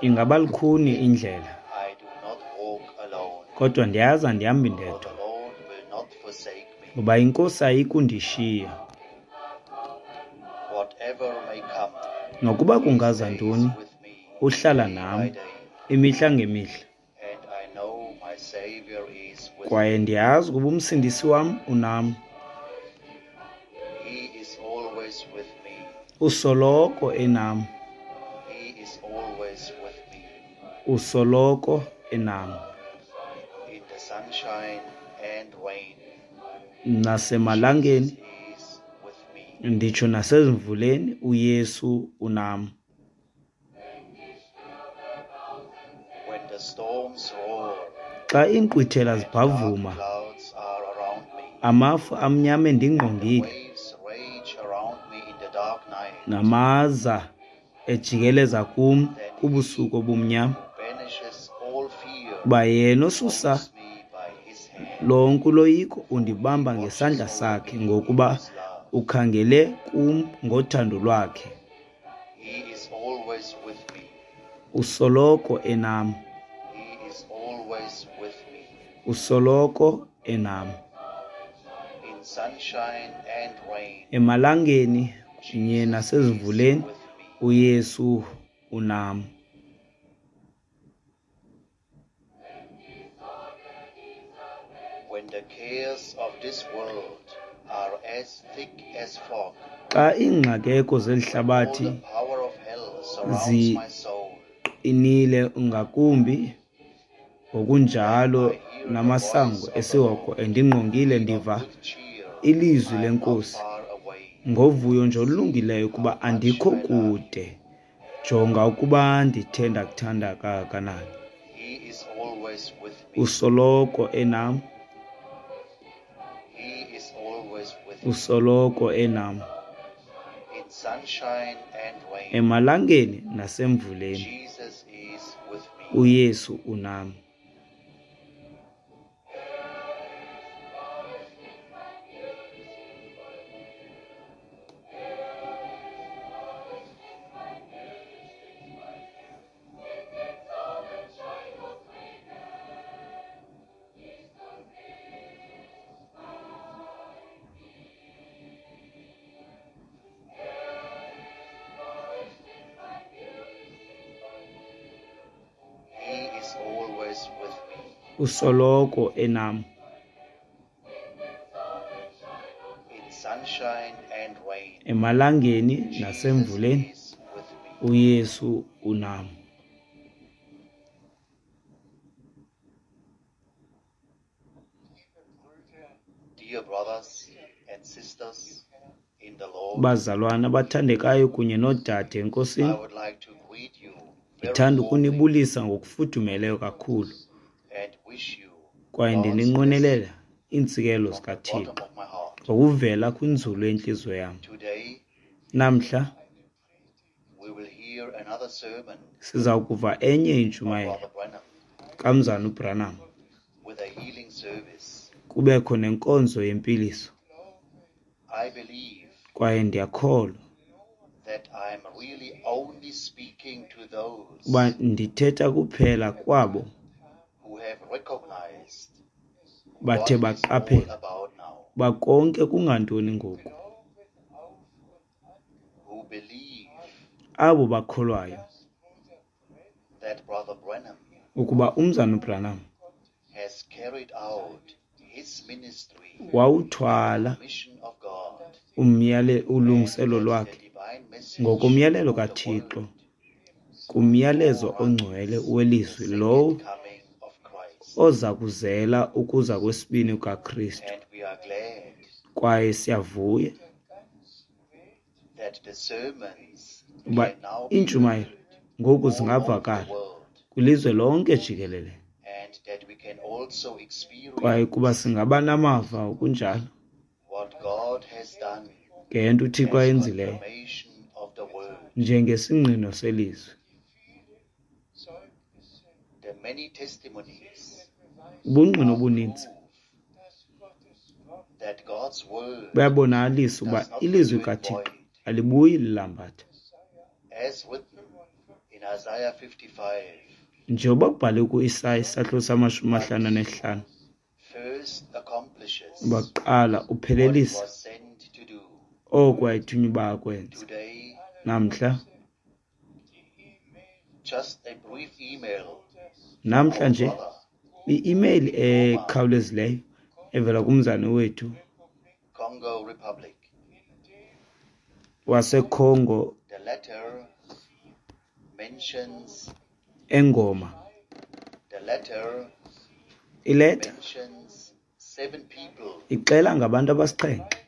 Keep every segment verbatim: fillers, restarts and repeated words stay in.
Ingaba lukhuni indlela, I do not walk alone, kodwa ndiyazi andihambi for ndedwa, the Lord will not forsake me. ngoba iNkosi ayikundishiya. Whatever may come, Nokuba He kungaza stays ntoni, with me uhlala day nam by day, imihla ngemihla, and I know my Savior is with kwaye me. ndiyazi ukuba uMsindisi wam unam. He is always with me. Usoloko enam, He is always with me. usoloko enam. In the sunshine and rain, Nasemalangeni, Jesus is with me. nditsho nasezimvuleni, uYesu unam. When the storms roar Xa iinkqwithela and dark zibhavuma, clouds are around me, amafu amnyama and the endingqongile, waves rage around me in the dark night, namaza ejikeleza kum then He kubusuku obumnyama, who banishes all fear kuba yena osusa holds me by his hand. lonke uloyiko For he undibamba watches ngesandla over sakhe, me in ngokuba his love. ukhangele kum ngothando lwakhe. He is always with me. Usoloko enam, He is always with me. usoloko enam. In sunshine and rain, Emalangeni kunye Jesus is nasezimvuleni, with me. uYesu unam. When the cares of this world are as thick as fog, Xa iingxakeko zeli when all hlabathi the power of hell surrounds my soul, ziqinile ngakumbi, then ngokunjalo I hear the namasango voice of the esihogo Lord. endingqongile, Be of ndiva good cheer, ilizwi I am not leNkosi far away. ngovuyo nje See olulungileyo ukuba how much andikho I love you. kude. Jonga ukuba ndithe ndakuthanda kangakanani. He is always with me. Usoloko enam, He is always with me. usoloko enam. In sunshine and rain, Emalangeni nasemvuleni, Jesus is with me. uYesu unam. He is always with me. Usoloko enam. In sunshine and rain, Emalangeni Jesus nasemvuleni, is with me. uYesu unam. Dear brothers and sisters in the Lord, Bazalwana abathandekayo kunye noodade I eNkosini, would like to greet you very ndithanda warmly ukunibulisa ngokufudumeleyo kakhulu and wish you kwaye God's blessing ndininqwenelela iintsikelelo from the zikaThixo bottom of my heart. ngokuvela kwinzulu yentliziyo yam. Today, Namhla we will hear another sermon siza kuva enye of intshumayelo Brother Branham kamzana uBranham, with a healing service. kubekho nenkonzo yempiliso. I believe Kwaye ndiyakholwa that I'm really only speaking to uba those ndithetha kuphela kwabo who have recognized bathe what it's all baqaphela about now, uba konke kungantoni ngoku, who believe abo bakholwayo that Brother Branham ukuba umzana uBranham has carried out his ministry, wawuthwala the mission of God, umyale and ulungiselo that the lwakhe divine message ngokomyalelo of the kaThixo word kumyalezo ongcwele foreruns the welizwi second lowo coming of Christ. oza kuzela ukuza kwesibini kukaKristu. And we are glad Kwaye siyavuya that the sermons uba can now be iintshumayelo heard ngoku all over the zingavakala world kwilizwe lonke jikelele, and that we can also kwaye experience kuba singaba namava okunjalo what God has done ngento uThixo as ayenzileyo confirmation of the word. njengesingqino selizwi. The many testimonies Ubungqina are obuninzi proof that God's word buyabonakalisa uba does not ilizwi return kaThixo void, alibuyi lilambatha. as written in Isaiah fifty-five, Njengoba kubhalwe ku-Isaya isahluko samashumi amahlanu anesihlanu, first accomplishes uba kuqala what it uphelelisa was sent to do. oko wayethunywa uba akwenze. Today, Namhla, just a brief email namhla our nje brother i-email ekhawulezileyo evela kumzane wethu Congo Republic. waseCongo The letter mentions eNgoma. the letter Ileta mentions seven people ixela ngabantu abasixhenxe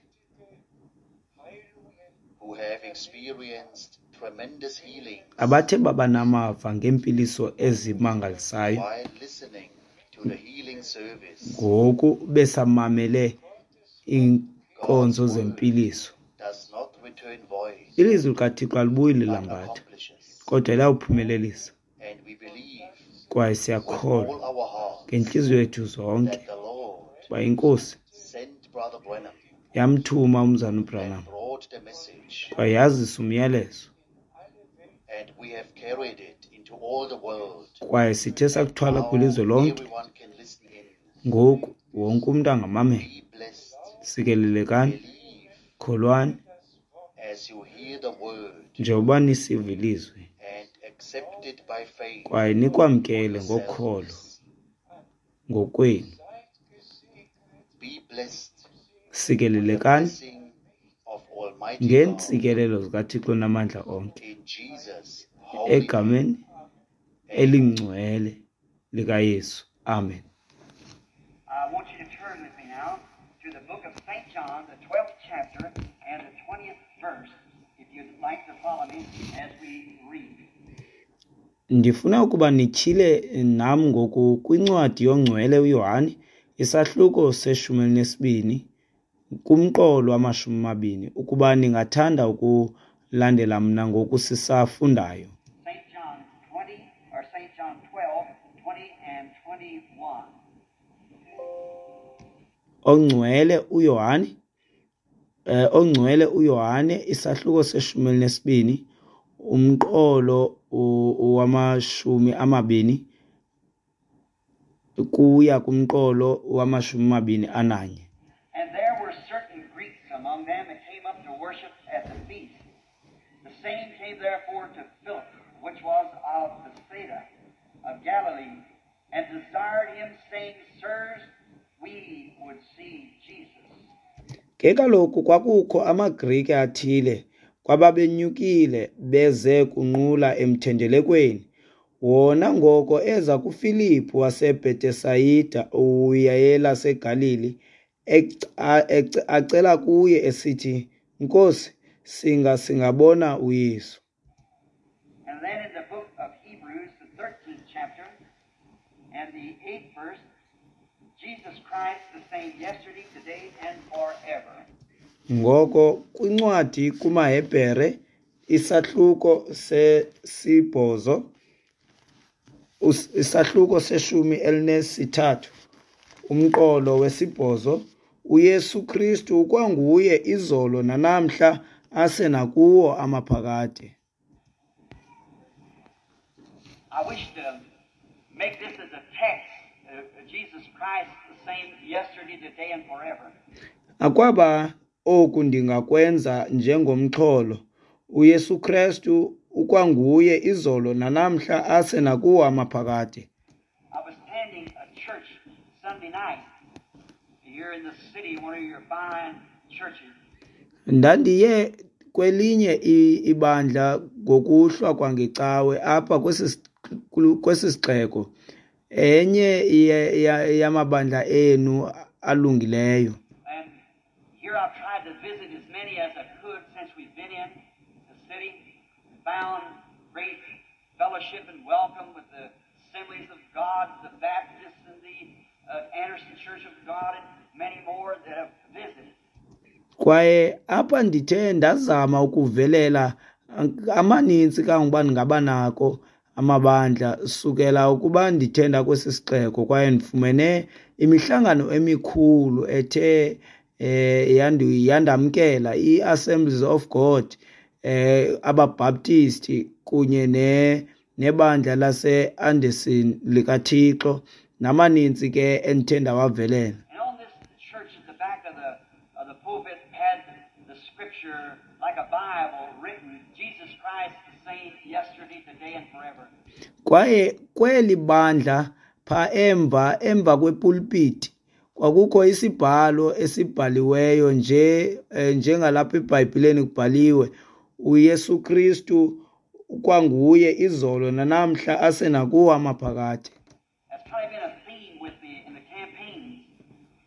who have experienced tremendous healings abathe baba namava ngeempiliso ezimangalisayo while listening to the healing service. ngoku besamamele iinkonzo God's word zempiliso. does not return void, Ilizwi likaThixo alibuyi but lilambatha, accomplishes. kodwa liyawuphumelelisa. And we believe Kwaye with siyakholwa all our hearts ngentliziyo yethu zonke that the Lord uba iNkosi sent Brother Branham yamthuma umzana and uBranham brought the message, kwaye yazisa umyalezo, and we have carried it into all the world. kwaye sithe sakuthwala Now kwilizwe lonke. everyone can listen in. Ngoku wonke umntu angamamela. Be blessed. Sikelelekani, Believe kholwani as you hear the word njengoba nisiva ilizwi and accept it by faith kwaye for nikwamkele ngokholo yourselves. ngokwenu. Be blessed with the Sikelelekani blessing of Almighty God ngeentsikelelo zikaThixo namandla onke in Jesus' holy name. egameni Amen. elingcwele likaYesu. Amen. I want you to turn with me now to the book of Saint John, the twelfth chapter and the twentieth verse, if you'd like to follow me as we read. Ndifuna ukuba nityhile nam ngoku kwincwadi yongcwele uYohane, isahluko seshumi elinesibini, kumqolo wamashumi amabini, ukuba ningathanda ukulandela mna ngoku sisafundayo. Saint John twenty, or Saint John twelve, twenty and twenty-one. Ongcwele uYohane, eh, ongcwele uYohane, isahluko seshumi elinesibini, umqolo u-, wamashumi amabini kuya kumqolo wamashumi amabini ananye. And there were certain Greeks among them that came up to worship at the feast. The same came therefore to Philip, which was of Bethsaida of Galilee, and desired him, saying, Sirs, we would see Jesus. Ke kaloku kwakukho amaGrike athile kwababenyukile beze kunqula emthendelekweni. Wona ngoko eza kuFilipu waseBhetesayida uyelaseGalili, eca-, eca-, acela kuye esithi, Nkosi, singa singabona uYesu. And then in the book of Hebrews, the thirteenth chapter and the eighth verse, Jesus Christ the same yesterday, today, and forever. Ngoko kwincwadi kumaHebhere isahluko sesibhozo, us-, isahluko seshumi elinesithathu, umqolo wesibhozo, uYesu Kristu ukwanguye izolo nanamhla ase nakuwo amaphakade. I wish to make this as a text, uh, Jesus Christ the same yesterday, today, and forever. Akwaba oku ndingakwenza njengomxholo, uYesu Kristu ukwanguye izolo nanamhla ase nakuwo amaphakade. I was attending a church Sunday night here in the city, one of your fine churches. Ndandiye kwelinye i-, ibandla ngokuhlwa kwangecawe apha kwesi kwesi sixeko, enye ye-, ye-, yamabandla enu alungileyo. And here I've tried to visit as many as I could since we've been in the city, found great fellowship and welcome with the Assemblies of God, the Baptists, and the, uh, Anderson Church of God, and many more that have visited. Kwaye apha ndithe ndazama ukuvelela amaninzi kangokuba ndingaba nako amabandla sukela ukuba ndithe ndakwesi sixeko, kwaye ndifumene imihlangano emikhulu ethe, eh, yandu-, yandamkela, i-Assemblies of God, eh, abaBaptisti kunye ne, nebandla lase-Anderson likaThixo, namaninzi ke endithe ndawavelela. And on this church at the back of the of the pulpit had the scripture like a Bible written, Jesus Christ the same yesterday, today, and forever. Kwaye kweli bandla pha emva emva kwepulpiti kwakukho isibhalo esibhaliweyo nje eh, njengalapha eBhayibhileni kubhaliwe uYesu Kristu kwanguye izolo nanamhla asenakuwo amaphakade. That's kind of been a theme with the in the campaigns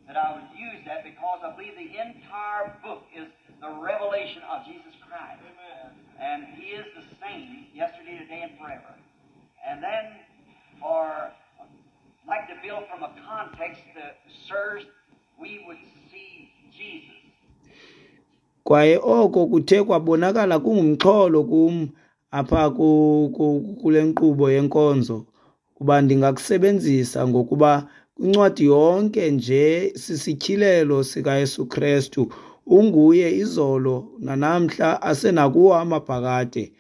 that I would use that because I believe the entire book is the revelation of Jesus Christ. And He is the same yesterday, today, and forever. And then for like to build from a context that serves we would see Jesus. Kwaye oko kuthe kwabonakala kungumxholo kum apha ku- ku- kule nkqubo yenkonzo kuba ndingakusebenzisa ngokuba kwincwadi yonke nje sisityhilelo sikaYesu Krestu, unguye izolo nanamhla asenakuwo amaphakade.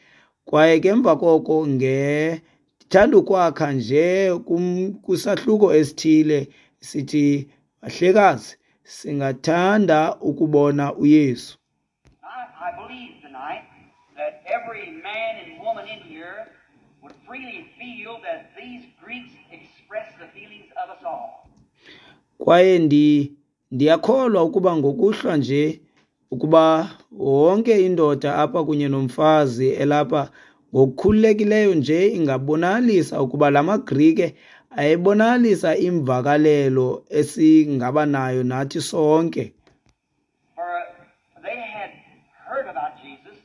Kwaye ke emva koko nge ndithanda ukwakha nje kum kwisahluko esithile sithi bahlekazi singathanda ukubona uYesu. I, I believe tonight that every man and woman in here would freely feel that these Greeks express the feelings of us all. Kwaye ndi ndiyakholwa ukuba ngokuhlwa nje ukuba wonke indoda apha kunye nomfazi elapha ngokukhululekileyo nje ingabonalisa ukuba la maGrike ayebonalisa imvakalelo esingaba nayo nathi sonke. For they had heard about Jesus,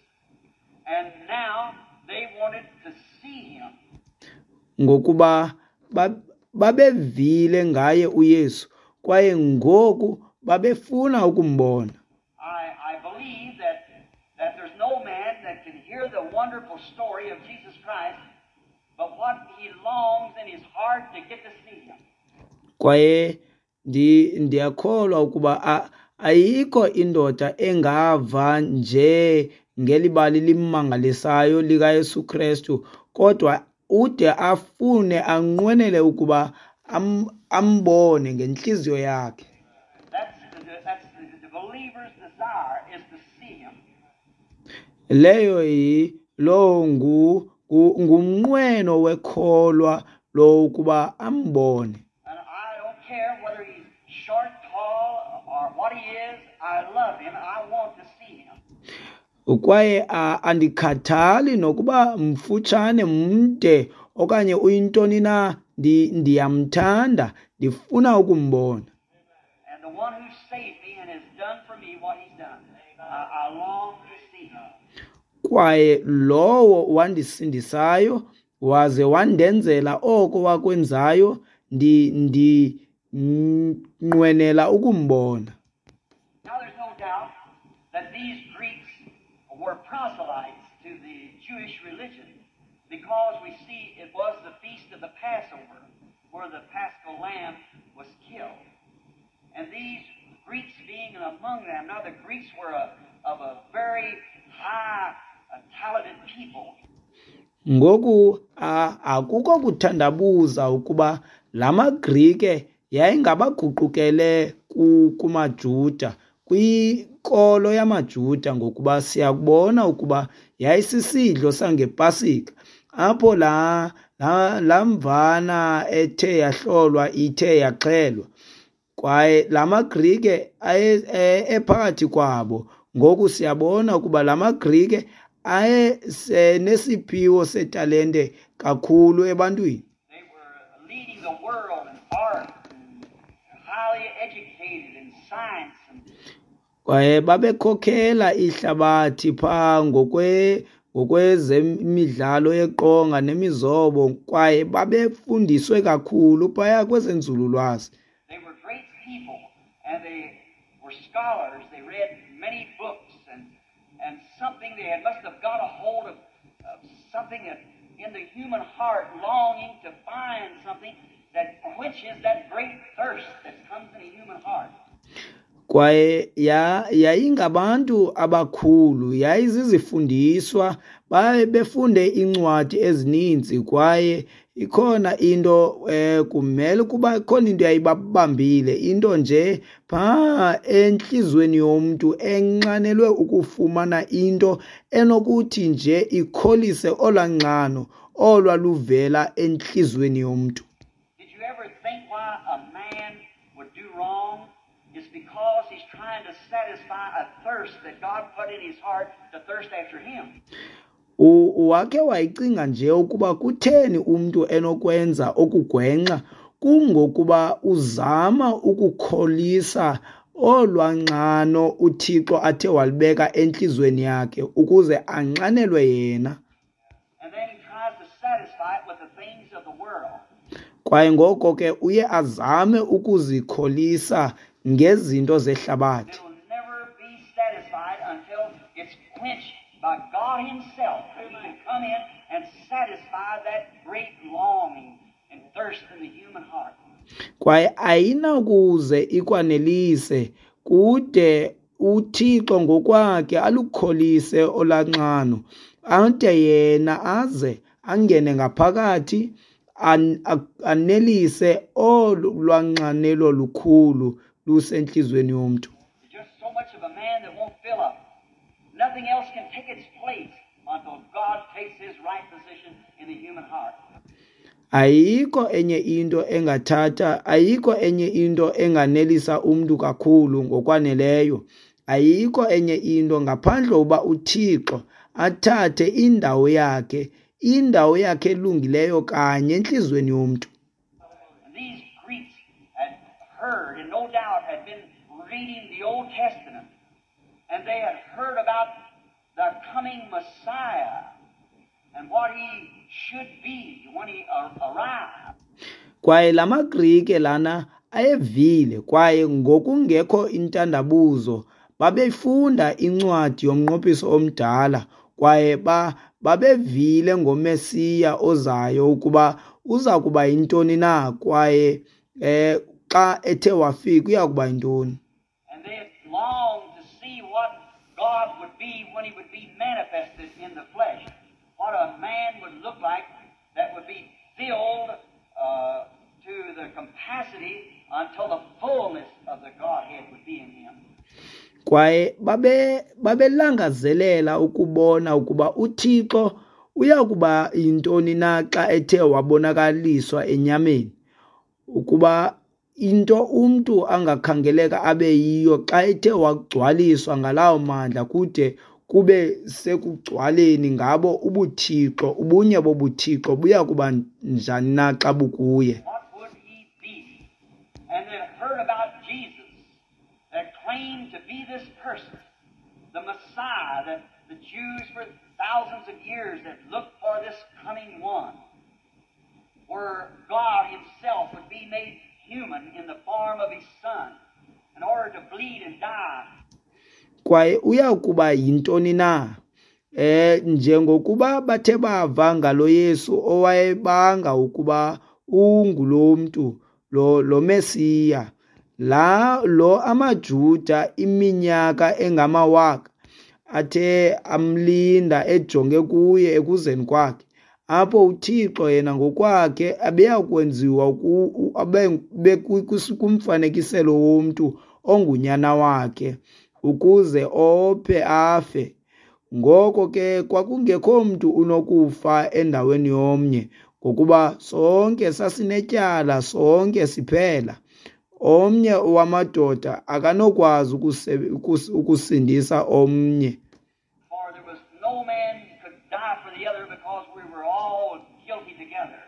and now they wanted to see him. Ngokuba ba- babevile ngaye uYesu kwaye ngoku babefuna ukumbona. I, I believe that, that there's no man that can hear the wonderful story of Jesus Christ, but what he longs in his heart to get to see him. Kwaye ndi ndiyakholwa ukuba a- ayikho indoda engava nje ngeli bali limangalisayo likaYesu Krestu kodwa ude afune anqwenele ukuba am, ambone ngentliziyo yakhe. That's the, that's the, the believer's desire is to see him. Leyo yi lowo ngu ngu- ngumnqweno wekholwa lo ukuba ambone. And I don't care whether he's short, tall, or what he is. I love him. I want to see him. Kwaye a- andikhathali nokuba mfutshane mde okanye uyintoni na, ndi ndiyamthanda, ndifuna ukumbona. And the one who saved me and has done for me what he's done, I, I long to see him. Kwaye lowo wandisindisayo waze wandenzela oko wakwenzayo, ndi ndinqwenela ukumbona. Now, there's no doubt that these Greeks were proselytes to the Jewish religion because we see it was the feast of the Passover where the Paschal lamb was killed. And these Greeks being among them, now the Greeks were a, of a very high, uh, talented people. Ngoku a- akukho kuthandabuza ukuba la maGrike yayingabaguqukele ku- kumaJuda, kwinkolo yamaJuda, ngokuba siyakubona ukuba yayisisidlo sangePasika apho la la la mvana ethe yahlolwa ithe yaxhelwa. Kwaye la maGrike aye e- ephakathi kwabo. Ngoku siyabona ukuba la maGrike ayesenesiphiwo setalente kakhulu ebantwini. They were leading the world in art and highly educated in science and Kwaye babekhokhela ihlabathi phaa ngokwe ngokwezemidlalo yeqonga nemizobo, kwaye babefundiswe kakhulu phaya kwezenzululwazi. They were great people, and they were scholars. They read many books, and and something they had must have got a hold of, of something that in the human heart, longing to find something that quenches that great thirst that comes in a human heart. Kwaye ya yayingabantu abakhulu, yayizizifundiswa, baye befunde iincwadi ezininzi kwaye ikhona into eh kumele ukuba ikhona into yayibabambile, into nje phaa entliziyweni yomntu enxanelwe ukufumana into enokuthi nje ikholise olwaa nxano olwaluvela entliziyweni yomntu. Did you ever think why a man would do wrong? It's because he's trying to satisfy a thirst that God put in his heart to thirst after him. U- Wakhe wayicinga nje ukuba kutheni umntu enokwenza okugwenxa? Kungokuba uzama ukukholisa olwaa nxano uThixo athe walibeka entliziyweni yakhe ukuze anxanelwe yena. And then he tries to satisfy it with the things of the world. Kwaye ngoko ke uye azame ukuzikholisa ngezinto zehlabathi. It'll never be satisfied until it's quenched by God Himself, who can come in and satisfy that great longing and thirst in the human heart. Kwaye ayinakuze ikwanelise kude uThixo ngokwakhe alukholise olaa nxano, ade yena aze angene ngaphakathi an- a- anelise olu lwanxanelo lukhulu lusentliziyweni yomntu. There's just so much of a man that won't fill up. Nothing else can take its place until God takes His right position in the human heart. Ayikho enye into engathatha, ayikho enye into enganelisa umntu kakhulu ngokwaneleyo. Ayikho enye into ngaphandle uba uThixo athathe indawo yakhe, indawo yakhe elungileyo kanye entliziyweni yomntu. And these Greeks had heard, and no doubt had been reading the Old Testament, and they had heard about the coming Messiah and what he should be when he ar- arrived. Kwaye la maGrike lana ayevile kwaye ngokungekho intandabuzo babefunda incwadi yomnqophiso omdala kwaye ba babevile ngoMesiya ozayo ukuba uza kuba yintoni na kwaye eh xa ethe wafika uya kuba yintoni. And they had longed to see what God would be when he would be manifested in the flesh. What a man would look like that would be filled uh, to the capacity until the fullness of the Godhead would be in him. Kwaye babe babelangazelela ukubona ukuba uThixo uya kuba yintoni na xa ethe wabonakaliswa enyameni, ukuba into umntu angakhangeleka abe yiyo xa ethe wagcwaliswa ngalawo mandla kude kube sekugcwaleni ngabo ubuThixo, ubunye bobuThixo buya kuba njani na xa bukuye. What would he be? And they heard about Jesus that claimed to be this person, the Messiah that the Jews for thousands of years had looked for, this coming one, where God Himself would be made human in the form of His Son in order to bleed and die. Kwaye uya kuba yintoni na? Eh njengokuba bathe bava ngalo Yesu owayebanga ukuba ungulo mntu lo lo Mesiya la lo amaJuda iminyaka engamawaka athe amlinda ejonge kuye ekuzeni kwakhe, apho uThixo yena ngokwakhe abeya kwenziwa abe kumfanekiselo womntu ongunyana wakhe ukuze ophe afe. Ngoko ke kwakungekho mntu unokufa endaweni yomnye, ngokuba sonke sasinetyala, sonke siphela. Omnye wamadoda akanokwazi ukusindisa omnye. For there was no man could die for the other because we were all guilty together.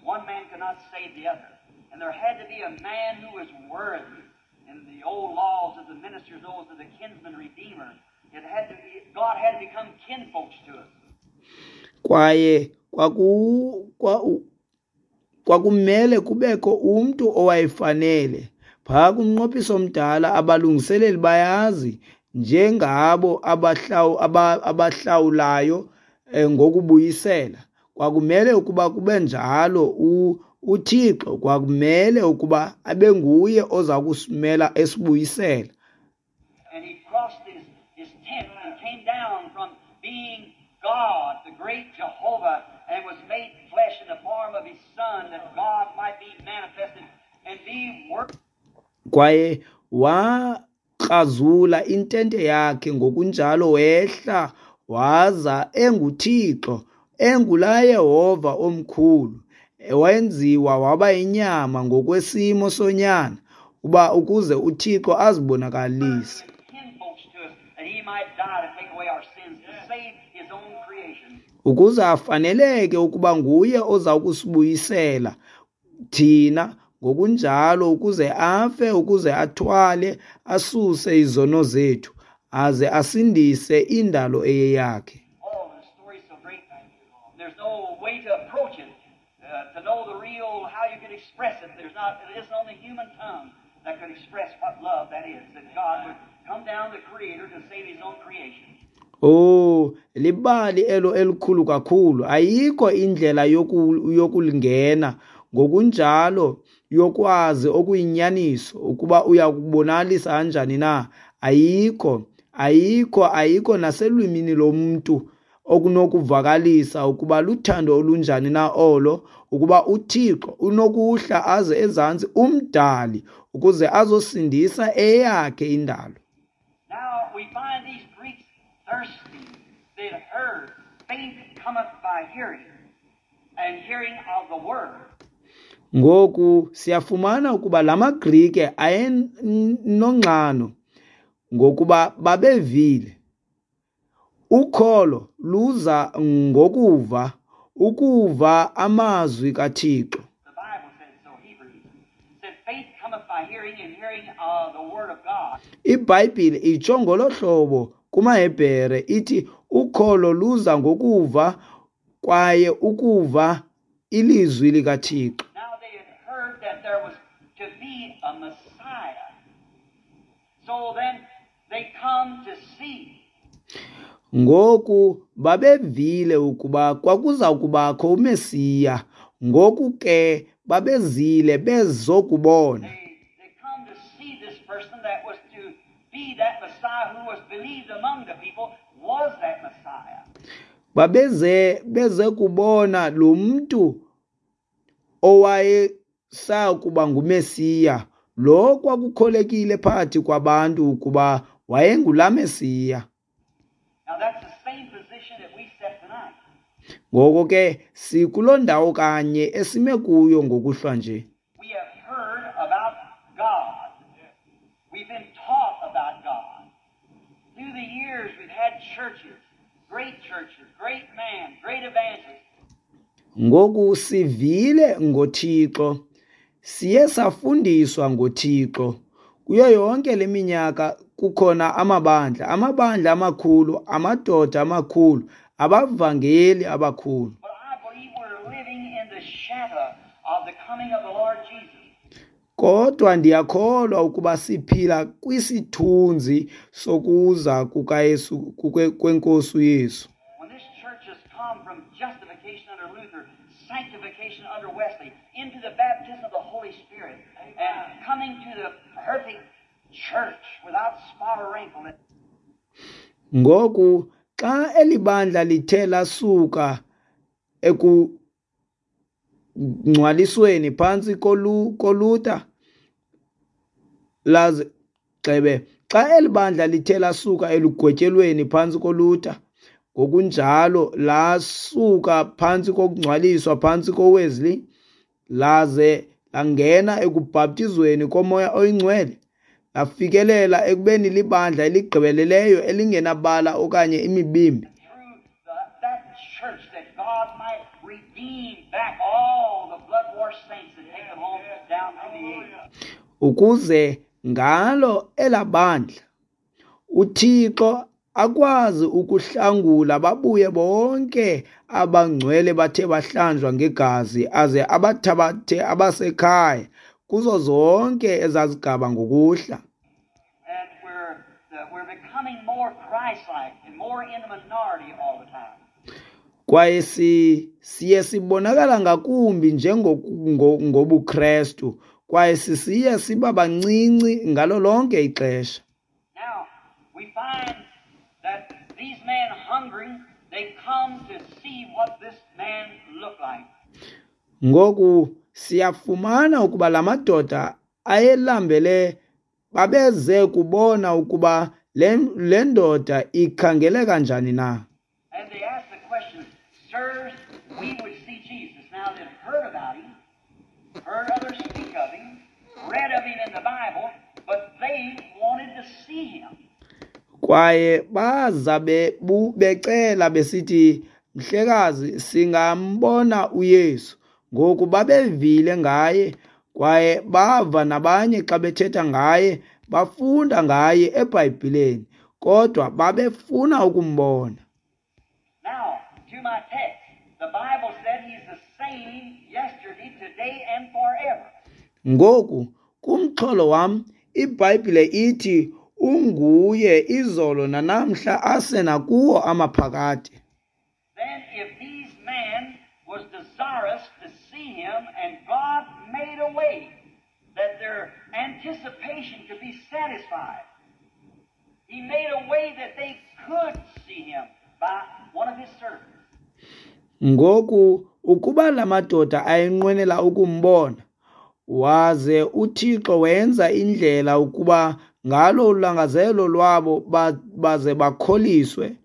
One man could not save the other. And there had to be a man who was worthy. In the old laws of the ministers, those of the kinsman redeemer, it had to be, God had to become kinfolks to us. Kwaye kwaku kwa kwakumele kubekho umntu owayefanele. Phaa kumnqophiso omdala abalungiseleli bayazi njengabo abahlaw abahlawulayo ngokubuyisela. Kwakumele ukuba kube njalo uThixo kwakumele ukuba abe nguye oza kusimela esibuyisela. And he crossed his, his tent and came down from being God, the great Jehovah, and was made flesh in the form of his Son, that God might be manifested and be worked. Kwaye wakrazula intente yakhe ngokunjalo wehla waza enguThixo, engulaa Yehova omkhulu, wenziwa waba inyama ngokwesimo sonyana, uba ukuze uThixo azibonakalise. Kinfolks to us, that he might die to take away our sins, to save his own creation. Ukuze afaneleke ukuba nguye oza kusibuyisela thina ngokunjalo, ukuze afe, ukuze athwale, asuse izono zethu, aze asindise indalo eyeyakhe. Oh, the story's so great. There's no way to approach it, uh, to know the real, how you could express it. There's not, it isn't on the human tongue that could express what love that is, that God would come down, the Creator, to save his own creation. Oh, libali elo elikhulu kakhulu. Ayikho indlela yoku, yokulingena ngokunjalo yokwazi okuyinyaniso ukuba uyakubonalisa kanjani na. Ayikho, ayikho, ayikho naselwimini lomntu okunokuvakalisa ukuba luthando olunjani na olo, ukuba uThixo unokuhla aze ezantsi umdali ukuze azosindisa eyakhe indalo. Now we find these Greeks thirsty. They'd heard. Faith cometh by hearing, and hearing of the word. Ngoku siyafumana ukuba la maGrike ayenonxano ngokuba babevile. Ukholo luza ngokuva, ukuva amazwi kaThixo. The Bible says so, Hebrews said faith cometh by hearing, and hearing of the word of God. IBhayibhile itsho ngolo hlobo kumaHebhere, ithi ukholo luza ngokuva kwaye ukuva ilizwi likaThixo. Now they had heard that there was to be a Messiah. So then they come to see. Ngoku babevile ukuba kwakuza kubakho uMesiya. Ngoku ke babezile bezokubona. They, they come to see this person that was to be that Messiah who was believed among the people was that Messiah. Babeze beze kubona lo mntu owayesakuba nguMesiya, lo kwakukholekile phakathi kwabantu ukuba wayengulaa Mesiya. Now that's the same position that we set tonight. Ngoko ke sikuloo ndawo kanye esime kuyo ngokuhlwa nje. We have heard about God. We've been taught about God. Through the years we've had churches, great churches, great men, great evangelists. Ngoku sivile ngoThixo, siye safundiswa ngoThixo. Kuyo yonke le minyaka kukhona amabandla, amabandla amakhulu, amadoda amakhulu, abavangeli abakhulu. But I believe we're living in the shadow of the coming of the Lord Jesus. Kodwa ndiyakholwa ukuba siphila kwisithunzi sokuza kukaYesu, kuke-, kweNkosi uYesu. When this church has come from justification under Luther, sanctification under Wesley, into the baptism of the Holy Spirit, and coming to the perfect church without spot or wrinkle. Ngoku xa eli bandla lithe lasuka ekungcwalisweni phantsi kolu-, koLuther, laze gxebe, xa eli bandla lithe lasuka elugwetyelweni phantsi koLuther, ngokunjalo lasuka phantsi kokungcwaliswa phantsi koWesley, laze langena ekubhaptizweni koMoya oyiNgcwele, lafikelela ekubeni libandla eligqibeleleyo elingenabala okanye imibimbi. Through the, that church that God might redeem back all the blood-washed saints and take them home down to the age. Ukuze ngalo elabandla uThixo akwazi ukuhlangula babuye bonke abangcwele bathe bahlanjwa ngegazi, aze abathabathe abasekhaya kuzo zonke ezazigaba ngokuhla. And we're, the, we're becoming more Christ-like and more in the minority all the time. Kwaye si, siye sibonakala ngakumbi njengobuKrestu, kwaye sisiye siba bancinci ngalo lonke ixesha. Now, We find that these men hungering, they come to see what this man looked like. Ngoku siyafumana ukuba la madoda ayelambele babeze kubona ukuba le, le ndoda ikhangeleka njani na. And they asked the question, sirs, we would see Jesus. Now they'd heard about him, heard others speak of him, read of him in the Bible, but they wanted to see him. Kwaye baza bebu- becela besithi, mhlekazi, singambona uYesu. Ngoku babevile ngaye kwaye bava nabanye xa bethetha ngaye, bafunda ngaye eBhayibhileni, kodwa babefuna ukumbona. Now, to my text, the Bible said he's the same yesterday, today, and forever. Ngoku kumxholo wam, iBhayibhile ithi unguye izolo nanamhla asenakuwo amaphakade. Then if these men was desirous to see him, and God made a way that their anticipation could be satisfied, he made a way that they could see him by one of his servants. Ngoku ukuba la madoda ayenqwenela ukumbona, waze uThixo wenza indlela ukuba ngalo ulangazelo lwabo ba- baze bakholiswe,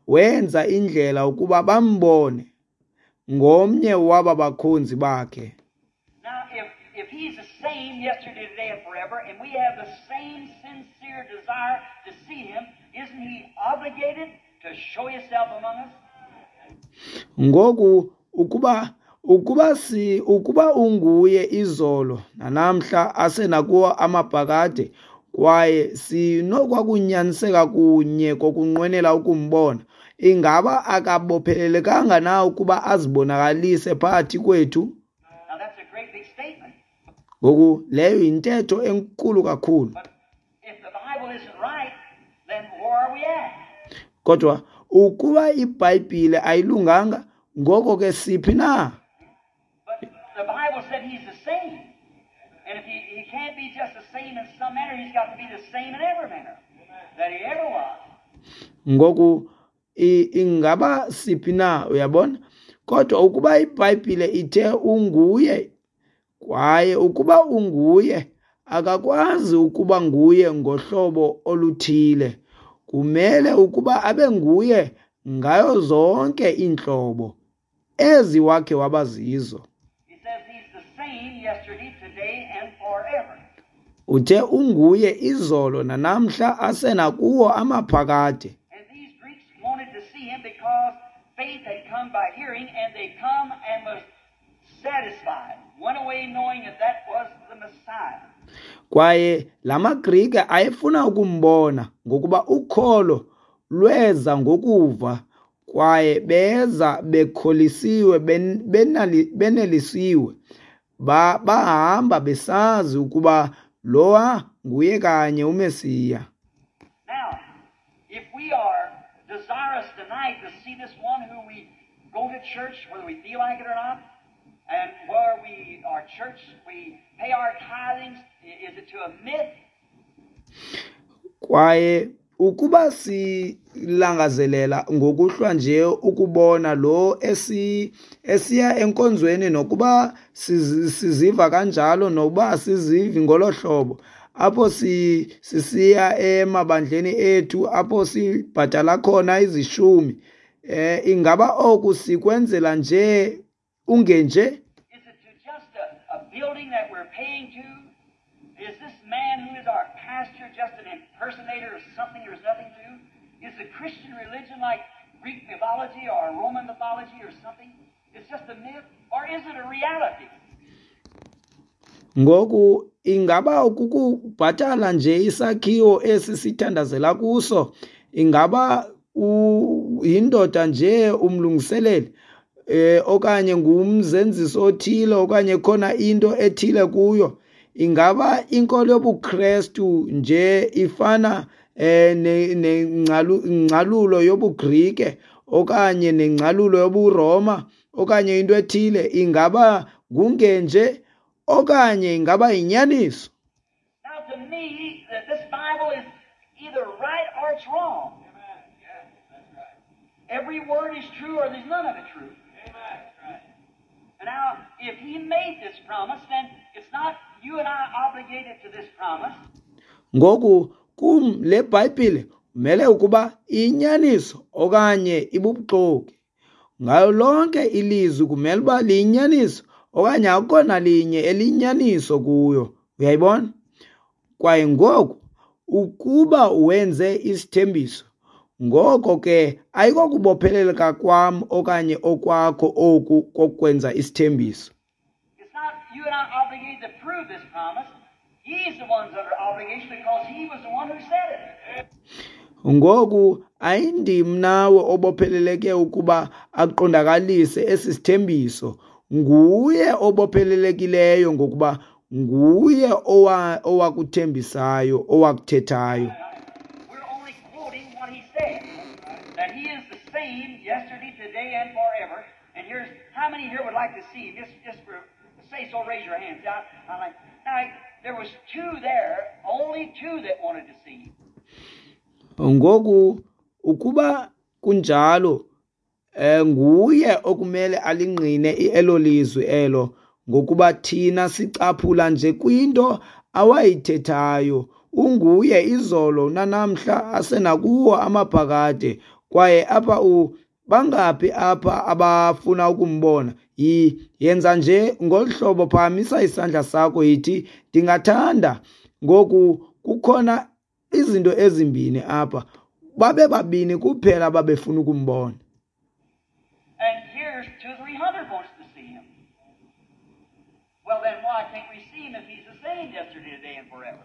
wenza indlela ukuba bambone ngomnye waba bakhonzi bakhe. Now, if, if he's the same yesterday, today, and forever, and we have the same sincere desire to see him, isn't he obligated to show himself among us? Ngoku ukuba ukuba si ukuba unguye izolo nanamhla asenakuwo amaphakade, kwaye sinokwakunyaniseka kunye kokunqwenela ukumbona, ingaba akabophelelekanga na ukuba azibonakalise phakathi kwethu? Now, that's a great big statement. Ngoku leyo yintetho enkulu kakhulu. But if the Bible isn't right, then where are we at? Kodwa ukuba iBhayibhile ayilunganga, ngoko ke siphi na? But the Bible said he's the same. And if he, he can't be just the same in some manner, he's got to be the same in every manner that he ever was. Ngoku i- ingaba siphi na, uyabona? Kodwa ukuba iBhayibhile ithe unguye, kwaye ukuba unguye, akakwazi ukuba nguye ngohlobo oluthile. Kumele ukuba abe nguye ngayo zonke iintlobo ezi wakhe wabazizo. He says he's the same yesterday, today, and forever. Uthe unguye izolo nanamhla asenakuwo amaphakade. And these Greeks wanted to see him because faith had come by hearing, and they come and was satisfied, went away knowing that that was the Messiah. Kwaye la maGrike ayefuna ukumbona ngokuba ukholo lweza ngokuva, kwaye beza bekholisiwe, ben-, benali-, benelisiwe. Ba-, bahamba besazi ukuba lowa nguye kanye uMesiya. Now, if we are desirous tonight to see this one who we go to church, whether we feel like it or not, and where we are church, we pay our tithings, i-, is it to a myth? Kwaye ukuba silangazelela ngokuhlwa nje ukubona lo esi-, esiya enkonzweni, nokuba sizi-, siziva kanjalo nokuba asizivi ngolo hlobo, apho si-, sisiya emabandleni ethu apho sibhatala khona izishumi, eh, ingaba oku sikwenzela nje ungenje? Is it to just a, a building that we're paying to? Is this man who is our pastor just an impersonator of something there's nothing to? Is the Christian religion like Greek mythology or Roman mythology or something? It's just a myth? Or is it a reality? Ngoku ingaba kukubhatala nje isakhiwo esi sithandazela kuso? Ingaba u-, yindoda nje umlungiseleli, eh, okanye ngumzenzisi othile, okanye khona into ethile kuyo? Ingaba inkolo yobuKrestu nje ifana, eh, ne-, nengcalu-, ngcalulo yobuGrike okanye nengcalulo yobuRoma okanye into ethile? Ingaba ngungenje okanye ingaba yinyaniso? Now to me, that this Bible is either right or it's wrong. Every word is true or there's none of it true. And now, if he made this promise, then it's not you and I obligated to this promise. Ngoku kum le Bhayibhile kumele ukuba iyinyaniso okanye ibubuxoki. Ngayo lonke ilizwi kumele uba liyinyaniso okanye akukho nalinye eliyinyaniso kuyo. Uyayibona? Kwaye ngoku ukuba wenze isithembiso, ngoko ke ayikokubopheleleka kwam okanye okwakho oku kokwenza isithembiso. It's not you and I obligated to prove this promise. He's the one's under obligation because he was the one who said it. Ngoku ayindim nawe obopheleleke ukuba aqondakalise esi sithembiso. Nguye obophelelekileyo ngokuba nguye owa owakuthembisayo, owakuthethayo. We're only quoting what he said. That he is the same yesterday, today, and forever. And here's how many here would like to see him? Just, just for say so, raise your hands. I, I like, now, there was two there, only two that wanted to see him. Ngoku ukuba kunjalo, eh nguye okumele alingqine elo lizwi elo, ngokuba thina sicaphula nje kwinto awayithethayo. Unguye izolo nanamhla asenakuwo amaphakade. Kwaye apha u bangaphi apha abafuna ukumbona? Yi yenza nje ngolu hlobo, phakamisa isandla sakho yithi ndingathanda. Ngoku kukhona izinto ezimbini apha, babe babini kuphela ababefuna ukumbona. And here's two, three hundred wants to see him. Well, then why can't we see him if he's the same yesterday, today, and forever?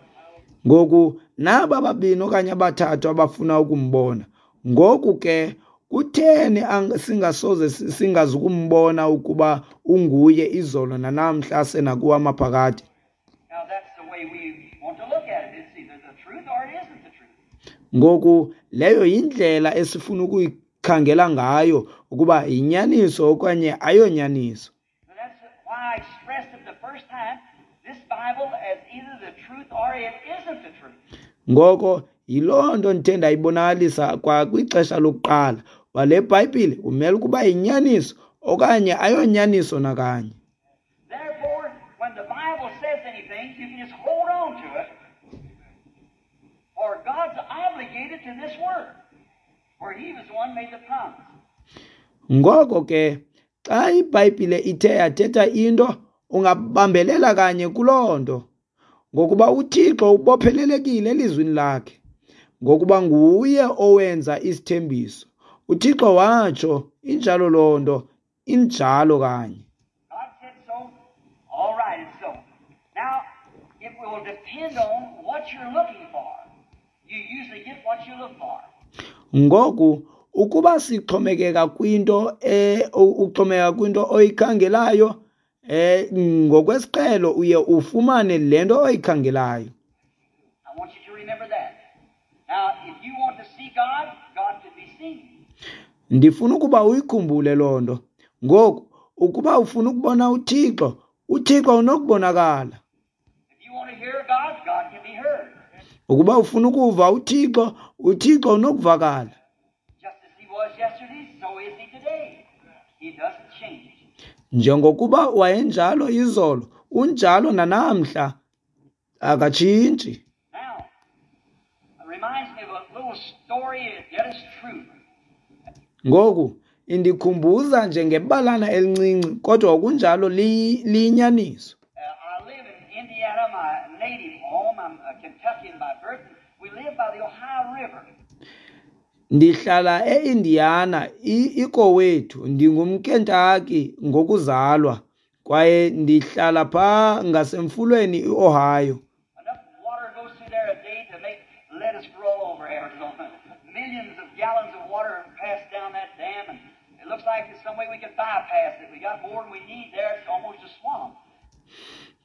Ngoku naba babini okanye abathathu abafuna ukumbona. Ngoku ke kutheni singasoze singazukumbona ukuba unguye izolo nanamhla senakuwo amaphakade? Now that's the way we want to look at it. It's either the truth or it isn't the truth. Ngoku leyo yindlela esifuna ukuyikhangela ngayo, ukuba yinyaniso okanye ayonyaniso. And that's why I expressed it the first time, this Bible as either the truth or it isn't the truth. Ngoko yiloo nto ndithe ndayibonakalisa kwa kwixesha lokuqala, uba le Bhayibhile kumele ukuba yinyaniso okanye ayonyaniso nakanye. Therefore, when the Bible says anything, you can just hold on to it. For God's obligated to this word, for he was the one made the promise. Ngoko ke xa iBhayibhile ithe yathetha into, ungabambelela kanye kuloo nto, ngokuba uThixo ubophelelekile elizwini lakhe, ngokuba nguye owenza isithembiso. uThixo watsho, injalo loo nto, injalo kanye. God said so. All right, it's so. Now, it will depend on what you're looking for. You usually get what you look for. Ngoku ukuba sixhomekeka kwinto eh uxhomekeka kwinto oyikhangelayo, eh ngokwesiqhelo uye ufumane le nto oyikhangelayo. I want you to remember that. Now, if you want to see God, God can be seen. Ndifuna ukuba uyikhumbule loo nto. Ngoku ukuba ufuna ukubona uThixo, uThixo unokubonakala. If you want to hear God, God can be heard. Ukuba ufuna ukuva uThixo, uThixo unokuvakala. Just as he was yesterday, so is he today. He doesn't change. Njengokuba wayenjalo izolo, unjalo nanamhla, akatshintshi. Now, it reminds me of a little story, yet it's true. Ngoku indikhumbuza nje ngebalana elincinci, kodwa kunjalo liyinyaniso. Uh, I live in Indiana, my native home. I'm a Kentuckian by birth. We live by the Ohio River. Ndihlala eIndiana, ikowethu. NdingumKentucky ngokuzalwa, kwaye ndihlala phaa ngasemfulweni iOhio. Enough water goes through there a day to make lettuce grow all over Arizona. Millions of gallons of water pass down that dam, and it looks like there's some way we could bypass it. We got more than we need there. It's almost a swamp.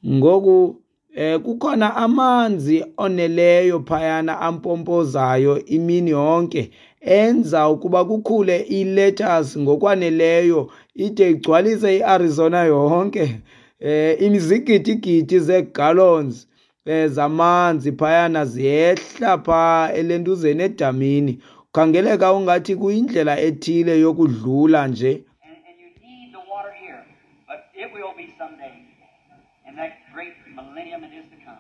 Ngoku eh kukhona amanzi oneleyo phayana ampompozayo imini yonke, enza ukuba kukhule ilettuce ngokwaneleyo ide igcwalise iArizona yonke. Eh imizigidigidi zegallons eh, zamanzi phayana ziyehla pha elentuzeni edamini. Khangeleka ungathi kuyindlela ethile yokudlula nje. And, and you need the water here, but it will be someday in that great millennium that is to come.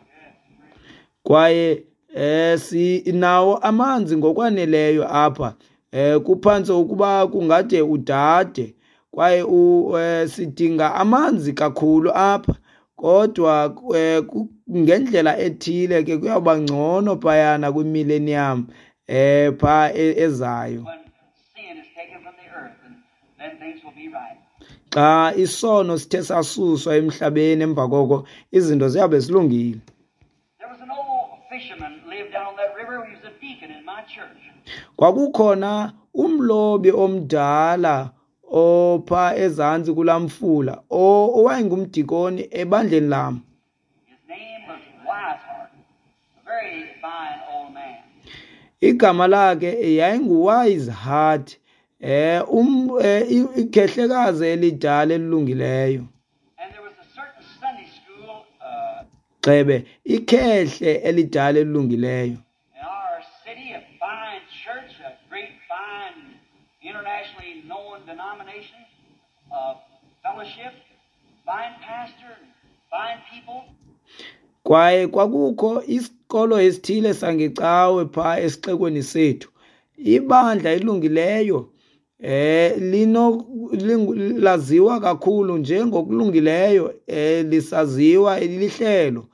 Kwaye eh sinawo amanzi ngokwaneleyo apha, eh kuphantse ukuba kungade udade, kwaye u, eh, sidinga amanzi kakhulu apha, kodwa eh, ku- ngendlela ethile ke kuyawuba ngcono phayana kwimillennium eh pha e- ezayo, When sin is taken from the earth, and then things will be right. xa isono sithe sasuswa emhlabeni, emva koko izinto ziyabe zilungile. There was an old fisherman lived down on that river. He was a deacon in my church. Kwakukhona umlobi omdala opha ezantsi kulaa mfula o- owayengumdikoni ebandleni lam. His name was Wisehart, a very fine old man. Igama lakhe yayinguWise Heart, eh um eh, i- ikhehlekazi elidala elilungileyo. And there was a certain Sunday school uh, Gxebe, ikhehle elidala elilungileyo. in our city, a fine church, a great fine internationally known denomination, uh, fellowship, fine pastor, fine people. Kwaye kwakukho isikolo esithile sangecawe phaa esixekweni sethu, ibandla elilungileyo, eh lino lingu- laziwa kakhulu njengokulungileyo, eh lisaziwa lihlelo,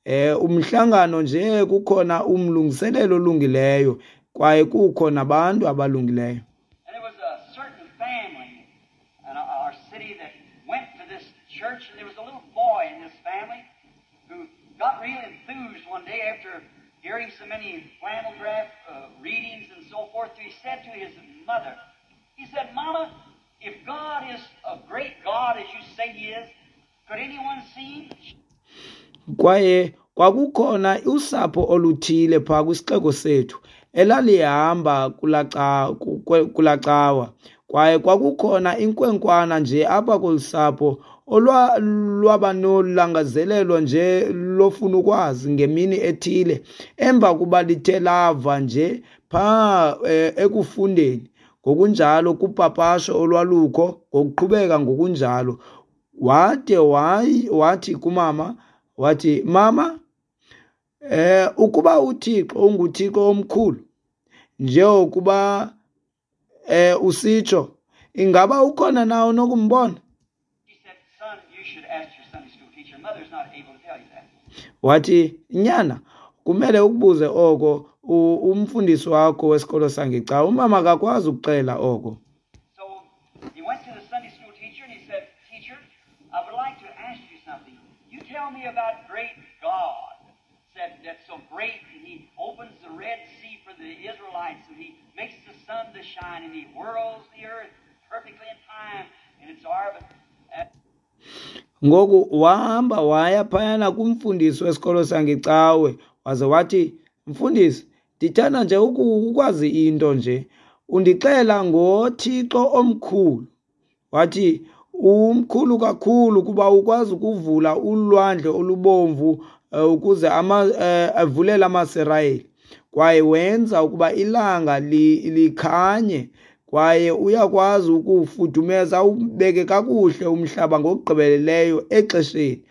eh umhlangano nje, kukhona umlungiselelo olungileyo kwaye kukho nabantu abalungileyo. And there was a certain family in our city that went to this church, and there was a little boy in this family who got real enthused one day after hearing so many flannel graph uh, readings and so forth. He said to his mother, he said, "Mama, if God is a great God as you say He is, could anyone see Him?" Kwaye kwakukhona usapho oluthile phaa kwisixeko sethu elalihamba kulaa ca- ku- kwe- kulaa cawa, kwaye kwakukhona inkwenkwana nje apha kolu sapho olwa lwaba nolangazelelo nje lofuna ukwazi ngemini ethile emva kuba lithe lava nje phaa eh, ekufundeni ngokunjalo kupapasho olwalukho ngokuqhubeka ngokunjalo, wade wayi wathi kumama, wathi, "Mama, eh ukuba uThixo unguThixo omkhulu njengokuba eh usitsho, ingaba ukhona na onokumbona?" She said, "Son, you should ask your Sunday school teacher. Mother's not able to tell you that." Wathi, "Nyana, kumele ukubuze oko u- umfundisi wakho wesikolo sangecawa, umama akakwazi ukuxela oko." So he went to the Sunday school teacher and he said, "Teacher, I would like to ask you something. You tell me about great God. Said that's so great, and He opens the Red Sea for the Israelites, and He makes the sun to shine, and He whirls the earth perfectly in time in its orbit." And Ngoku wahamba waya phayana kumfundisi wesikolo sangecawe, waze wathi, "Mfundisi, ndithanda nje uku- ukwazi into nje. Undixela ngoThixo omkhulu." Wathi, "Umkhulu kakhulu kuba ukwazi ukuvula ulwandle olubomvu eh, ukuze ama, eh, avulele amaSirayeli, kwaye wenza ukuba ilanga li, likhanye, kwaye uyakwazi ukuwufudumeza ubeke kakuhle umhlaba ngokugqibeleleyo exesheni.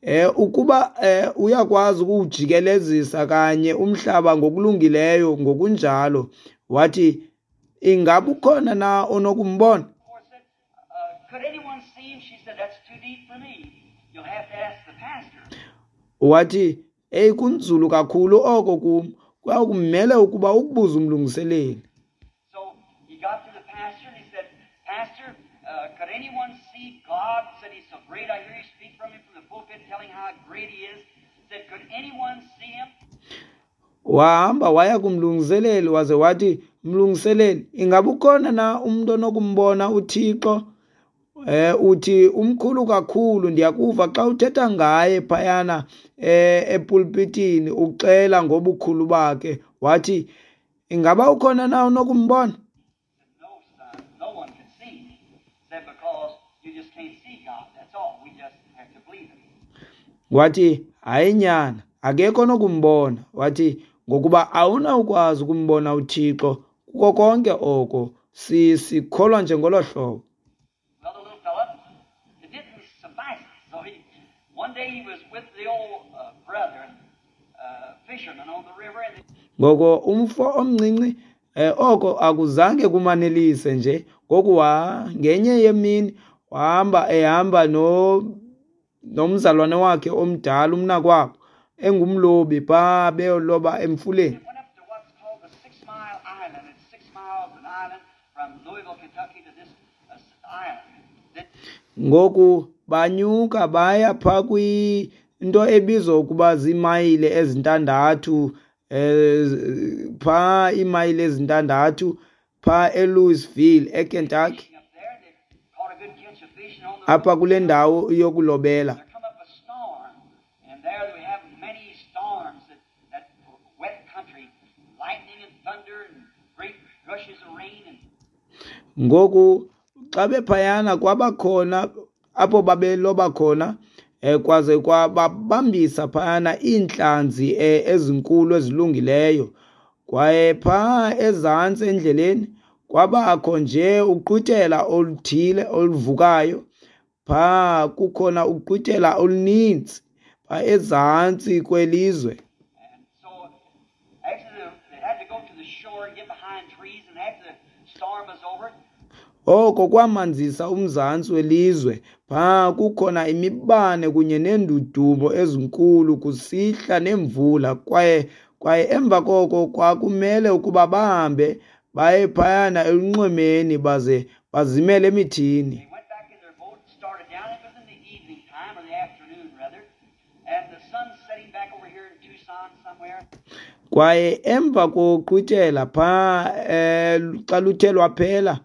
Eh ukuba eh, uyakwazi ukuwujikelezisa kanye umhlaba ngokulungileyo ngokunjalo." Wathi, "Ingaba ukhona na onokumbona?" forth said, uh, "Could anyone see Him?" She said, "That's too deep for me. You'll have to ask the pastor." Wathi, "Eyi, kunzulu kakhulu oko kum, kuyakumele ukuba ukubuze umlungiseleli." So he got to the pastor and he said, "Pastor, uh, could anyone see God?" Said, "He's so great. I hear you speak from him from the pulpit telling how great he is." Said, "Could anyone see him?" Wahamba waya kumlungiseleli waze wathi, "Mlungiseleli, ingaba ukhona na umntu onokumbona uThixo? Eh uthi umkhulu kakhulu, ndiyakuva xa uthetha ngaye phayana eh epulpitini uxela ngobukhulu bakhe." Wathi, "Ingaba ukhona na onokumbona?" Said, "No, son, no one could see him." Said, "Because you just can't see God. That's all. We just have to believe him." Wathi, "Hayi nyana, Akekho onokumbona. Wathi, ngokuba awunawukwazi ukumbona uThixo kuko konke oko. Sikholwa nje ngolo hlobo. Well, the little fella, it didn't suffice. So he, one day he was with the old uh, brethren, uh, fishermen on the river, and Ngoko umfo omncinci eh, oko akuzange kumanelise nje. Ngoku wa ngenye yemini wahamba ehamba no nomzalwane wakhe omdala umnakwabo engumlobi phaa beyoloba emfuleni. they went up to what's called the Six Mile Island. It's six miles an island from Louisville, Kentucky to this uh, island. Then Ngoku banyuka baya phaa kwinto ebizwa ukuba ziimayile ezintandathu eh phaa iimayile ezintandathu phaa eLouisville eKentucky fishing up there, they caught a good catch of fish, and on the apha kule ndawo yokulobela. there come up a storm, and there we have many storms that, that wet country, lightning and thunder and great gushes of rain and Ngoku xa bephayana kwabakhona apho babeloba khona eh kwaze kwababambisa phayana iintlanzi eh, ezinkulu ezilungileyo. Kwaye phaa ezantsi endleleni kwabakho nje uqhwithela oluthile oluvukayo. Phaa kukhona uqhwithela oluninzi phaa ezantsi kwelizwe. And so after the, they had to go to the shore and get behind trees, and after the storm was over, Oko kwamanzisa umzantsi welizwe. Phaa kukhona imibane kunye neendudumo ezinkulu kusihla nemvula kwaye kwaye emva koko kwakumele ukuba bahambe baye phayana elunxwemeni baze bazimele emithini. they went back in their boat and started down. It was in the evening time, or the afternoon rather, and the sun's setting back over here in Tucson somewhere. Kwaye emva koqhwithela phaa eh xa luthe lwaphela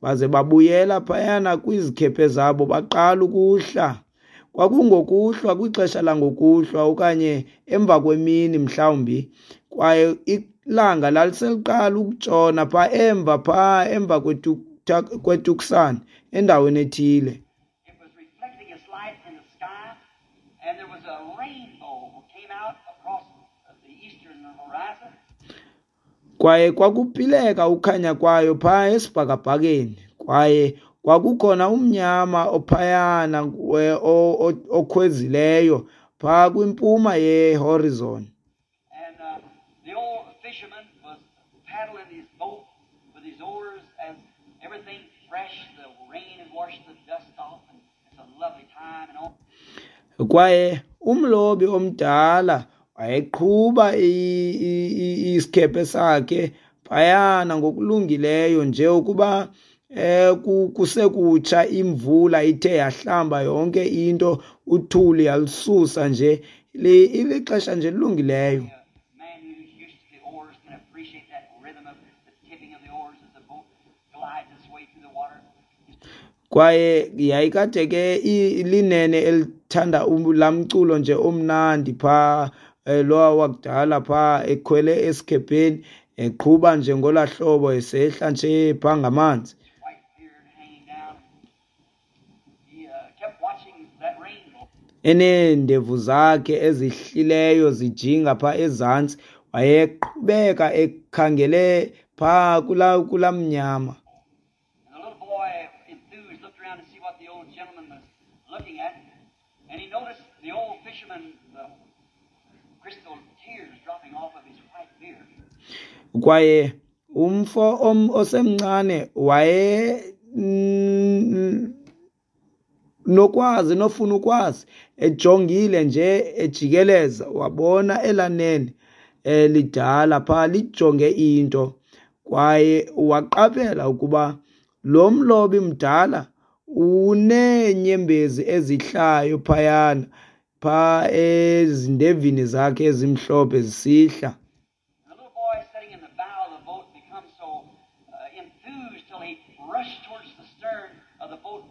baze babuyela phayana kwizikhephe zabo baqala ukuhla. Kwakungokuhlwa kwixesha langokuhlwa okanye emva kwemini mhlawumbi, kwaye ilanga laliseliqala ukutshona phaa emva phaa emva kweTu- kweTucson endaweni ethile. It was reflecting its light in the sky, and there was a rainbow came out across the eastern horizon. Kwaye kwakuphileka ukhanya kwayo phaa esibhakabhakeni, kwaye kwakukhona umnyama ophayana we- o- o- okhwezileyo phaa kwimpuma yehorizon. And uh, the old fisherman was paddling his boat with his oars as everything fresh, the rain had washed the dust off, and it's a lovely time and all. Kwaye umlobi omdala wayeqhuba i- i- i- isikhephe sakhe phayana ngokulungileyo nje ukuba eh ku- kusekutsha imvula ithe yahlamba yonke into uthuli yalususa nje Li- ilixesha nje lilungileyo. A man who's used to the oars can appreciate that rhythm of the tipping of the oars as the boat glides its way through the water. Kwaye yayikade ke i- linene elithanda um- laa mculo nje omnandi phaa eh, lowa wakudala phaa ekhwele esikhepheni eqhuba nje ngolaa hlobo esehla nje phaa ngamanzi. His white beard hanging down. He uh, kept watching that rainbow. Eneendevu zakhe ezihlileyo zijinga phaa ezantsi, wayeqhubeka ekhangele phaa kulaa kulaa mnyama. And the little boy, enthused, looked around to see what the old gentleman was looking at, and he noticed the old fisherman, the crystal tears dropping off of his white beard. Kwaye umfo om osemncane waye mm, nokwazi nofuna ukwazi ejongile nje ejikeleza wabona elanene elidala phaa lijonge into, kwaye waqaphela ukuba lo mlobi mdala uneenyembezi ezihlayo phayana phaa ezindevini zakhe ezimhlophe zisihla. And the little boy sitting in the bow of the boat become so uh, enthused till he rushed towards the stern of the boat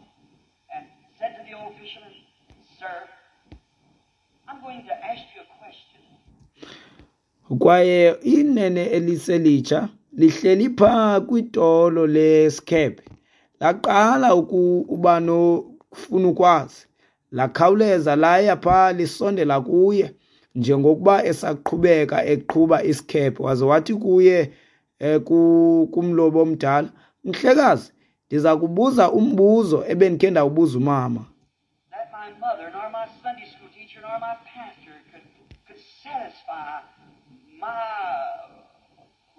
and said to the old fisherman, "Sir, I'm going to ask you a question." Kwaye inene eliselitsha lihleli phaa kwitolo lesikhephe laqala ukuba nofuna ukwazi, lakhawuleza laya phaa lisondela kuye njengokuba esaqhubeka eqhuba isikhephe. Waze wathi kuye eh, kumlobi omdala, mhlekazi, ndiza kubuza umbuzo ebendikhe ndawubuza umama. That my mother nor my Sunday school teacher nor my pastor could, could satisfy my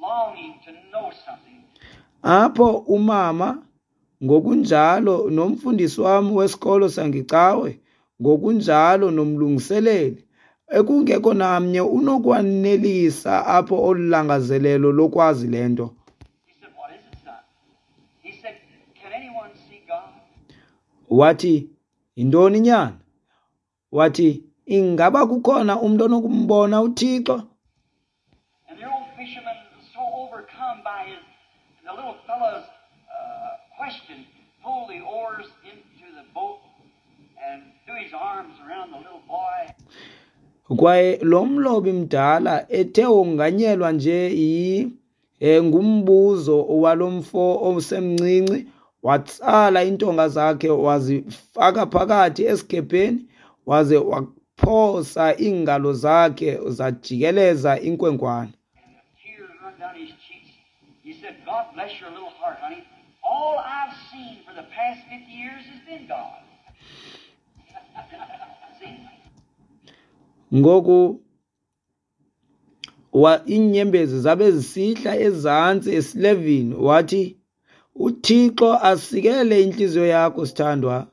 longing to know something. Apho umama ngokunjalo nomfundisi wam wesikolo sangecawe, ngokunjalo nomlungiseleli, ekungekho namnye unokwanelisa apho olu langazelelo lokwazi le nto. He said, "What is it, son?" He said, "Can anyone see God?" Wathi, yintoni nyana? Wathi, ingaba kukhona umntu onokumbona uThixo? And the old fisherman was so overcome by his the little fellow's uh, question, pulled the oars into the boat and threw his arms around the little boy. Kwaye lo mlobi mdala ethe wonganyelwa nje yi eh, ngumbuzo walomfo osemncinci, watsala iintonga zakhe wazifaka phakathi esikhepheni, waze waphosa iingalo zakhe zajikeleza inkwenkwana. Tears run down his cheeks. He said, "God bless your little heart, honey. All I've seen for the past fifty years has been God." See? Ngoku wa iinyembezi zabe zisihla ezantsi esilevini. Wathi, uThixo asikele intliziyo yakho sithandwa.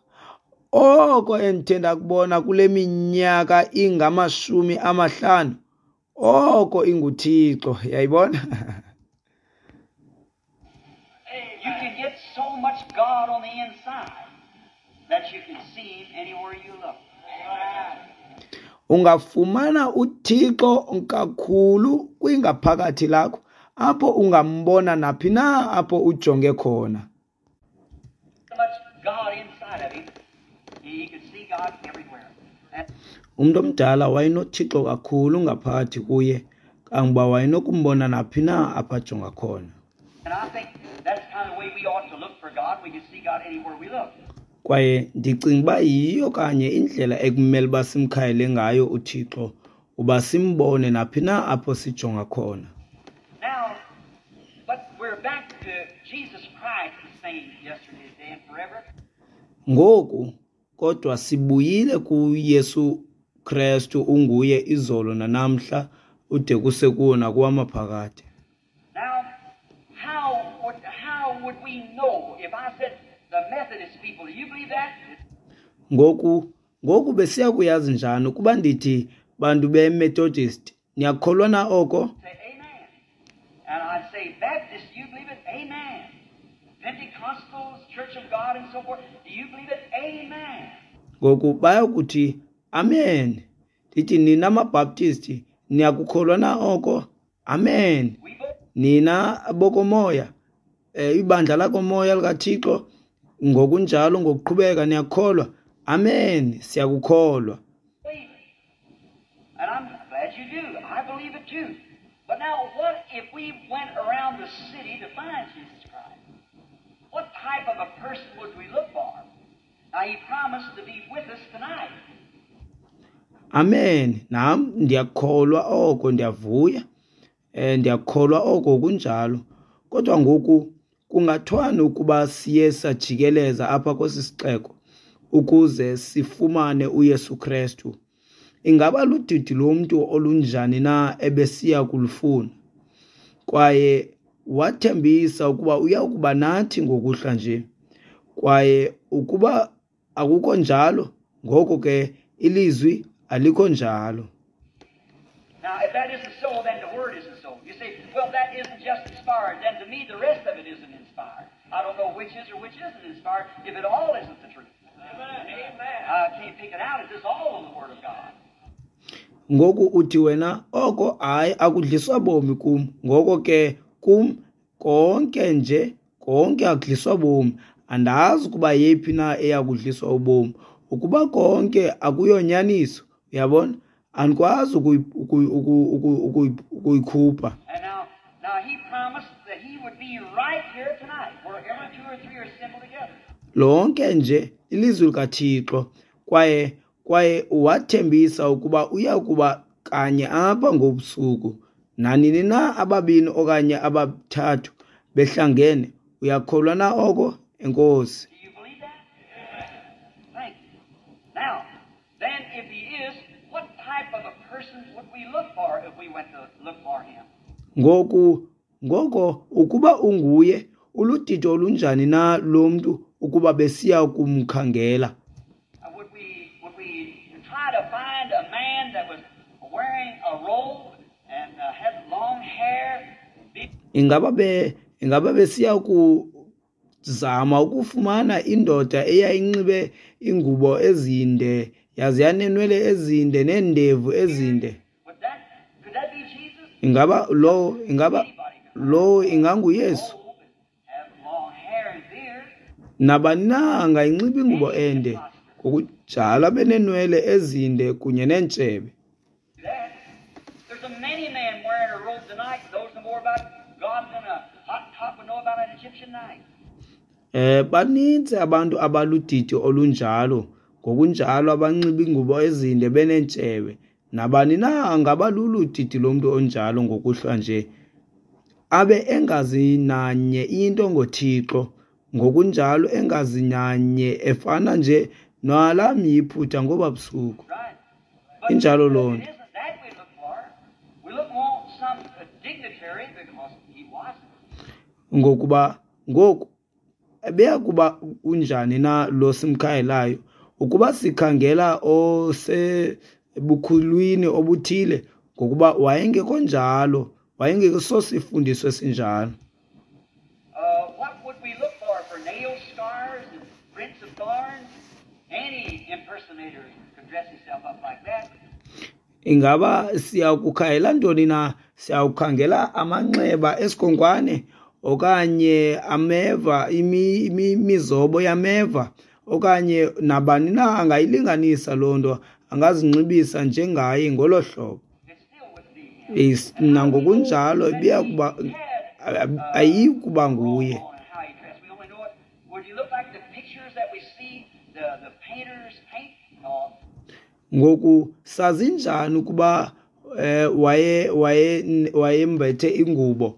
Oko endithe ndakubona kule minyaka ingamashumi amahlanu, oko inguThixo. Yayibona? You can get so much God on the inside that you can see Him anywhere you look. Ungafumana uThixo kakhulu kwingaphakathi lakho, apho ungambona naphi na apho ujonge khona. So much God inside of him, he could see God everywhere. And Umntu omdala wayenoThixo kakhulu ngaphakathi kuye, kangoba wayenokumbona naphi na apho ajonga khona. And I think that's kind of the way we ought to look for God. We can see God anywhere we look. Kwaye ndicinga uba yiyo kanye indlela ekumele uba simkhayele ngayo uThixo, uba simbone naphi na apho sijonga khona. Now, but we're back to Jesus Christ the same yesterday, today, and forever. Ngoku kodwa sibuyile kuYesu Kristu, unguye izolo nanamhla ude kuse kuwo nakuwamaphakade. Now, how would, how would we know if I said the Methodist people, do you believe that? Ngoku ngoku besiya kuyazi njani ukuba ndithi bantu beMethodist, niyakholwa na oko? Say amen. And I'd say Baptist, do you believe it? Amen. Pentecostals, Church of God, and so forth, do you believe it? Amen. Ngoku bayakuthi amen. Ndithi nina maBaptist, niyakukholwa na oko? Amen. We both Nina bokomoya, eh, ibandla lakomoya likaThixo, ngokunjalo ngokuqhubeka niyakholwa? Amen, siyakukholwa. believe it. And I'm glad you do. I believe it too. But now, what if we went around the city to find Jesus Christ? What type of a person would we look for? Now, He promised to be with us tonight. Amen. Nam ndiyakholwa oko, ndiyavuya. Eh, ndiyakholwa oko kunjalo. Kodwa ngoku kungathwani ukuba siye sajikeleza apha kwesi sixeko ukuze sifumane uYesu Kristu? Ingaba ludidi lomntu olunjani na ebesiya kulufuna? Kwaye wathembisa ukuba uya kuba nathi ngokuhlwa nje. Kwaye ukuba akukho njalo, ngoko ke ilizwi alikho njalo. Now, if that isn't so, then the Word isn't so. You say, well, that isn't just inspired. Then to me, the rest of it isn't inspired. I don't know which is or which isn't inspired if it all isn't the truth. Amen. I can't pick it out. Is this all in the Word of God? Ngoku uthi wena, oko hayi akudliswa bomi kum. Ngoko ke kum konke nje, konke akudliswa bomi. Andazi ukuba yeyiphi na eyakudliswa ubomi. Ukuba konke akuyonyaniso, uyabona? Andikwazi ukuyikhupha. And now, now He promised that He would be right here tonight, wherever two or three are assembled together. Lonke nje ilizwi likaThixo, kwaye kwaye wathembisa ukuba uya kuba kanye apha ngobusuku. Nanini na ababini okanye abathathu behlangene, uyakholwa na oko? Enkosi. Do you believe that? Thank you. Now, then if he is, what type of a person would we look for if we went to look for him? Ngoku ngoko ukuba unguye, uludidi olunjani na lo mntu ukuba besiya kumkhangela? Uh, would we would we try to find a man that was wearing a robe and uh, had long hair, be Ingaba be ingaba besiya kuzama ukufumana indoda eyayinxibe ingubo ezinde, yaze yanenwele ezinde neendevu ezinde? would that could that be Jesus? Ingaba lo ingaba lo inganguYesu? Robe and have long hair and beard. Nabani na angayinxiba ingubo ende, ngokunjalo abe neenwele ezinde kunye neentshebe. That there's a many men wearing a robe tonight knows no more about God than a hot top would know about an Egyptian night. Eh baninzi abantu abaludidi olunjalo, ngokunjalo abanxiba ingubo ezinde beneentshebe. Nabani na angaba luludidi lomntu onjalo ngokuhlwa nje, abe engazi nanye into ngoThixo, ngokunjalo engazi nanye, efana nje nalaa mYiphutha ngoba busuku. Right. But Injalo loo it nto. isn't that we look for. We look for some dignitary because he wasn't. Ngokuba ngoku ebeya kuba unjani na lo simkhangelayo? Ukuba sikhangela osebukhulwini obuthile, ngokuba wayengekho njalo, wayengekho sosifundiso esinjalo. Uh, what would we look for? For nail scars and prints of thorns? Any impersonator could dress himself up like that. Ingaba siyakukhangela ntoni na? Siyawukhangela amanxeba esikhonkwane okanye ameva, imi- imi- imizobo yameva, okanye nabani na angayilinganisa loo nto, angazinxibisa njengaye ngolo hlobo. It still wouldn't be him. Is- Nangokunjalo ibiya kuba ayiyi kuba nguye. On how he dressed. We only know it. Would he look like the pictures that we see the, the painters paint? No. Ngoku sazi njani ukuba eh, waye waye wayembethe ingubo?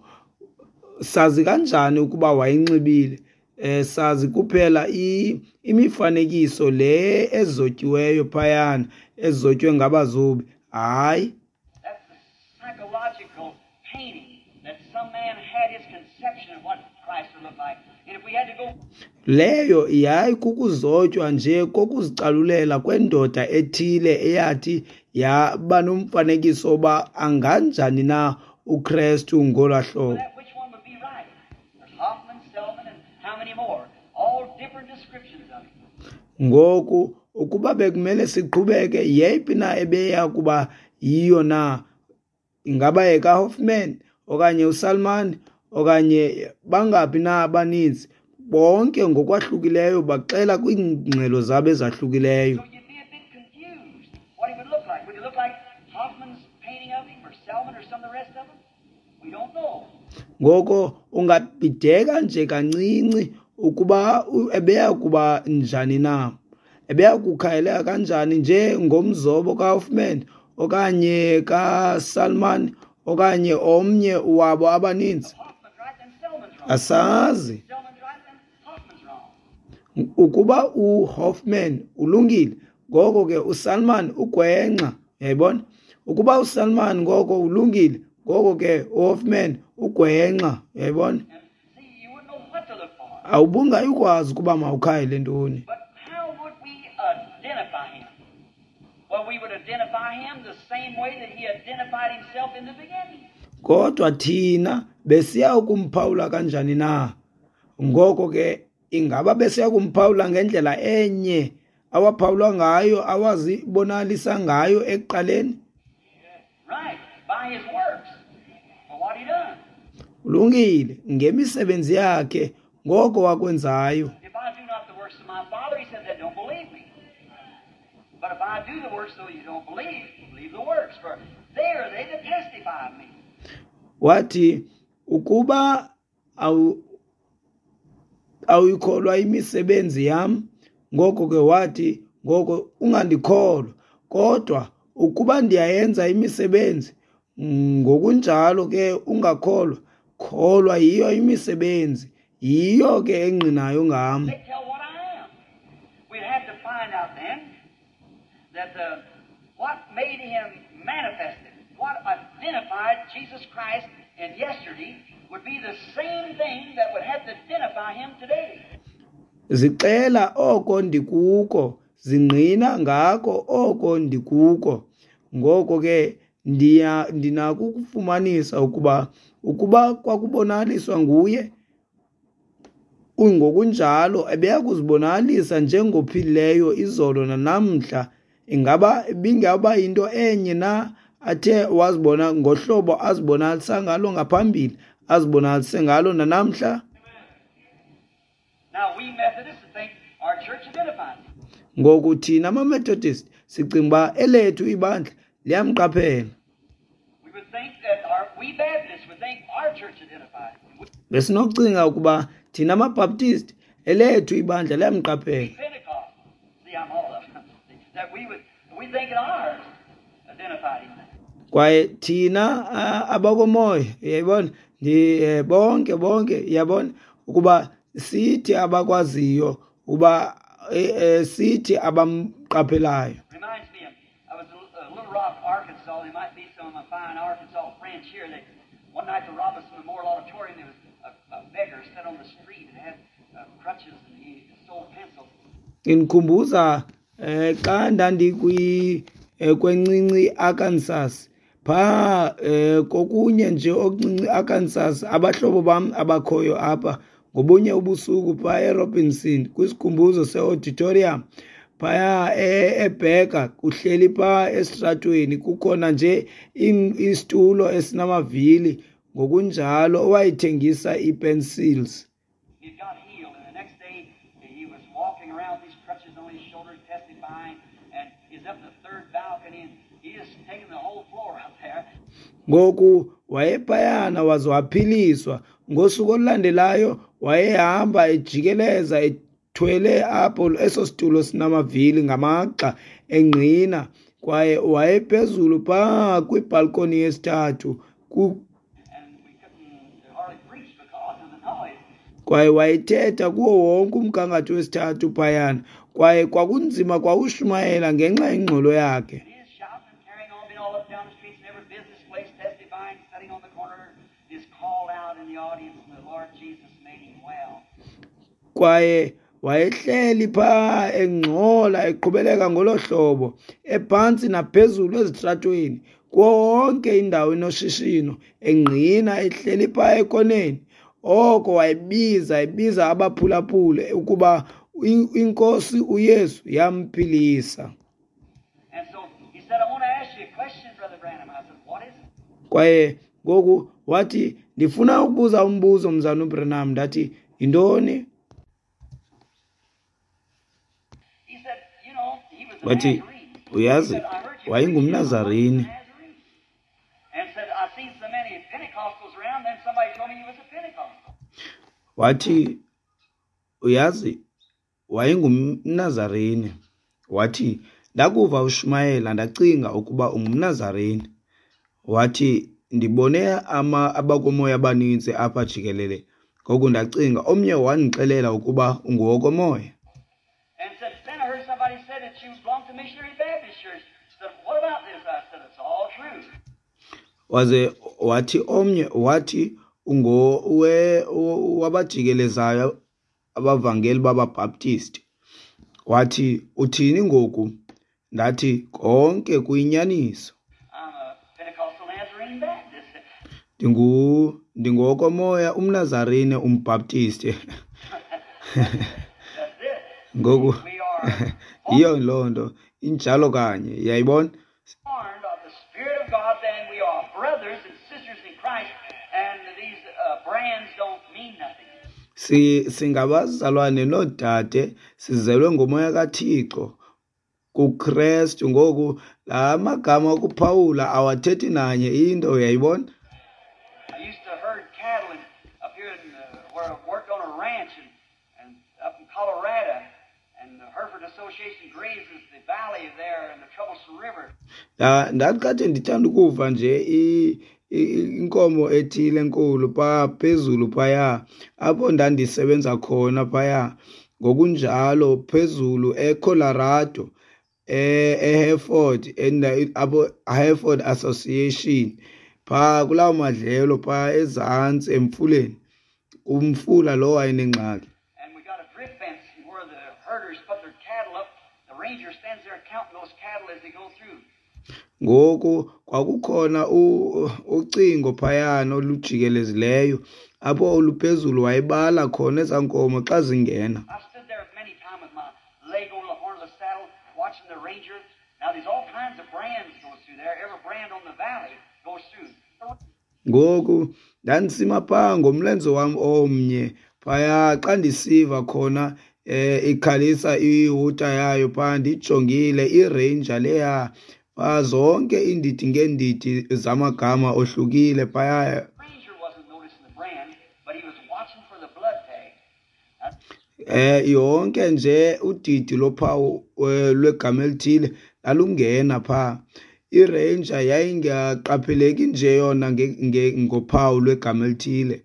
Sazi kanjani ukuba wayinxibile? Eh sazi kuphela i- imifanekiso le ezotyiweyo phayana, ezotywe ngabazobi. Hayi, That's the psychological painting that some man had his conception of what Christ would look like. And if we had to go leyo yayi kukuzotywa nje kokuzicalulela kwendoda ethile eyathi yaba nomfanekiso oba anganjani na uKristu ngolaa hlobo. that, which one would be right? There's Hoffman, Selman, and how many more? All different descriptions of him. Ngoku ukuba bekumele siqhubeke, yeyiphi na ebeya kuba yiyo na? Ingaba yekaHoffman okanye uSalman okanye bangaphi na abaninzi? Bonke ngokwahlukileyo baxela kwiingxelo zabo ezahlukileyo. So you'd be a bit confused what he would look like. Would he look like Hoffman's painting of him, or Selman, or some of the rest of them? We don't know. Ngoko ungabhideka nje kancinci ukuba u- ebeya kuba njani na, ebeya kukhayeleka kanjani nje ngomzobo kaHoffman okanye kaSalman okanye omnye wabo abaninzi. If Hoffman's right, then Selman's wrong. Asazi. Selman's right, then Hoffman's wrong. Ukuba uHoffman ulungile, ngoko ke uSalman ugwenxa, uyayibona? Ukuba uSalman ngoko ulungile, ngoko ke uHoffman ugwenxa, uyayibona? And see, you wouldn't know what to look for. Awubungayikwazi ukuba mawukhayele ntoni. But how would we identify him? Well, we would identify him the same way that he identified himself in the beginning. Kodwa thina besiya ukumphawula kanjani na? Ngoko ke ingaba besiya kumphawula ngendlela enye awaphawulwa ngayo, awazibonalisa ngayo ekuqaleni? Right, by his works. For what he done. Ulungile ngemisebenzi yakhe, ngoko wakwenzayo. If I do not the works of my Father, he said, then don't believe me. But if I do the works, though you don't believe, believe the works, for they are they that testify of me. Wathi ukuba awu awuyikholwa imisebenzi yam, ngoko ke wathi ngoko ungandikholwa, kodwa Ukuba ndiyayenza imisebenzi, ngokunjalo ke ungakholwa, kholwa yiyo imisebenzi, yiyo ke engqinayo ngam. They tell what I am. We'd have to find out then that the, what made him manifested, what identified Jesus Christ in yesterday would be the same thing that would have to identify him today. Zixela oko ndikuko, zingqina ngako oko ndikuko. Ngoko ke ndiya ndinako ukufumanisa ukuba ukuba kwakubonakaliswa nguye, ngokunjalo ebeya kuzibonakalisa njengophilileyo izolo nanamhla. Ingaba ibingaba yinto enye na athe wazibona ngohlobo azibonakalisa ngalo ngaphambili, azibonakalise ngalo nanamhla? Now we Methodists think our church identifies him. Ngoku thina amaMethodist sicinga uba elethu ibandla liyamqaphela. We would think that our, we Baptists would think our church identifies him. We Besinokucinga ukuba thina amaBaptist elethu ibandla liyamqaphela. Pentecostals, see, I'm all of them. That we would, we think ours identified him. Kwaye thina a- abakomoya, uyayibona, ndi eh, bonke bonke uyabona ukuba sithi abakwaziyo uba eh, eh, sithi abamqaphelayo. Reminds me of, I was in uh, Little Rock, Arkansas. There might be some of my fine Arkansas friends here. They, one night at the Robinson Memorial Auditorium, there was a, a beggar sat on the street and had uh, crutches and he sold pencils. Indikhumbuza eh xa ndandikwi eh, kwencinci Arkansas, phaa eh kokunye nje okuncinci Arkansas, abahlobo bam abakhoyo apha ngobunye ubusuku phaa eRobinson kwisikhumbuzo seauditorium phaya e- eBheka kuhleli phaa esitratweni kukhona nje in- isitulo esinamavili ngokunjalo owayethengisa ii-pencils. He got healed, and the next day he was walking around with these crutches on his shoulders, testifying, and he's up in the third balcony, and he just taking the whole floor up there. Ngoku wayephayana waze waphiliswa. Ngosuku olulandelayo wayehamba ejikeleza ethwele apho eso situlo sinamavili ngamagxa engqina, kwaye wayephezulu phaa kwibhalkoni yesithathu ku And we couldn't hardly preach because of the noise. Kwaye wayethetha kuwo wonke umgangatho wesithathu phayana, kwaye kwakunzima kwawushumayela ngenxa yengxolo yakhe. And he is shouting and carrying on, being all up down the streets in every business place, testifying, sitting on the corner, is called out in the audience, and the Lord Jesus made him well. Kwaye wayehleli phaa engxola eqhubeleka ngolo hlobo, ephantsi naphezulu ezitratweni, kuwo wonke indawo enoshishino, engqina ehleli phaa ekoneni. Oko wayebiza, ebiza abaphulaphuli ukuba i- iNkosi uYesu yamphilisa. And so he said, I want to ask you a question, Brother Branham. I said, what is it? Kwaye ngoku wathi, ndifuna ukubuza umbuzo, Mzalwana uBranham. Ndathi, yintoni? He said, you know, he was a Wathi, Nazarene. uyazi, He said, I heard you preaching wayengumNazarene. on the Nazarene. And said, I've seen so many Pentecostals around, then somebody told me he was a Pentecostal. Wathi, uyazi, wayengumNazarene. Wathi, ndakuva ushumayela ndacinga ukuba ungumNazarene. Wathi, ndibone ama abakomoya abaninzi apha jikelele. Ngoku ndacinga, omnye wandixelela ukuba ungowokomoya. And said, then I heard somebody say that you belong to Missionary Baptist Church. Said, what about this? I said, it's all true. Waze wathi omnye wathi ungo we wabajikelezayo abavangeli babaBaptist. Wathi, uthini ngoku? Ndathi, konke kuyinyaniso. I'm a Pentecostal Nazarene Baptist. Ndingu ndingowokomoya umNazarene umBaptist. That's it. Ngoku We are yiyo loo nto injalo kanye, uyayibona? born of the Spirit of God, then we are brothers and sisters in Christ, and these uh, brands don't mean nothing. Si singabazalwane noodade, sizelwe ngomoya kaThixo kuKristu. Ngoku la magama okuphawula awathethi nanye into, uyayibona? I used to herd cattle in, up here in, uh, where I worked on a ranch and, and up in Colorado, and the Hereford Association Association grazes the valley there in the Troublesome River. Ndandikade ndithanda ukuva nje inkomo ethile enkulu pha phezulu phaya apho ndandisebenza khona phaya, ngokunjalo phezulu eColorado, eHereford, apho Hereford Association pha kulawo madlelo pha ezantsi emfuleni, umfula lo wayenengxaki. And we got a drift fence where the herders put their cattle up. The ranger stands there counting those cattle as they go through. Ngoku kwakukhona ucingo phayana olujikelezileyo apho oluphezulu wayebala khona ezaa nkomo xa zingena. I stood there many times with my leg over the horn of the saddle watching the ranger. Now there's all kinds of brands goes through there. Every brand on the valley goes through. Ngoku ndandisima phaa ngomlenze wam omnye phaya xa ndisiva khona eh ikhalisa ihuta yayo phaa, ndijongile iranger leya phaa, zonke iindidi ngeendidi zamagama ohlukile phaya. Eh yonke nje udidi lophawu lwegama elithile lalungena phaa. Iranger yayingaqapheleki nje yona ngophawu lwegama elithile,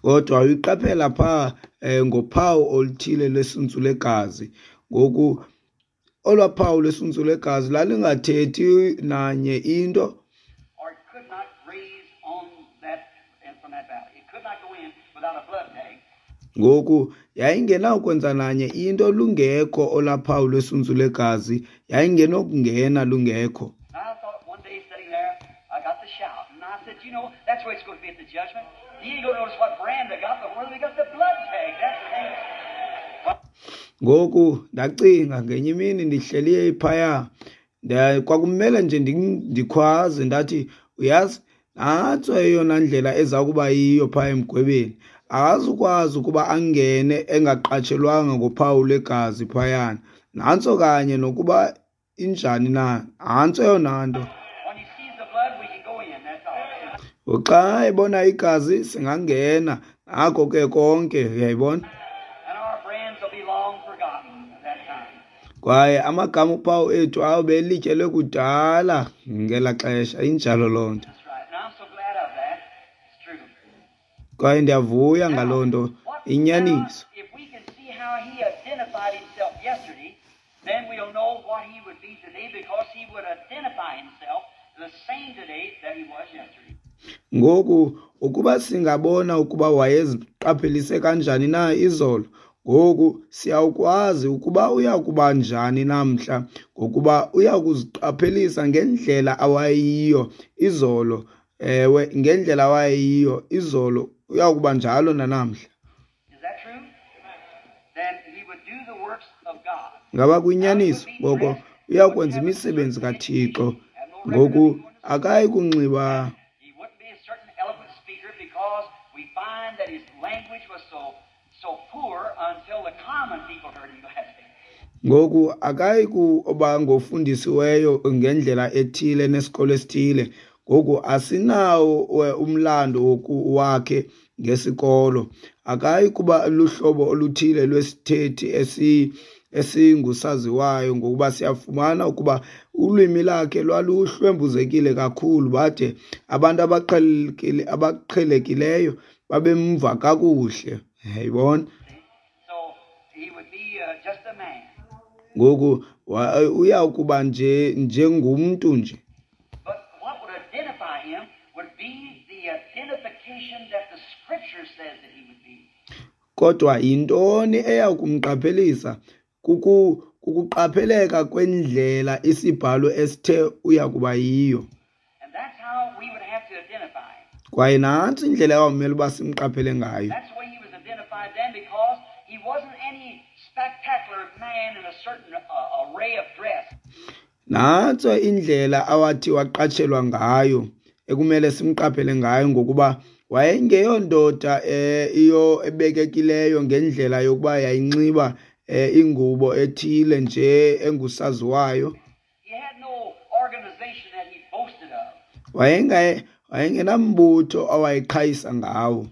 kodwa uyiqaphela phaa ngophawu oluthile lwesuntsu legazi. Ngoku olwaa phawu lwesuntsu legazi lalingathethi nanye into, ngoku yayingenawukwenza nanye into lungekho olaa phawu lwesuntsu legazi, yayingenokungena lungekho. Ngoku ndacinga ngenye imini ndihleli phaya, kwakumele nje ndikhwaze ndathi, uyazi, nantso eyona ndlela eza kuba yiyo phaya emgwebeni. Akazukwazi ukuba angene engaqatshelwanga ngophawu lwegazi phayana. Nantso kanye nokuba injani na, nantso eyona nto. Xa ebona igazi singangena, nako ke konke, uyayibona. Kwaye amagama uphawu ethu awube elityelwe kudala ngela xesha, injalo loo nto. Kwaye ndiyavuya ngaloo nto, inyaniso. Ngoku ukuba singabona ukuba wayeziqaphelise kanjani na izolo, ngoku siyawukwazi ukuba uya kuba njani namhla, ngokuba uya kuziqaphelisa ngendlela awayiyo izolo. Ewe, ngendlela awayiyo izolo uya kuba njalo nanamhla. Ngaba kuyinyaniso? Ngoko uya kwenza imisebenzi kaThixo. Ngoku akayi kunxiba ngoku akayi kuba ngofundisiweyo ngendlela ethile nesikolo esithile. Ngoku asinawo umlando wakhe ngesikolo. Akayi kuba luhlobo oluthile lwesithethi esi esingusaziwayo, ngokuba siyafumana ukuba ulwimi lakhe lwaluhlwembuzekile kakhulu, bade abantu abaqhelekile abaqhelekileyo babemva kakuhle. Yayibona? Ngoku uya kuba nje njengumntu nje. Kodwa yintoni eya kumqaphelisa? Kuku kukuqapheleka kwendlela isibhalo esithe uya kuba yiyo. Kwaye nantsi indlela awamele uba simqaphele ngayo. Nantso indlela awathi waqatshelwa ngayo, ekumele simqaphele ngayo, ngokuba wayengeyondoda iyo ebekekileyo ngendlela yokuba yayinxiba ingubo ethile nje engusaziwayo. Wayengaye wayengenambutho awayeqhayisa ngawo.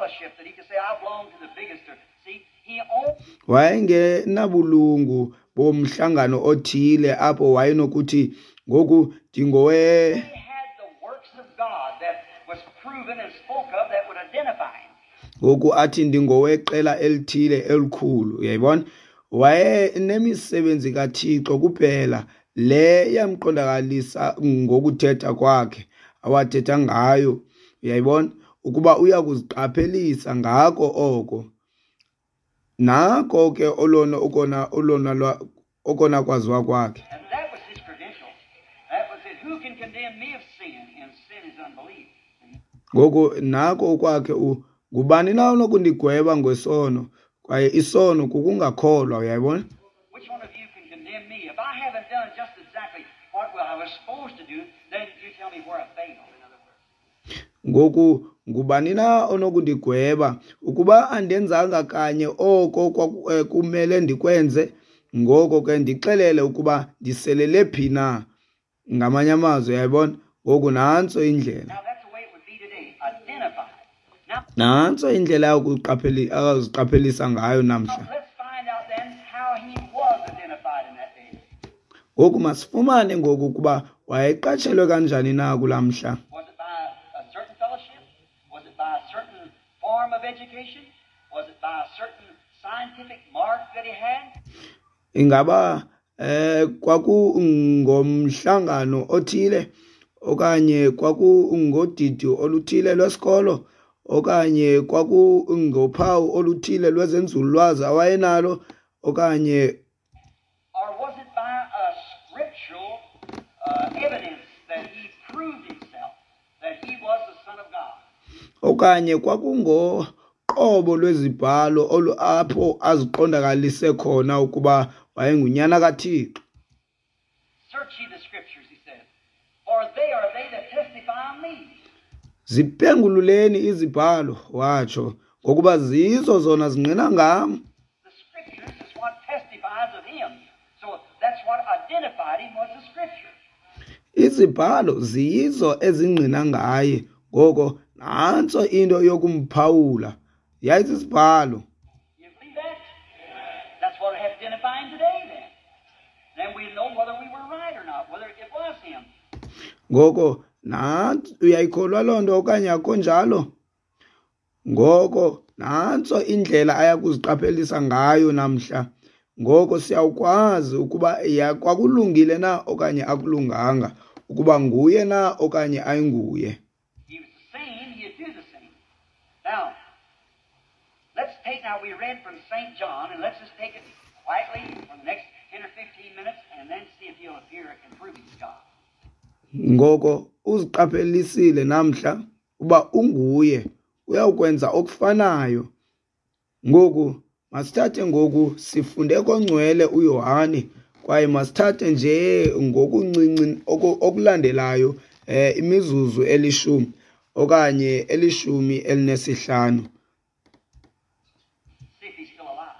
fellowship that he could say, I belong to the biggest. Or, see, he only Wayengenabulungu bomhlangano othile apho wayenokuthi ngoku ndingowe had the works of God that was proven and spoke of that would identify him. Ngoku athi ndingoweqela elithile elikhulu, uyayibona? Wayenemisebenzi kaThixo kuphela le yamqondakalisa ngokuthetha kwakhe awathetha ngayo, uyayibona? Ukuba uya kuziqaphelisa ngako oko. Nako ke olona okona olona lwa- okona kwaziwa kwakhe. And that was his credentials. That was it. Who can condemn me of sin? And sin is unbelief. Ngoku nako okwakhe u ngubani na onokundigweba ngesono? Kwaye isono kukungakholwa, uyayibona? Which one of you can condemn me? If I haven't done just exactly what I was supposed to do, then you tell me where I failed, in other words. Ngoku ngubani na onokundigweba ukuba andenzanga kanye oko kwaku- eh, kumele ndikwenze? Ngoko ke ndixelele ukuba ndiselele phi na. Ngamanye amazwi, uyayibona? Ngoku nantso indlela. Now that's the way it would be today. Identified. Now Nantso indlela yokuqapheli aziqaphelisa ngayo namhla. let's find out then how he was identified in that day. Ngoku masifumane ngoku ukuba wayeqatshelwe kanjani na kulaa mhla. Was it by a certain fellowship? Was it by a certain form of education? Was it by a certain scientific mark that he had? Ingaba eh kwakungomhlangano othile okanye kwakungodidi oluthile lwesikolo okanye kwakungophawu oluthile lwezenzululwazi awayenalo okanye Or was it by a scriptural uh, evidence that he proved himself, that he was the Son of God? Okanye kwakungoqobo lwezibhalo olu apho aziqondakalise khona ukuba wayengunyana kaThixo. Search ye the scriptures, he said, for they are they that testify of me. Ziphengululeni izibhalo, watsho, ngokuba zizo zona zingqina ngam. The scriptures is what testifies of him. So that's what identified him was the scriptures. Izibhalo ziyizo ezingqina ngaye, ngoko nantso into yokumphawula yayisisibhalo. You believe that? That's what identify him today then. Then we know whether we were right or not, whether it was him. Ngoko nantso, uyayikholwa loo nto okanye akho njalo? Ngoko nantso indlela ayakuziqaphelisa ngayo namhla. Ngoko siyawukwazi ukuba ya kwakulungile na okanye akulunganga, ukuba nguye na okanye ayinguye. He was the same, he'd do the same. Now, let's take, now we read from Saint John, and let's just take it quietly for the next ten or fifteen minutes and then see if he'll appear and prove he's God. Ngoko uziqaphelisile namhla uba unguye, uyawukwenza okufanayo. Ngoku masithathe ngoku sifunde kongcwele uYohane, kwaye masithathe nje ngokuncinci oku- okulandelayo eh imizuzu elishumi okanye elishumi elinesihlanu. See if he's still alive.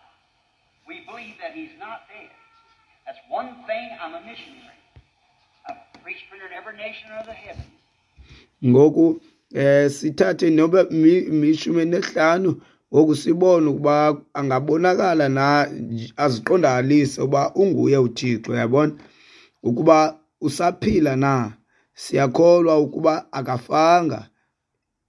We believe that he's not dead. That's one thing. I'm a missionary. I've preached for in every nation under the heavens. Ngoku eh sithathe noba mi- mishumi nesihlanu ngoku sibone ukuba angabonakala na aziqondakalise uba unguye uThixo, uyabona, ukuba usaphila na. Siyakholwa ukuba akafanga.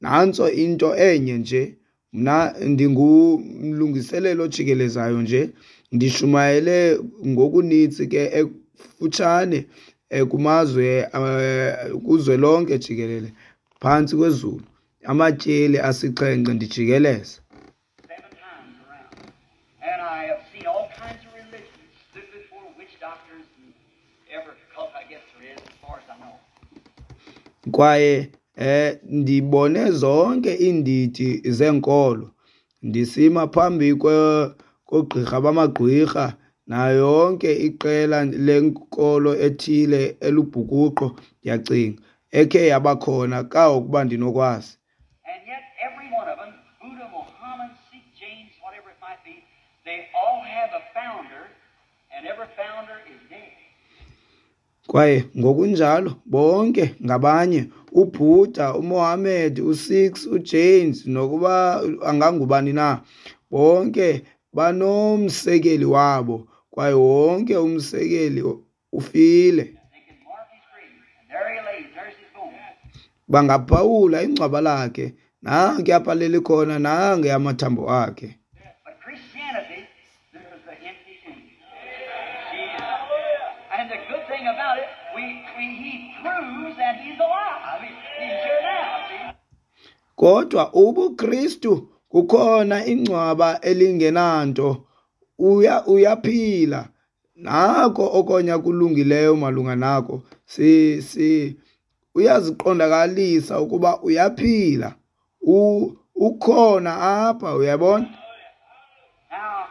Nantso into enye nje, mna ndingumlungiseleli ojikelezayo nje, ndishumayele ngokunintsi ke ekufutshane eh, kumazwe eh, kuzwelonke jikelele phantsi kwezulu, amatyeli asixhenxe ndijikeleza. Seven times around. And I have seen all kinds of religions, stood before witch doctors and every cult I guess there is, as far as I know. Kwaye eh ndibone zonke iindidi zenkolo, ndisima phambi kwe kogqirha bamagqwirha nayo yonke iqela lenkolo ethile elubhukuqo, ndiyacinga ekhe yabakhona kangangokuba ndinokwazi. And yet every one of them, Buddha, Muhammad, Sikh, Jains, whatever it might be, they all have a founder, and every founder is dead. Kwaye ngokunjalo bonke ngabanye, uBuddha, uMohammed, uSikhs, uJains, nokuba angangubani na, bonke banomsekeli wabo, kwaye wonke umsekeli ufile. They can mark his grave. And there he lays. There's his bones. Bangaphawula ingcwaba lakhe, nanke apha leli khona, nange amathambo akhe. But Christianity, there's the empty tomb. Jesus. And the good thing about it, we, we, he proves that he's alive. He, he's here now, see? Kodwa ubuKristu kukhona ingcwaba elingenanto, uya uyaphila. Nako okonya kulungileyo malunga nako, si si uyaziqondakalisa ukuba uyaphila, u ukhona apha, uyabona. Now,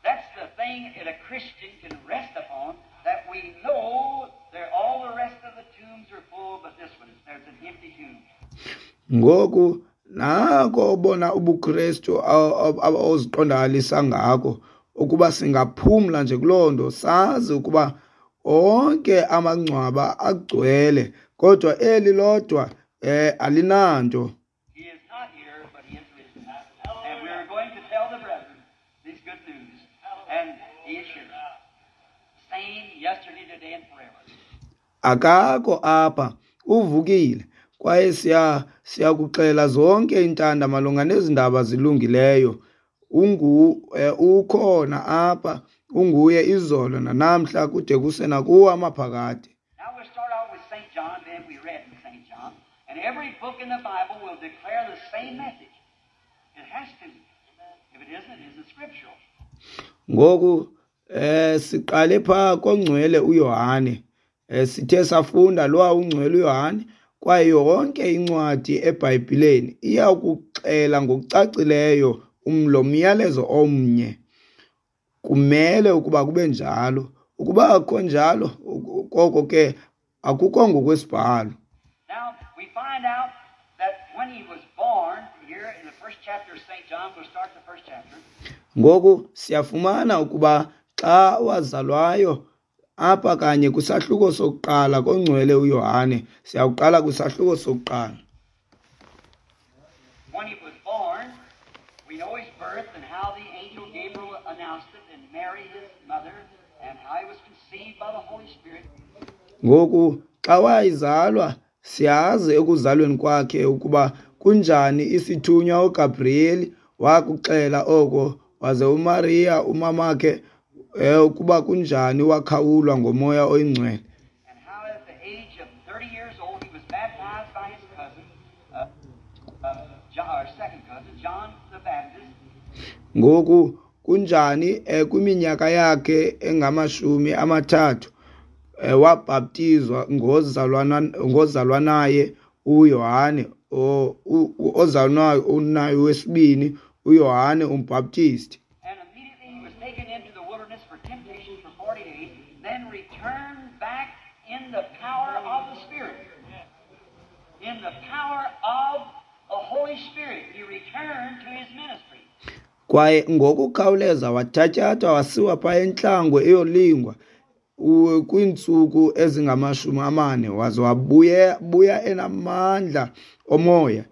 that's the thing that a Christian can rest upon, that we know that all the rest of the tombs are full, but this one, there's an empty tomb. Ngoku nako obona ubuKristu oziqondakalisa ngako ukuba singaphumla nje kuloo nto, sazi ukuba onke amangcwaba agcwele kodwa eli lodwa eh alinanto. He is not here, but he is risen. And we are going to tell the brethren this good news. And he is here. Same yesterday, today, and forever. Akakho apha, uvukile, kwaye siya siyakuxela zonke iintanda malunga nezi ndaba zilungileyo. Ungu eh, ukhona apha, unguye izolo nanamhla kude kuse nakuwo amaphakade. Now we'll start out with Saint John, then we read in Saint John. And every book in the Bible will declare the same message. It has to. If it isn't, it isn't scriptural. Ngoku eh siqale pha kongcwele uYohane, eh sithe safunda lo ungcwele uYohane, kwaye yonke incwadi eBhayibhileni iyakuxela ngokucacileyo lo myalezo omnye. Kumele ukuba kube njalo. Ukuba akukho njalo, koko ke akukho ngokwesibhalo. Now, we find out that when he was born, here in the first chapter of Saint John, we'll start the first chapter. Ngoku siyafumana ukuba xa wazalwayo apha kanye kwisahluko sokuqala kongcwele uYohane, siyawuqala kwisahluko sokuqala. When he was born, we know his birth and how the angel Gabriel announced it, and Mary his mother, and how he was conceived by the Holy Spirit. Ngoku xa wayizalwa, siyazi ekuzalweni kwakhe ukuba kunjani isithunywa uGabriel wakuxela oko, waze uMaria umamakhe eh, ukuba kunjani wakhawulwa ngomoya oyingcwele. And how at the age of thirty years old he was baptized by his cousin, uh, uh, John, or second cousin, John the Baptist. Ngoku kunjani eh, kwiminyaka yakhe engamashumi amathathu eh, wabhaptizwa ngozalwana ngozalwanaye uYohane, o- u- u- ozalwa unaye wesibini uYohane umbhaptisti. And immediately he was taken into the wilderness for temptation for forty days, then returned back in the power of the Spirit. In the power of the Holy Spirit, he returned to his ministry. Kwaye ngokukhawuleza wathatyathwa wasiwa phaa entlango eyolingwa u- kwiintsuku ezingamashumi amane, waze wabuya buya enamandla omoya,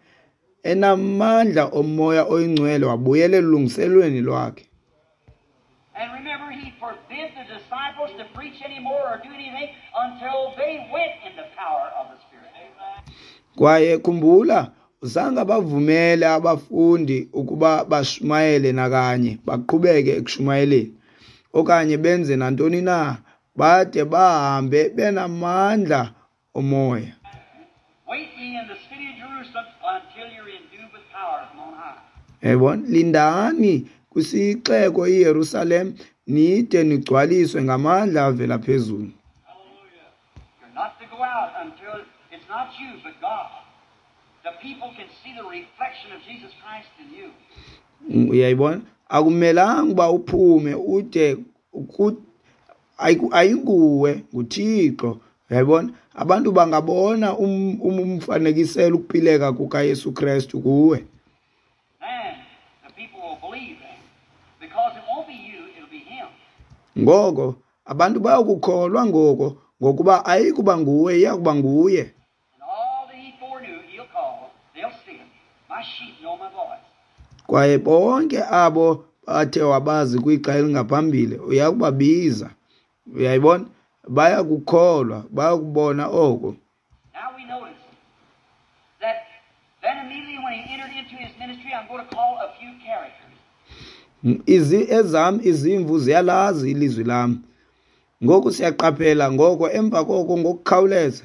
enamandla omoya oyingcwele, wabuyela elungiselweni lwakhe. And remember, he forbid the disciples to preach anymore or do anything until they went in the power of the Spirit. Kwaye khumbula, zange abavumele abafundi ukuba bashumayele nakanye, baqhubeke ekushumayeleni okanye benze nantoni na bade bahambe benamandla omoya. Wait ye in the city of Jerusalem until you're endued with power from on high. Yabona, lindani kwisixeko iYerusalem nide nigcwaliswe ngamandla avela phezulu. You're not to go out until it's not you, but God. The people can see the reflection of Jesus Christ in you. Mm, uyayibona, akumelanga uba uphume ude ku- ayiku- ayinguwe, nguThixo, uyayibona, abantu bangabona um- um- umfanekiselo ukuphileka kukaYesu Kristu kuwe. Then the people will believe then. Because it won't be you, it'll be Him. Ngoko abantu bayakukholwa ngoko, Ngokuba ayikuba nguwe, iyakuba nguye. And all that he foreknew, he'll call. They'll see him. My sheep know my voice. Kwaye bonke abo bathe wabazi kwixa elingaphambili uyakubabiza. Uyayibona? Bayakukholwa, bayakubona oko. Now we notice that then immediately when he entered into his ministry, I'm going to call a few characters. Izi ezam izimvu ziyalazi ilizwi lam. Ngoku siyaqaphela ngoko emva koko ngokukhawuleza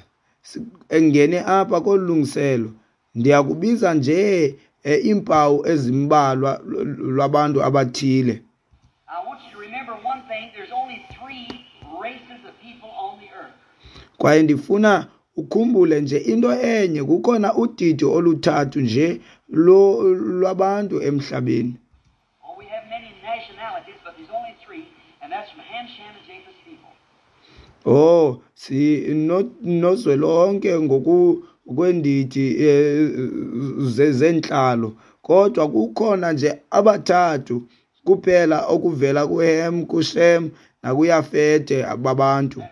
engene apha kolu lungiselo, ndiyakubiza nje iimpawu ezimbalwa lwabantu abathile. I want you to remember one thing, there's only three races of people on the earth. Kwaye ndifuna ukhumbule nje into enye, kukhona udidi oluthathu nje lwabantu emhlabeni. Oh, we have many nationalities, but there's only three, and that's from Ham, Shem, and Japheth's people. Oh, si nozwelonke ngoku kwendidi zentlalo, kodwa kukhona nje abathathu kuphela okuvela kuHem, kuShem nakuYafete babantu.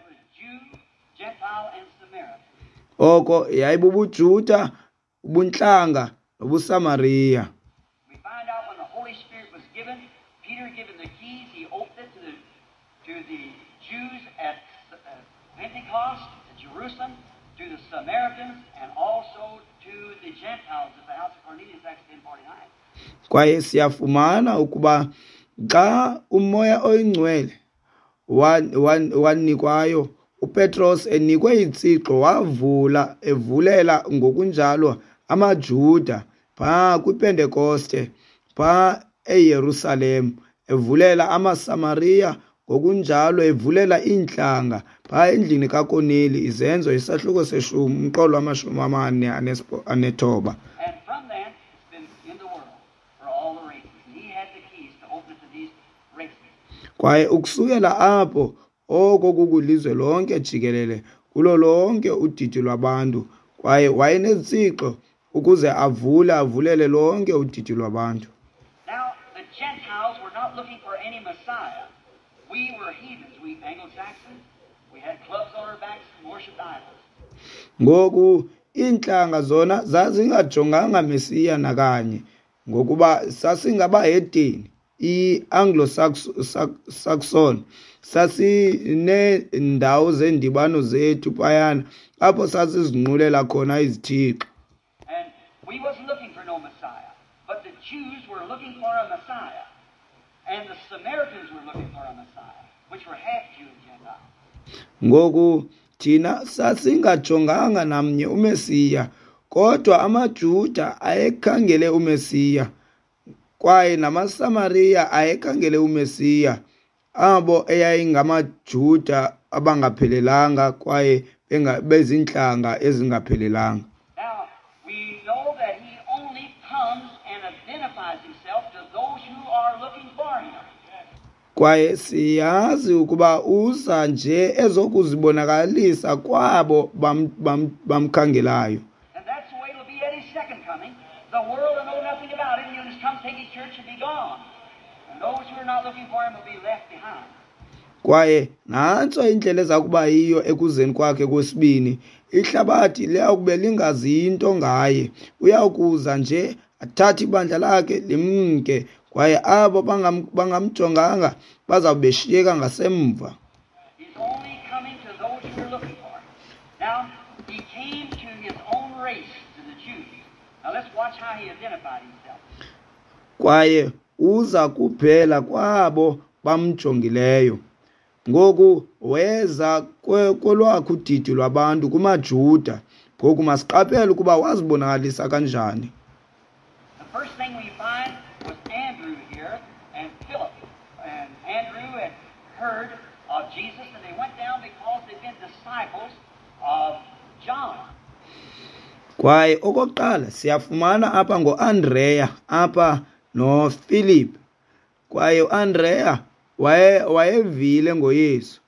Oko yayibubuJuda, ubuntlanga nobuSamariya. We find out when the Holy Spirit was given, Peter given the keys, he opened it to the to the Jews at Pentecost at Jerusalem, to the Samaritans, and also to the Gentiles at the house of Cornelius, Acts ten forty-nine. Kwaye siyafumana ukuba xa uMoya oyiNgcwele wanikwayo, uPetros enikwe itsixo wavula evulela ngokunjalo amaJuda phaa kwiPentekoste phaa eYerusalem, evulela amaSamariya ngokunjalo evulela iintlanga phaa endlini kaKorneli, Izenzo isahluko seshumi umqolo wamashumi amane anethoba. And from then it's been in the world for all the races. And he had the keys to open to these races. Kwaye ukusukela apho oko kukulizwe lonke jikelele kulo lonke udidi lwabantu, kwaye wayenezitsixo ukuze avule avulele lonke udidi lwabantu. Now the Gentiles were not looking for any Messiah. We were heathens, we Anglo-Saxons. We had clubs on our backs and worshipped idols. Ngoku iintlanga zona zazingajonganga Mesiya nakanye, ngokuba sasingabahedeni, i-Anglo-Saxon. Sasineendawo zeendibano zethu phayana apho sasizinqulela khona izithixo. And we wasn't looking for no Messiah, but the Jews were looking for a Messiah. And the Samaritans were looking for a Messiah, which were half Jew and Gentile. Ngoku thina sasingajonganga namnye uMesiya, kodwa amaJuda ayekhangele uMesiya, kwaye namaSamariya ayekhangele uMesiya, abo eyayingamaJuda abangaphelelanga kwaye bezintlanga ezingaphelelanga. Now, we know that he only comes and identifies himself to those who are looking for him. Kwaye siyazi ukuba uza nje ezokuzibonakalisa kwabo bamkhangelayo. And that's the way it'll be at his second coming. The world will know nothing about it, and he'll just come take his church and be gone. And those who are not looking for him will be left behind. Kwaye nantso indlela eza kuba yiyo ekuzeni kwakhe kwesibini. Ihlabathi liyakube lingazi into ngaye. Uyakuza nje athathe ibandla lakhe limke, kwaye abo bangamjonganga bazawubeshiyeka ngasemva. He's only coming to those who are looking for him. Now, he came to his own race, to the Jews. Now let's watch how he identified himself. Kwaye uza kuphela kwabo bamjongileyo. Ngoku weza kolwakhe udidi lwabantu kumaJuda. Ngoku masiqaphele ukuba wazibonakalisa kanjani. The first thing we find was Andrew here and Philip. And Andrew had heard of Jesus, and they went down because they'd been disciples of John. Kwaye okokuqala siyafumana apha ngoAndreya apha noPhilip. Kwaye uAndreya waye wayevile ngoYesu.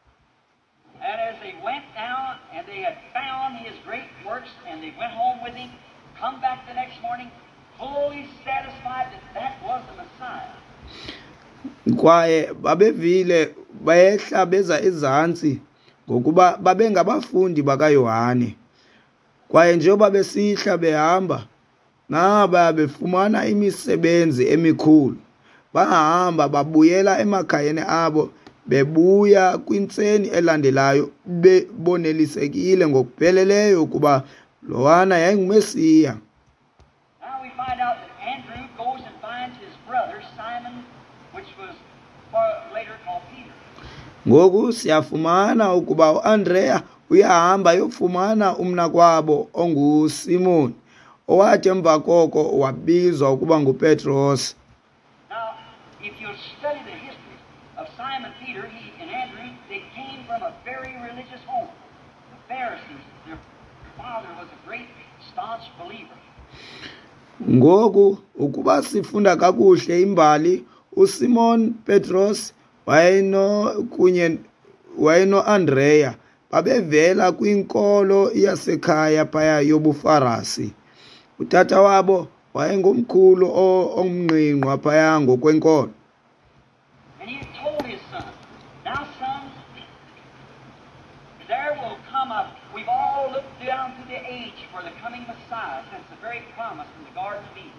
And as they went down and they had found his great works, and they went home with him, come back the next morning fully satisfied that that was the Messiah. Kwaye babevile bayehla beza ezantsi ngokuba babengabafundi bakaYohane. Kwaye njengoba besihla behamba, naba befumana imisebenzi emikhulu. Bahamba babuyela emakhayeni abo, bebuya kwintseni elandelayo bebonelisekile ngokupheleleyo ukuba lowana yayinguMesiya. Now we find out that Andrew goes and finds his brother Simon, which was later called Peter. Ngoku siyafumana ukuba uAndrea uyahamba yofumana umnakwabo onguSimon, owathi emva koko wabizwa ukuba nguPetros. Now, if you study the history of Simon Peter, he and Andrew, they came from a very religious home. The Pharisees, their father was a great staunch believer. Ngoku ukuba sifunda kakuhle imbali, uSimon Petros wayeno kunye wayenoAndrea babevela kwinkolo yasekhaya phaya yobuFarasi. Utata wabo wayengumkhulu omngqingqwa phaya ngokwenkolo. And he told his son, "Now sons, there will come a, we've all looked down through the age for the coming Messiah since the very promise in the Garden of Eden."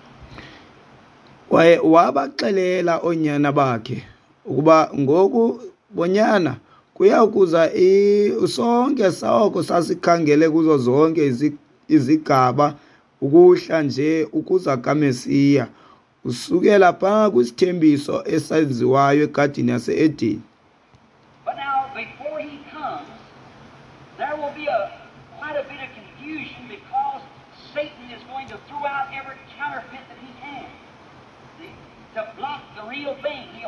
Kwaye wabaxelela oonyana bakhe ukuba ngoku bonyana kuya kuza sonke soko sasikhangele kuzo zonke izigaba ukuhla nje ukuza kaMesiya usukela phaa kwisithembiso esenziwayo egadini yase-Edeni. But now before he comes, there will be a quite a bit of confusion because Satan is going to throw out every counterfeit that he can to block the real thing. He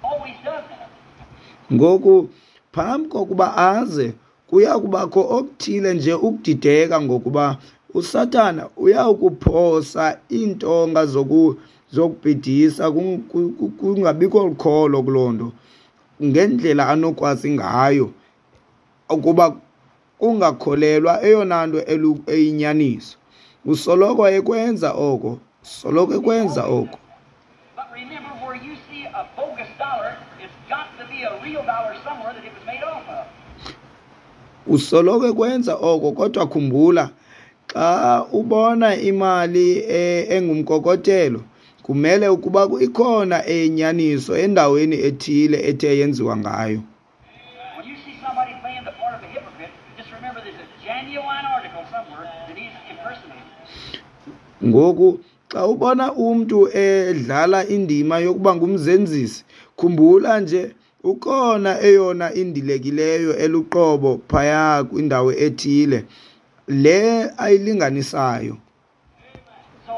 always does that. Ngoku phambi kokuba aze kuya kubakho okuthile nje ukudideka ngokuba uSathana uyakuphosa iintonga zoku zokubhidisa kungabikho lukholo kuloo nto ngendlela anokwazi ngayo ukuba kungakholelwa eyona nto eyinyaniso. Usoloko ekwenza oko, soloko ekwenza oko. But remember, where you see a bogus dollar, it's got to be a real dollar somewhere that it was made off of. Usoloko ekwenza oko, kodwa khumbula, xa ubona imali engumkokotelo, kumele ukuba ikhona eyinyaniso endaweni ethile ethe yenziwa ngayo. When you see somebody playing the part of a hypocrite, just remember there's a genuine article somewhere that he's impersonating. Ngoku xa ubona umntu edlala indima yokuba ngumzenzisi, khumbula nje ukhona eyona indilekileyo eluqobo phaya kwindawo ethile le ayilinganisayo. So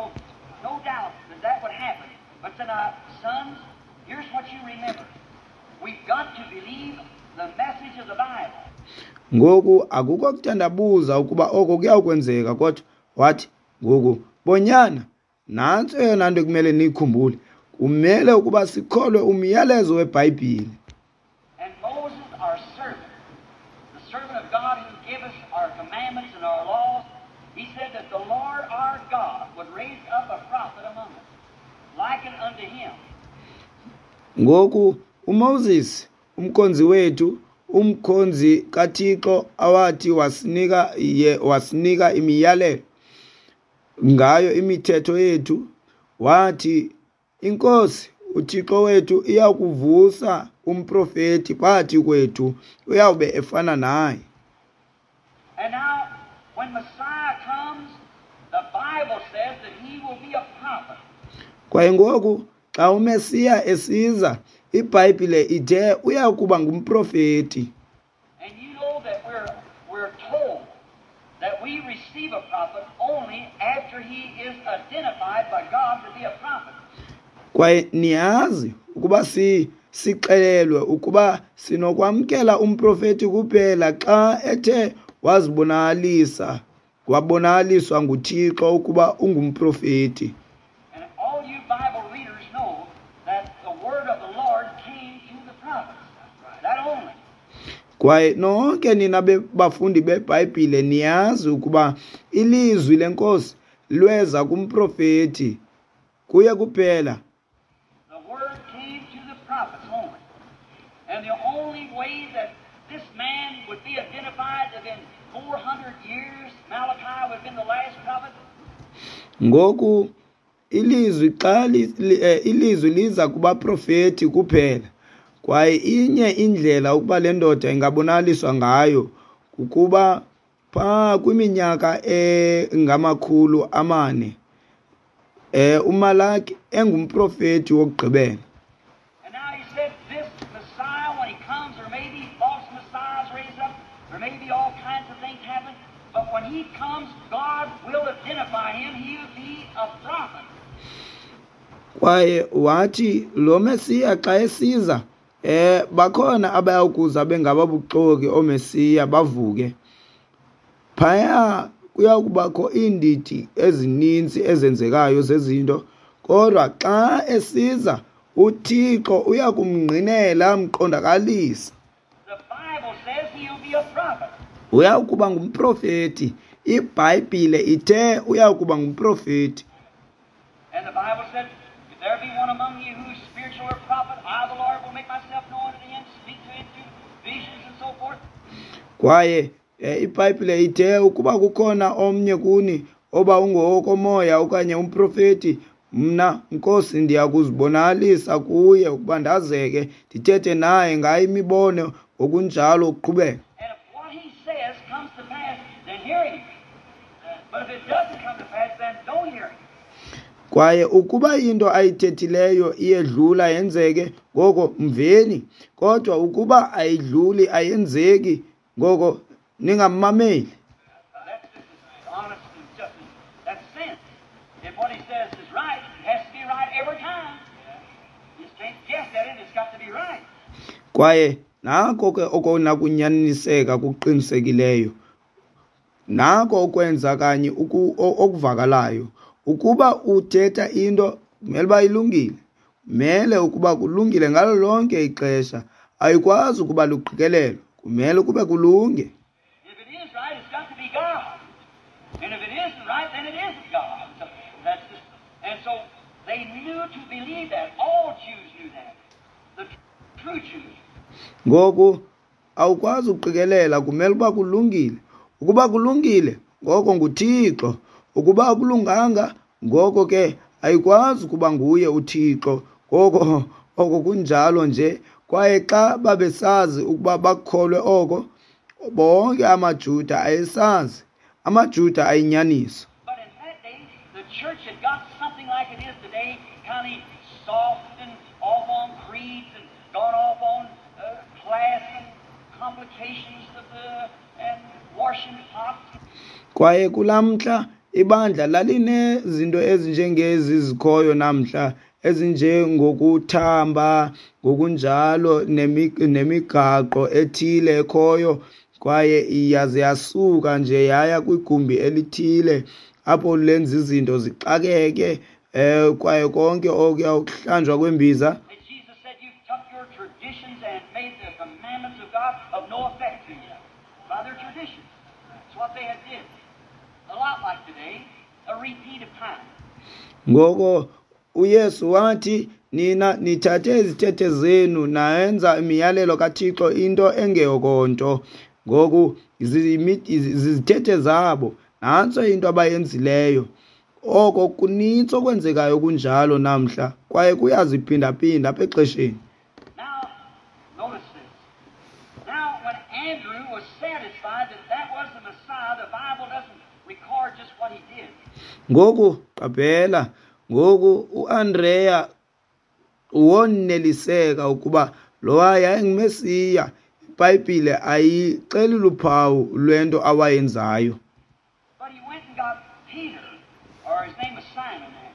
no doubt that that would happen. But then, uh, sons, here's what you remember. We've got to believe the message of the Bible. Ngoku akukho kuthandabuza ukuba oko kuyakwenzeka, kodwa wathi ngoku bonyana nantso eyona nto kumele niyikhumbule, kumele ukuba sikholwe umyalezo weBhayibhile. And Moses, our servant, the servant of God who gave us our commandments and our laws, he said that the Lord our God would raise up a prophet among us, likened unto him. Ngoku uMoses umkhonzi wethu, umkhonzi kaThixo awathi wasinika ye wasinika imiyalelo ngayo imithetho yethu, wathi iNkosi uThixo wethu iyakuvusa umprofeti phakathi kwethu uyawube efana naye. And now when Messiah comes, the Bible says that he will be a prophet. Kwaye ngoku xa uMesiya esiza, iBhayibhile ithe uyakuba ngumprofeti. And you know that we're we're told that we receive a prophet only after he is identified by God to be a prophet. Kwaye niyazi ukuba si sixelelwe ukuba sinokwamkela umprofeti kuphela xa ethe wazibonakalisa wabonakaliswa nguThixo ukuba ungumprofeti. And all you Bible readers know that the word of the Lord came to the prophets. That only. Kwaye nonke nina bafundi beBhayibhile niyazi ukuba ilizwi leNkosi lweza kumprofeti kuye kuphela. The word came to the prophets only. And the only way that this man would be identified within four hundred years. Malachi would have been the last prophet. Ngoku ilizwi xa ilizwi liza kubaprofeti kuphela. Kwaye inye indlela ukuba le ndoda ingabonakaliswa ngayo kukuba pha kwiminyaka engamakhulu amane eh uMalaki engumprofeti wokugqibela. And now he said this Messiah, when he comes, there may be false messiahs raised up, there may be all kinds of things happen, but when he comes, God will identify him. He'll be a prophet. Kwaye wathi lo Mesiya xa esiza eh bakhona abayakuza bengababuxoki oMesiya bavuke. Phaya kuyakubakho iindidi ezininzi ezenzekayo zezinto, kodwa xa esiza uThixo uyakumngqinela amqondakalisa. The Bible says he'll be a prophet. Uyakuba ngumprofeti. IBhayibhile ithe uyakuba ngumprofeti. And the Bible said, if there be one among you who is spiritual or prophet, I the Lord will make myself known unto him, speak to him through visions and so forth. Kwaye iBhayibhile ithe ukuba kukhona omnye kuni oba ungowokomoya okanye umprofeti, mna Nkosi ndiyakuzibonakalisa kuye ukuba ndazeke ndithethe naye ngayo imibono ngokunjalo ukuqhubeka. And if what he says comes to pass, then hear him. But if it doesn't come to pass, then don't hear him. Kwaye ukuba into ayithethileyo iyedlula yenzeke, ngoko mveni. Kodwa ukuba ayidluli ayenzeki, ngoko ningammameli. That's just honest and just that's sense. If what he says is right, it has to be right every time. You just can't guess at it, it's got to be right. Kwaye nako ke okona kunyaniseka kuqinisekileyo. Nako okwenza kanye okuvakalayo. Ukuba uthetha into kumele uba ilungile. Kumele ukuba kulungile ngalo lonke ixesha. Ayikwazi ukuba luqikelelo. Kumele kube kulunge. If it is right, it's got to be God. And if it isn't right, then it isn't God. So that's just, and so they knew to believe that. All Jews knew that. The true Jews. Ngoku awukwazi ukuqikelela, kumele uba kulungile. Ukuba kulungile, ngoko nguThixo. Ukuba akulunganga, ngoko ke ayikwazi kuba nguye uThixo. Ngoko oko kunjalo nje. Kwaye xa babesazi ukuba bakholwe oko, bonke amaJuda ayesazi. AmaJuda ayinyaniso. But in that day, the church had got something like it is today, kind of soft and off on creeds and gone off on uh, class and complications of the and washing pots. Kwaye kulamhla ibandla lalinezinto ezinjengezi zikhoyo namhla, ezinjengokuthamba ngokunjalo nemigaqo ethile ekhoyo, kwaye iyaze yasuka nje yaya kwigumbi elithile apho lenza izinto zixakeke, eh kwaye konke okuya ukuhlanjwa kwembiza. And Jesus said, "You've took your traditions and made the commandments of God of no effect to you by their traditions." That's what they had did. A lot like today, a repeat of time. Ngoko uYesu wathi, nina nithathe izithethe zenu nayenza imiyalelo kaThixo into engeyokonto. Ngoku zizithethe zabo, nantso into abayenzileyo. Oko kunintsi okwenzekayo kunjalo namhla, kwaye kuyaziphindaphinda apha exesheni. Now, notice this. Now, when Andrew was satisfied that that was the Messiah, the Bible doesn't record just what he did. Ngoku qaphela, ngoku uAndrea woneliseka ukuba lowa yayinguMesiya. IBhayibhile ayixeli luphawu lwento awayenzayo. But he went and got Peter, or his name was Simon then.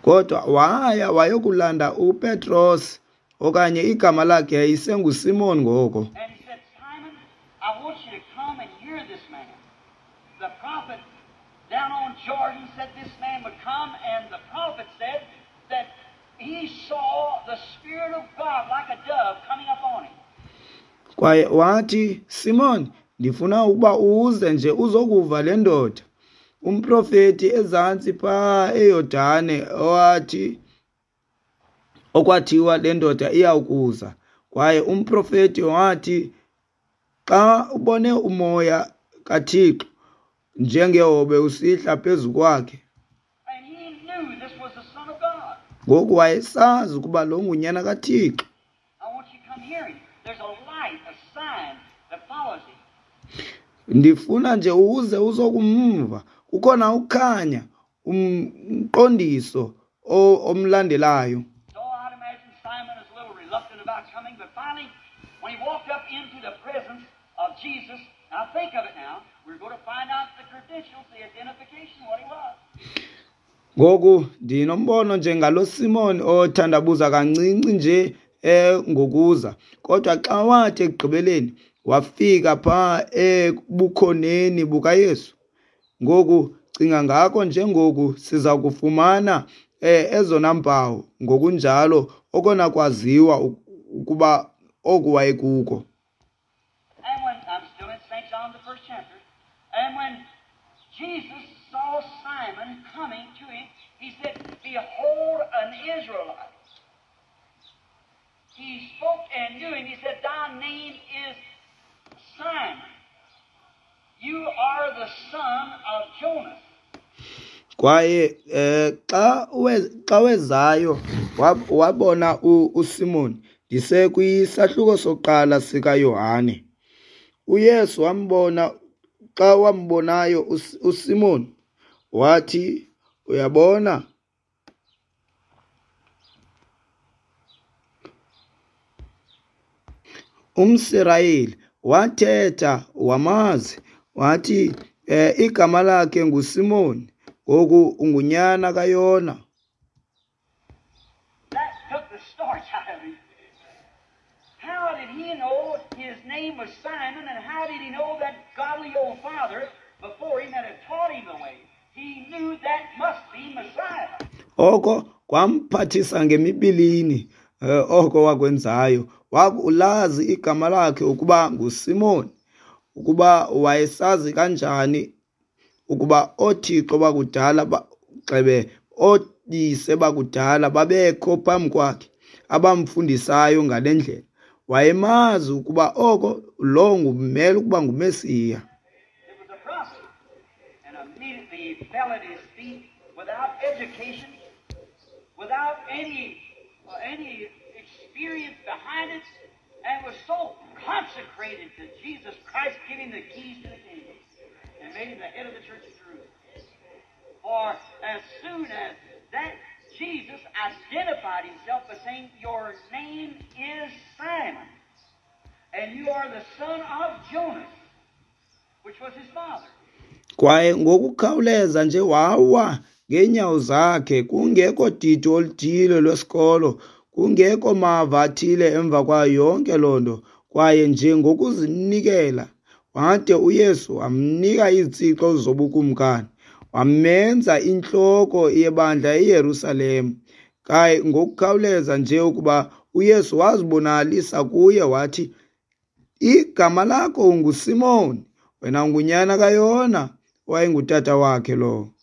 Kodwa waya wayokulanda uPetros, okanye igama lakhe yayisenguSimon ngoko. And he said, "Simon, I want you to come and hear this man. The prophet down on Jordan said this man would come, and the prophet said that he saw the Spirit of God like a dove coming up on him." Kwaye wathi, Simon, ndifuna ukuba uze nje uzokuva le ndoda. Umprofeti ezantsi pha eYordane owathi okwathiwa le ndoda iyawukuza. Kwaye umprofeti wathi Xa ubone umoya kaThixo njengehobe usihla phezu kwakhe. And he knew this was the Son of God. Ngoku wayesazi ukuba lo ngunyana kaThixo. I want you to come hear him. There's a light, a sign that follows him. Ndifuna nje uze uzokumva. Kukhona ukukhanya, umqondiso omlandelayo. So I'd imagine Simon is a little reluctant about coming, but finally, when he walked up into the presence of Jesus, now think of it now, we're going to find out the credentials, the identification, what he was. Ngoku ndinombono nje ngalo Simon othandabuza kancinci nje eh ngokuza, kodwa xa wathi ekugqibeleni wafika pha ebukhoneni bukaYesu. Ngoku cinga ngako njengoku siza kufumana eh ezona mpawu ngokunjalo okona kwaziwa ukuba oku wayekuko. And when I'm still in Saint John the first chapter, and when Jesus saw Simon coming to him, he said, "Behold an Israelite." He spoke and knew him. He said, "Thy name is Simon. You are the son of Jonas." Kwaye eh xa xa wezayo wabona uSimon, ndise kwisahluko sokuqala sikaYohane. uYesu wambona, xa wambonayo uSimon wathi, uyabona, umSirayeli. Wathetha wamazi, wathi eh igama lakhe nguSimon, ngoku ungunyana kaYona. That took the starch out of him. How did he know his name was Simon, and how did he know that godly old father before him that had taught him the way? He knew that must be Messiah. Oko kwamphathisa ngemibilini oko wakwenzayo. Wakulazi igama lakhe ukuba nguSimon, ukuba wayesazi kanjani ukuba othixo bakudala gxebe ooyise bakudala babekho phambi kwakhe abamfundisayo ngale ndlela. Wayemazi ukuba oko lo ngumele ukuba nguMesiya. It was a prophet, and immediately he fell at his feet without education, without any uh, any experience behind it, and was so consecrated to Jesus Christ, giving the keys to the kingdom and made him the head of the church of Jerusalem. For as soon as that Jesus identified himself by saying, "Your name is Simon, and you are the son of Jonas," which was his father. Kwaye ngokukhawuleza nje wawa ngeenyawo zakhe, kungekho didi oluthile lwesikolo, kungekho mava athile emva kwayo yonke loo nto, kwaye nje ngokuzinikela wade uYesu wamnika izitsixo zobukumkani, wamenza intloko yebandla eYerusalem. Kwaye ngokukhawuleza nje ukuba uYesu wazibonakalisa kuye wathi, igama lakho unguSimon, wena ungunyana kaYona, wayengutata wakhe lowo.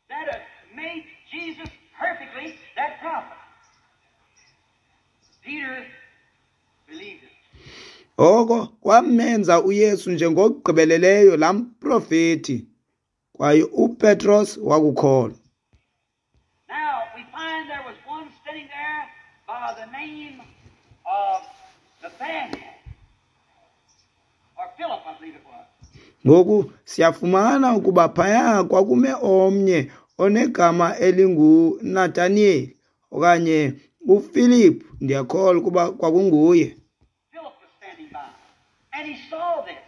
That made Jesus perfectly that prophet. Peter believed it. Oko kwamenza uYesu njengokugqibeleleyo laa mprofeti, kwaye uPetros wakukholwa. Now we find there was one standing there by the name of Nathaniel, or Philip, I believe it was. Ngoku siyafumana ukuba phaya kwakume omnye onegama elinguNathaniel okanye uPhilip, ndiyakholwa ukuba kwakunguye. Philip was standing by, and he saw this.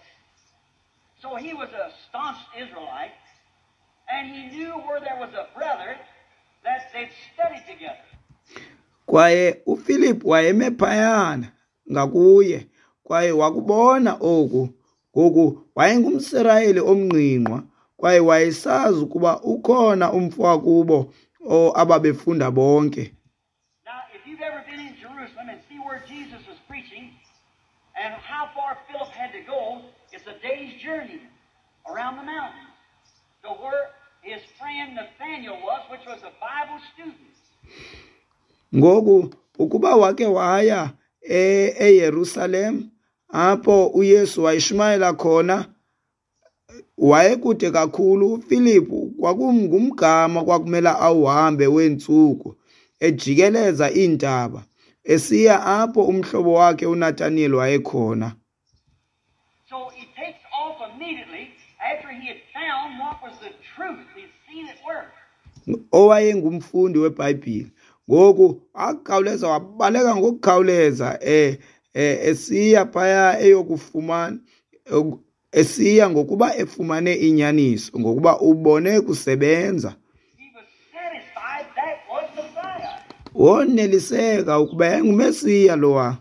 So he was a staunch Israelite, and he knew where there was a brother that they'd studied together. Kwaye uPhilip wayeme phayana ngakuye, kwaye wakubona oku. Ngoku wayengumSirayeli omngqingqwa, kwaye wayesazi ukuba ukhona umfo wakubo ababefunda bonke. Now, if you've ever been in Jerusalem and see where Jesus was preaching and how far Philip had to go, it's a day's journey around the mountains to where his friend Nathaniel was, which was a Bible student. Ngoku ukuba wake waya eYerusalem apho uYesu wayishumayela khona wayekude kakhulu. uFilipu kwakungumgama kwakumela awuhambe weentsuku ejikeleza iintaba esiya apho umhlobo wakhe uNathaniel wayekhona. So he takes off immediately after he had found what was the truth. He'd seen it work. Owayengumfundi weBhayibhile ngoku wakhawuleza wabaleka ngokukhawuleza eh esiya phaya eyokufumana esiya ngokuba efumane inyaniso ngokuba ubone kusebenza. He was satisfied that was Messiah. Woneliseka ukuba yayinguMesiya lowa.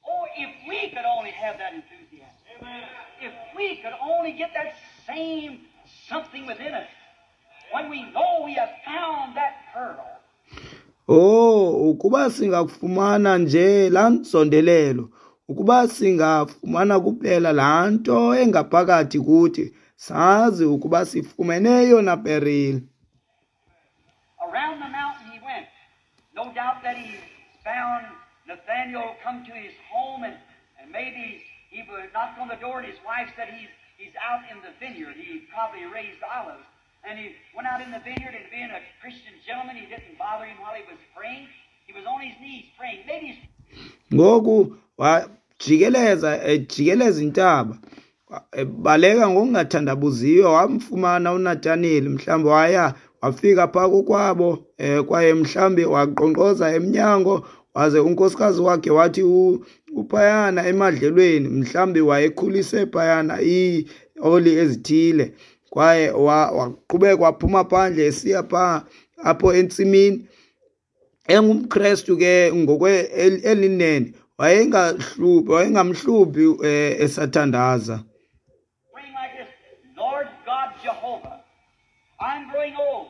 Oh, if we could only have that enthusiasm. If we could only get that same something within us when we know we have found that pearl. Oh, ukuba singakufumana nje laa nzondelelo, ukuba singafumana kuphela laa nto engaphakathi kuthi, sazi ukuba sifumene eyona perile. Around the mountain he went. No doubt that he found Nathaniel come to his home, and, and maybe he would knock on the door and his wife said he's, he's out in the vineyard. He probably raised olives. And he went out in the vineyard, and being a Christian gentleman, he didn't bother him while he was praying. He was on his knees praying. Maybe he's Ngoku wajikeleza ejikeleza intaba baleka ngokungathandabuziyo wamfumana uNathaniel, mhlawumbi waya wafika phaa kokwabo eh, kwaye mhlawumbi waqonkqoza emnyango waze unkosikazi wakhe wathi uphayana emadlelweni, mhlawumbi wayekhulise phayana iioli ezithile, kwaye waqhubeka waphuma phandle esiya phaa apho entsimini. EngumKrestu ke ngokwe elinene wayengahluphi wayengamhluphi eh, esathandaza. praying like this, Lord God Jehovah, I'm growing old,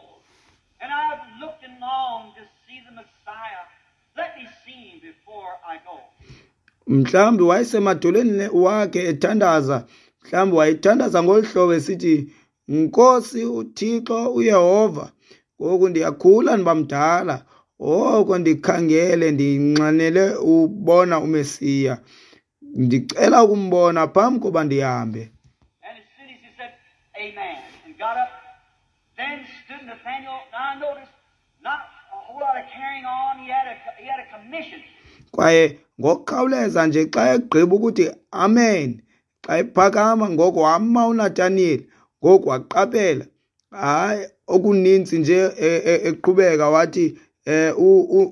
and I've looked and longed to see the Messiah. Let me see him before I go. Mhlawumbi wayesemadolweni wakhe ethandaza, mhlawumbi wayethandaza ngolu hlobo esithi, Nkosi uThixo uYehova, ngoku ndiyakhula ndiba mdala, oko ndikhangele ndinxanele ubona uMesiya, ndicela ukumbona phambi koba ndihambe. And as soon as he said, Amen, and got up, then stood Nathaniel. Now I noticed, not a whole lot of carrying on. He had a, he had a commission. Kwaye ngokukhawuleza nje xa egqiba ukuthi amen, xa ephakama ngoko wama uNathaniel, ngoku waqaphela hayi okuninzi nje eqhubeka wathi eh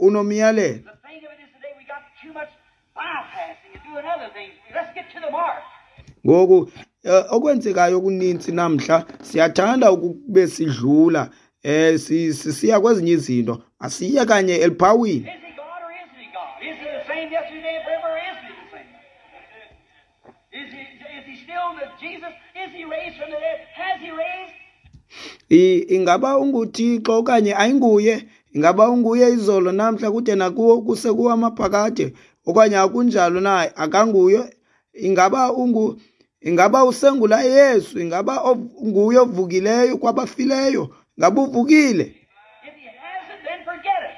unomyalelo. The thing of it is today we got too much bypassing and doing other things. Let's get to the mark. Ngoku okwenzekayo okuninzi namhla siyathanda ukube sidlula eh sisiya kwezinye izinto, asiye kanye eliphawini. Is he God or isn't he God? Is he the same yesterday and forever, or isn't he the same? Is he, is he still the Jesus? Is he raised from the dead? Has he raised? Ingaba unguThixo okanye ayinguye? Ingaba unguye izolo namhla kude nakuwo kuse kuwamaphakade okanye akunjalo na? Akanguye? Ingaba ungu ingaba usengula Yesu? Ingaba unguye ovukileyo kwabafileyo? Ingaba uvukile? If he hasn't, then forget it.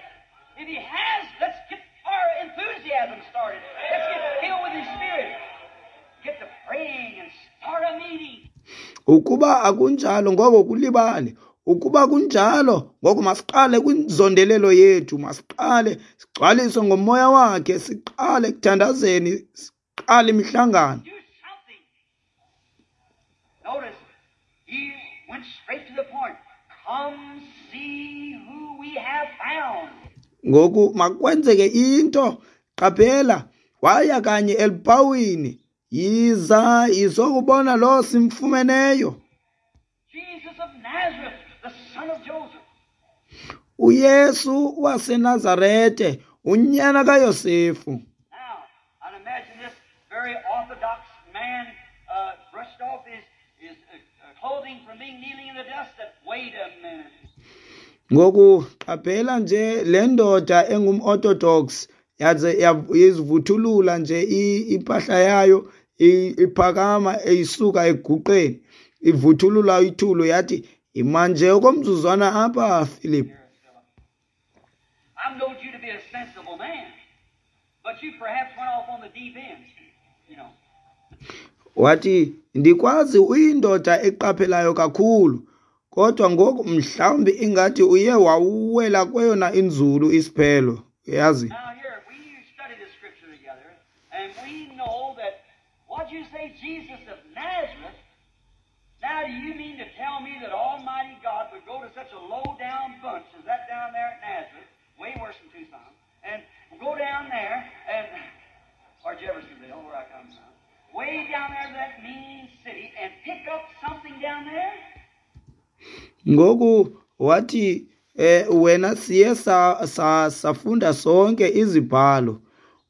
If he has, let's get our enthusiasm started. Let's get filled with his Spirit. Get to praying and start a meeting. Ukuba akunjalo ngoko kulibale. Ukuba kunjalo ngoko masiqale kwinzondelelo yethu, masiqale sigcwaliswe ngomoya wakhe, siqale kuthandazeni, siqale imihlangano. Do something. Notice, he went straight to the point. Come see who we have found. Ngoku makwenzeke into. Qaphela, waya kanye elipawini, yiza izokubona lo simfumeneyo. Jesus of Nazareth, the son of Joseph. uYesu waseNazarete, unyana kaYosefu. Now, I'd imagine this very orthodox man uh, brushed off his, his uh, clothing from being kneeling in the dust. That, wait a minute. Ngoku qaphela nje le ndoda engumorthodox yaze yazivuthulula nje impahla yayo iphakama eyisuka eguqeni ivuthulula ithulo yathi imanje okomzuzwana apha Philip. I've known you to be a sensible man, but you perhaps went off on the deep end. You know. Wathi, ndikwazi uyindoda eqaphelayo kakhulu, kodwa ngoku mhlawumbi ingathi uye wawuwela kweyona inzulu isiphelo, uyazi. Now here, we study the scripture together, and we know that, what you say, Jesus of Nazareth, now do you mean to tell me that Almighty God would go to such a low-down bunch as that down there at Nazareth, way worse than Tucson, and go down there, and, or Jeffersonville, where I come from, way down there to that mean city, and pick up something down there? Ngoku wathi, eh, wena siye sa, sa, safunda sonke izibhalo.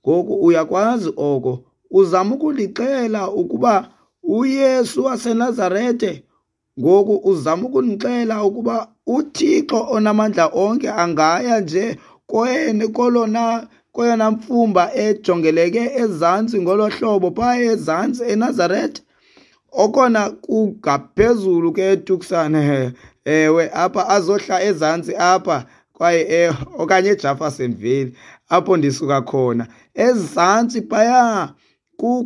Ngoku uyakwazi oko. Uzama ukundixela ukuba uYesu waseNazarete. Ngoku uzama ukundixela ukuba uThixo onamandla onke angaya nje koyena kolona kweyona mfumba ejongeleke ezantsi ngolo hlobo phaya ezantsi eNazarete, okona kungaphezulu ke eTucson, ewe, apha azohla ezantsi apha kwaye, eh, okanye eJeffersonville apho ndisuka khona, ezantsi phaya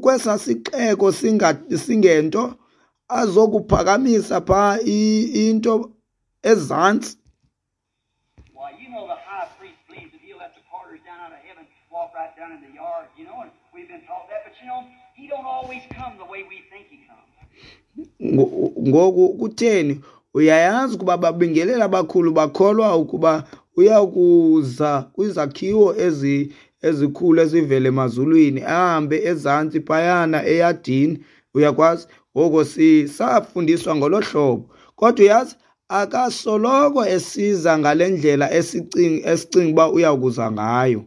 kwesa sixeko singa-, singento azokuphakamisa pha i-, into ezantsi. Why, you know the high priest believes that he'll let the porters down out of heaven walk right down in the yard, you know, and we've been taught that, but you know, he don't always come the way we think he comes. Ngo-, ngoku kutheni? Uyayazi ukuba babingelela abakhulu bakholwa ukuba uyakuza kwizakhiwo ezi-, ezikhulu ezivele emazulwini, ahambe ezantsi phayana eyadini, uyakwazi? Ngoko si-, safundiswa ngolo hlobo. Kodwa uyazi, akasoloko esiza ngale ndlela esicing-, esicinga uba uyakuza ngayo.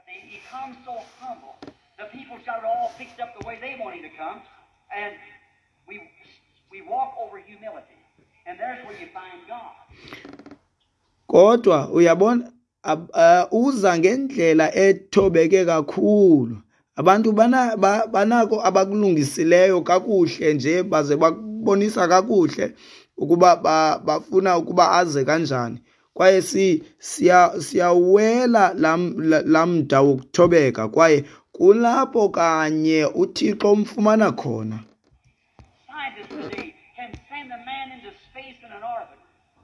He comes so humble. The people's got it all fixed up the way they want him to come, and we, we walk over humility. And there's where you find God. Kodwa uyabona, ab-, uh, uza ngendlela ethobeke kakhulu. Abantu bana-, ba-, banako abakulungisileyo kakuhle nje, baze bakubonisa kakuhle ukuba ba-, bafuna ukuba aze kanjani. Kwaye si-, siya-, siyawela lam-, la-, lamda wokuthobeka, kwaye kulapho kanye uThixo umfumana khona. Scientists today can send a man into space in an orbit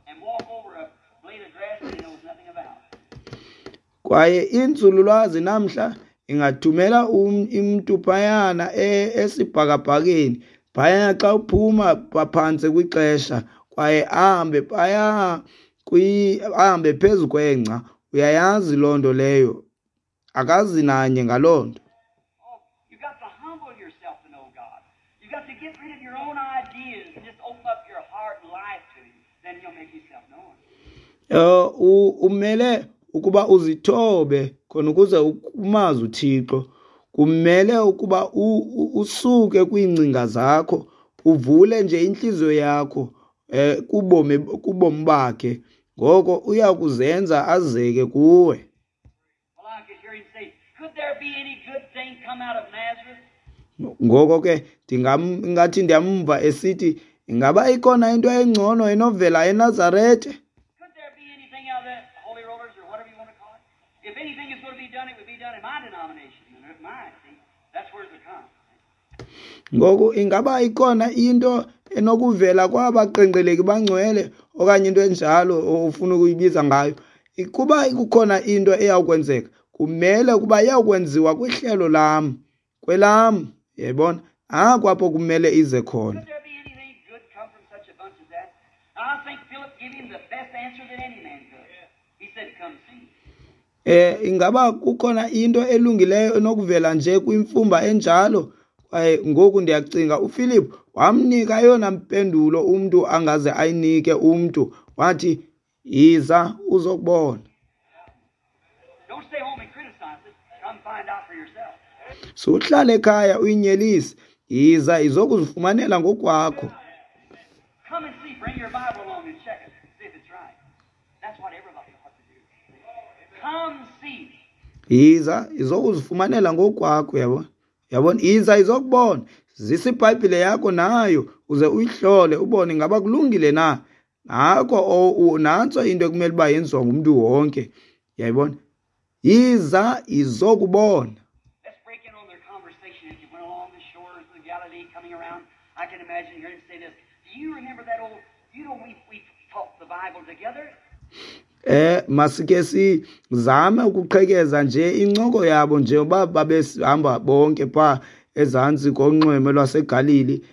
and walk over a blade of grass that he knows nothing about. Kwaye inzululwazi namhla ingathumela um-, umntu phayana e-, esibhakabhakeni, phayana xa uphuma phantsi kwixesha, kwaye ahambe phaya kwi-, ahambe phezu kwengca. Uyayazi loo nto leyo, akazi nanye ngaloo nto. Oh, you got to humble yourself to know God. You got to get rid of your own ideas and just open up your heart and life to Him. Then He'll make Himself known. Eh, u-, umele ukuba uzithobe khona ukuze umazi uThixo. Kumele ukuba u-, u-, usuke kwiingcinga zakho, uvule nje intliziyo yakho, eh, kubomi, kubomi bakhe. Ngoko uyakuzenza azeke kuwe. Well, I could hear him say, could there be any good thing come out of Nazareth? Ngoko ke ndingam-, ngathi ndiyamva esithi, ingaba ikhona into engcono enovela eNazarete? Could there be anything out of that holy rollers or whatever you want to call it? If anything is gonna be done, it would be done in my denomination and in mine. See, that's where it would come. Ngoku ingaba ikhona into enokuvela kwabaqenqeleki bangcwele okanye into enjalo ofuna ukuyibiza ngayo? Kuba kukhona into eyawukwenzeka, kumele ukuba iyawukwenziwa kwihlelo lam, kwelam, yayibona? Apho apho kumele ize khona. Could there be anything good come from such a bunch as that? I think Philip gave him the best answer that any man could. He said, come see. Eh, ingaba kukhona into elungileyo enokuvela nje kwimfumba enjalo? Kwaye ngoku ndiyacinga uPhilip wamnika eyona mpendulo umntu angaze ayinike umntu, wathi, yiza uzokubona. Don't stay home and criticize it. Come find out for yourself. Suhlale ekhaya uyinyelise, yiza izokuzifumanela ngokwakho. Come and see, bring your Bible along and check it, see if it's right. That's what everybody ought to do. Come see. Yiza izokuzifumanela ngokwakho, yabo. Yabona, yiza izokubona. Zisa iBhayibhile yakho nayo uze uyihlole ubone ingaba kulungile na. Nako o-, u-, nantso into ekumele uba yenziwa ngumntu wonke. Yayibona? Yiza izokubona. Let's break in on their conversation as you went I can imagine hearing him say this. Do you remember that old, you know, we, we taught the Bible together? Eh masike sizame ukuqhekeza nje incoko yabo njengoba babehamba bonke pha ezantsi konxweme lwaseGalili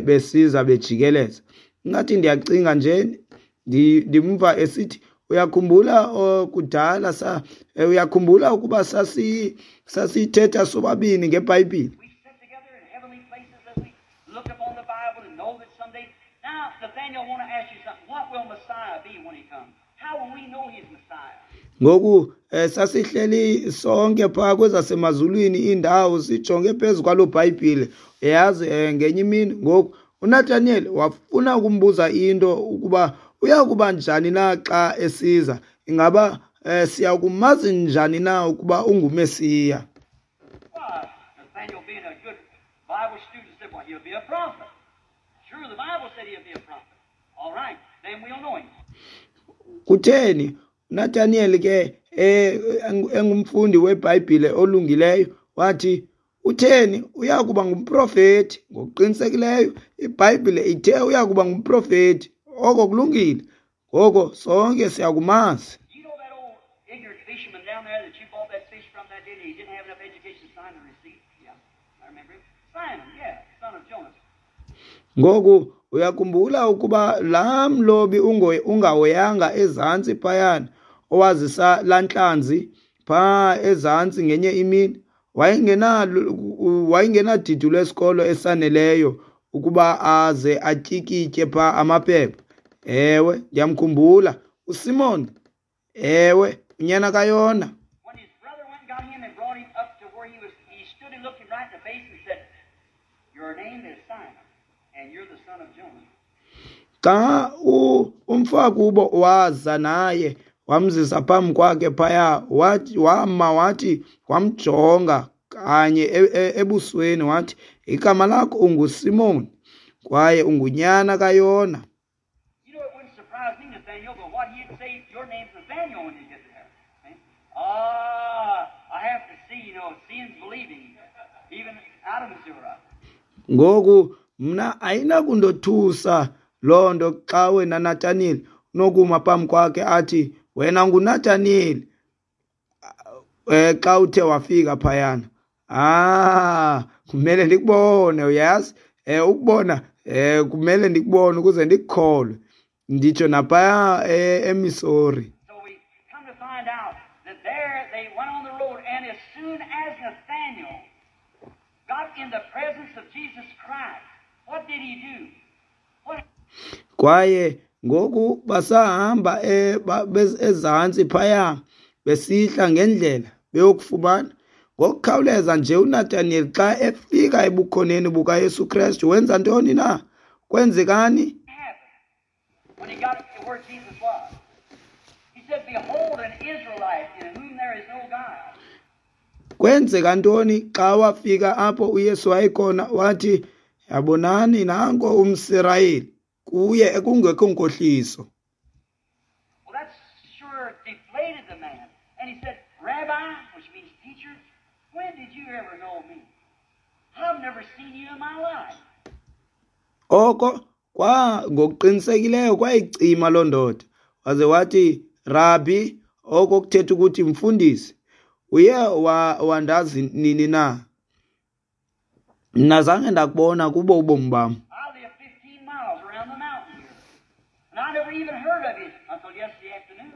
besiza bejikeleza. Ngathi ndiyacinga nje ndimva esithi uyakhumbula kudala sa uyakhumbula ukuba sasi sasithetha sobabini ngeBhayibhile. We sit together in heavenly places as we look upon the Bible and know that someday. Now, Nathaniel, I want to ask you something. What will Messiah be when he comes? How will we know he's Messiah? Ngoku eh, sasihleli sonke pha kwezasemazulwini indawo sijonge phezu kwalo Bhayibhile. Yazi eh, ngenye imini ngoku uNathaniel wafuna ukumbuza into ukuba uyakuba njani na xa esiza, ingaba eh, siyakumazi njani na ukuba unguMesiya. Why, Nathaniel, being a good Bible student, said, well, he'll be a prophet. Sure, the Bible said he'll be a prophet. All right, then we'll know him. Kutheni uNathaniel ke eh, engumfundi weBhayibhile olungileyo wathi utheni uyakuba ngumprofeti? Ngokuqinisekileyo iBhayibhile ithe uyakuba ngumprofeti. Oko kulungile, ngoko sonke siyakumazi. You know that old ignorant fisherman down there that you bought that fish from that day, and he didn't have enough education to sign the receipt? Yeah, I remember him. Simon, yeah, son of Jonas. Ngoku uyakhumbula ukuba laa mlobi ungahoyanga ezantsi phayana owazisa laa ntlanzi phaa ezantsi ngenye imini wayengenadidi lwesikolo esaneleyo ukuba aze atyikitye phaa amaphepha. Ewe, ndiyamkhumbula uSimon. Ewe, unyana kaYona. When his brother went and got him and brought him up to where he was, he stood and looked him right in the face and said, "Your name is Simon, and you're the son of Jonah." Xa umfakubo waza naye wamzisa phambi kwakhe phaya, wathi wama wathi wamjonga kanye ebusweni wathi, igama lakho unguSimon kwaye ungunyana kaYona. You know, it wouldn't surprise me, Nathaniel, but what he'd say, your name's Nathaniel when you get there. Okay? Ah, I have to see, you know, seeing's believing, even out of Missouri. Ngoku mna ayinakundothusa loo nto xa wena Nathaniel unokuma phambi kwakhe athi wena nguNathaniel eh xa uthe wafika phayana. Ah, kumele ndikubone, uyazi eh ukubona eh kumele ndikubone ukuze ndikukholwe, nditsho naphaya eMissouri. So we come to find out that there they went on the road, and as soon as Nathaniel got in the presence of Jesus Christ, what did he do? What? Kwaye ngoku basahamba ezantsi phaya besihla ngendlela beyokufumana. Ngokukhawuleza nje uNathaniel xa efika ebukhoneni bukaYesu Kristu wenza ntoni na? Kwenzekani? When he got to where Jesus was, he said, "Behold, an Israelite in whom there is no guile." Kwenzeka ntoni xa wafika apho uYesu wayekhona? Wathi, yabonani nanko umSirayeli kuye ekungekho nkohliso. Well, that sure deflated the man. And he said, "Rabbi," which means teacher, "when did you ever know me? I've never seen you in my life." Oko kwa ngokuqinisekileyo kwayicima loo ndoda. Waze wathi, Rabbi, oko kuthetha ukuthi mfundisi, uye wandazi nini na? Mna zange ndakubona kubo ubomi bam. I live fifteen miles around the mountain here, and I never even heard of it until yesterday afternoon.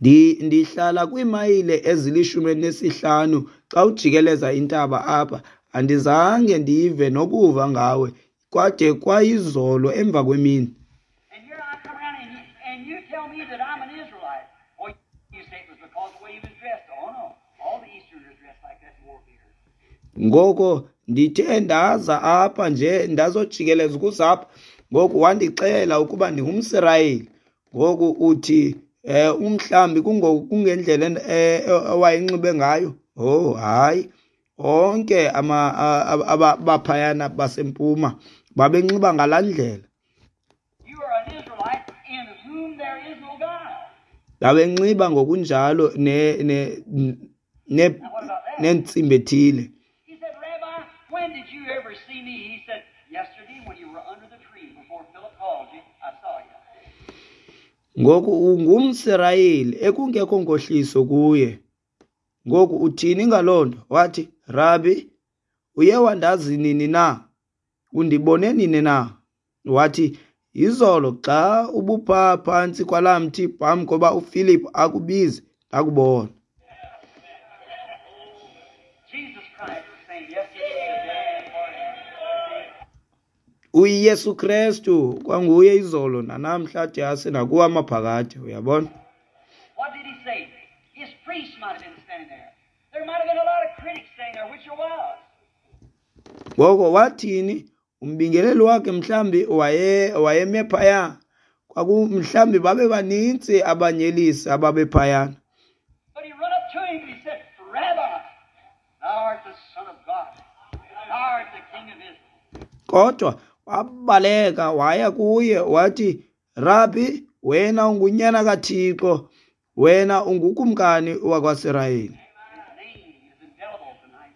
Ndi ndihlala kwiimayile ezilishumi elinesihlanu xa ujikeleza intaba apha, andizange ndive nokuva ngawe kwade kwayizolo emva kwemini. And here I come around and you, and you tell me that I'm an Israelite. Or you say it was because of the way he was dressed. Oh no, all the Easterners dressed like that and wore beards. Ngoko ndithe ndaza apha nje ndazojikeleza ukuzapha, ngoku wandixela ukuba ndingumSirayeli. Ngoku uthi eh umhlambi kungendlela owayenxibe ngayo. Oh hayi, onke ama abaphayana basempuma babenxiba ngalaa ndlela. You are an Israelite in whom there is no guile. Babenxiba ngokunjalo ne ne ne nentsimbi ethile. He said, "Rabbi, when did you ever see me?" He said, "Yesterday when you Ngoku ungumSirayeli ekungekho nkohliso kuye. Ngoku uthini ngaloo nto? Wathi, Rabi, uye wandazi nini na? Undibone nini na? Wathi, izolo xa ubupha phantsi kwalaa mthi phambi koba uFilip akubize, ndakubona. Jesus Christ the same yesterday, today, and forever. UYesu Krestu kwanguye izolo nanamhla de ase nakuwo amaphakade, uyabona? What did he say? His priests might have been standing there. There might have been a lot of critics standing there, which there was. Ngoko wathini? Umbingeleli wakhe mhlambi waye wayeme phaya. Kwaku mhlambi babe banintsi abanyelisi ababephayana. But he run up to him and he said, Rabbi, thou art the Son of God. Thou art the King of Israel. Kodwa wabaleka waya kuye wathi, Rabbi, wena ungunyana kaThixo, wena ungukumkani wakwaSirayeli. His name is indelible tonight.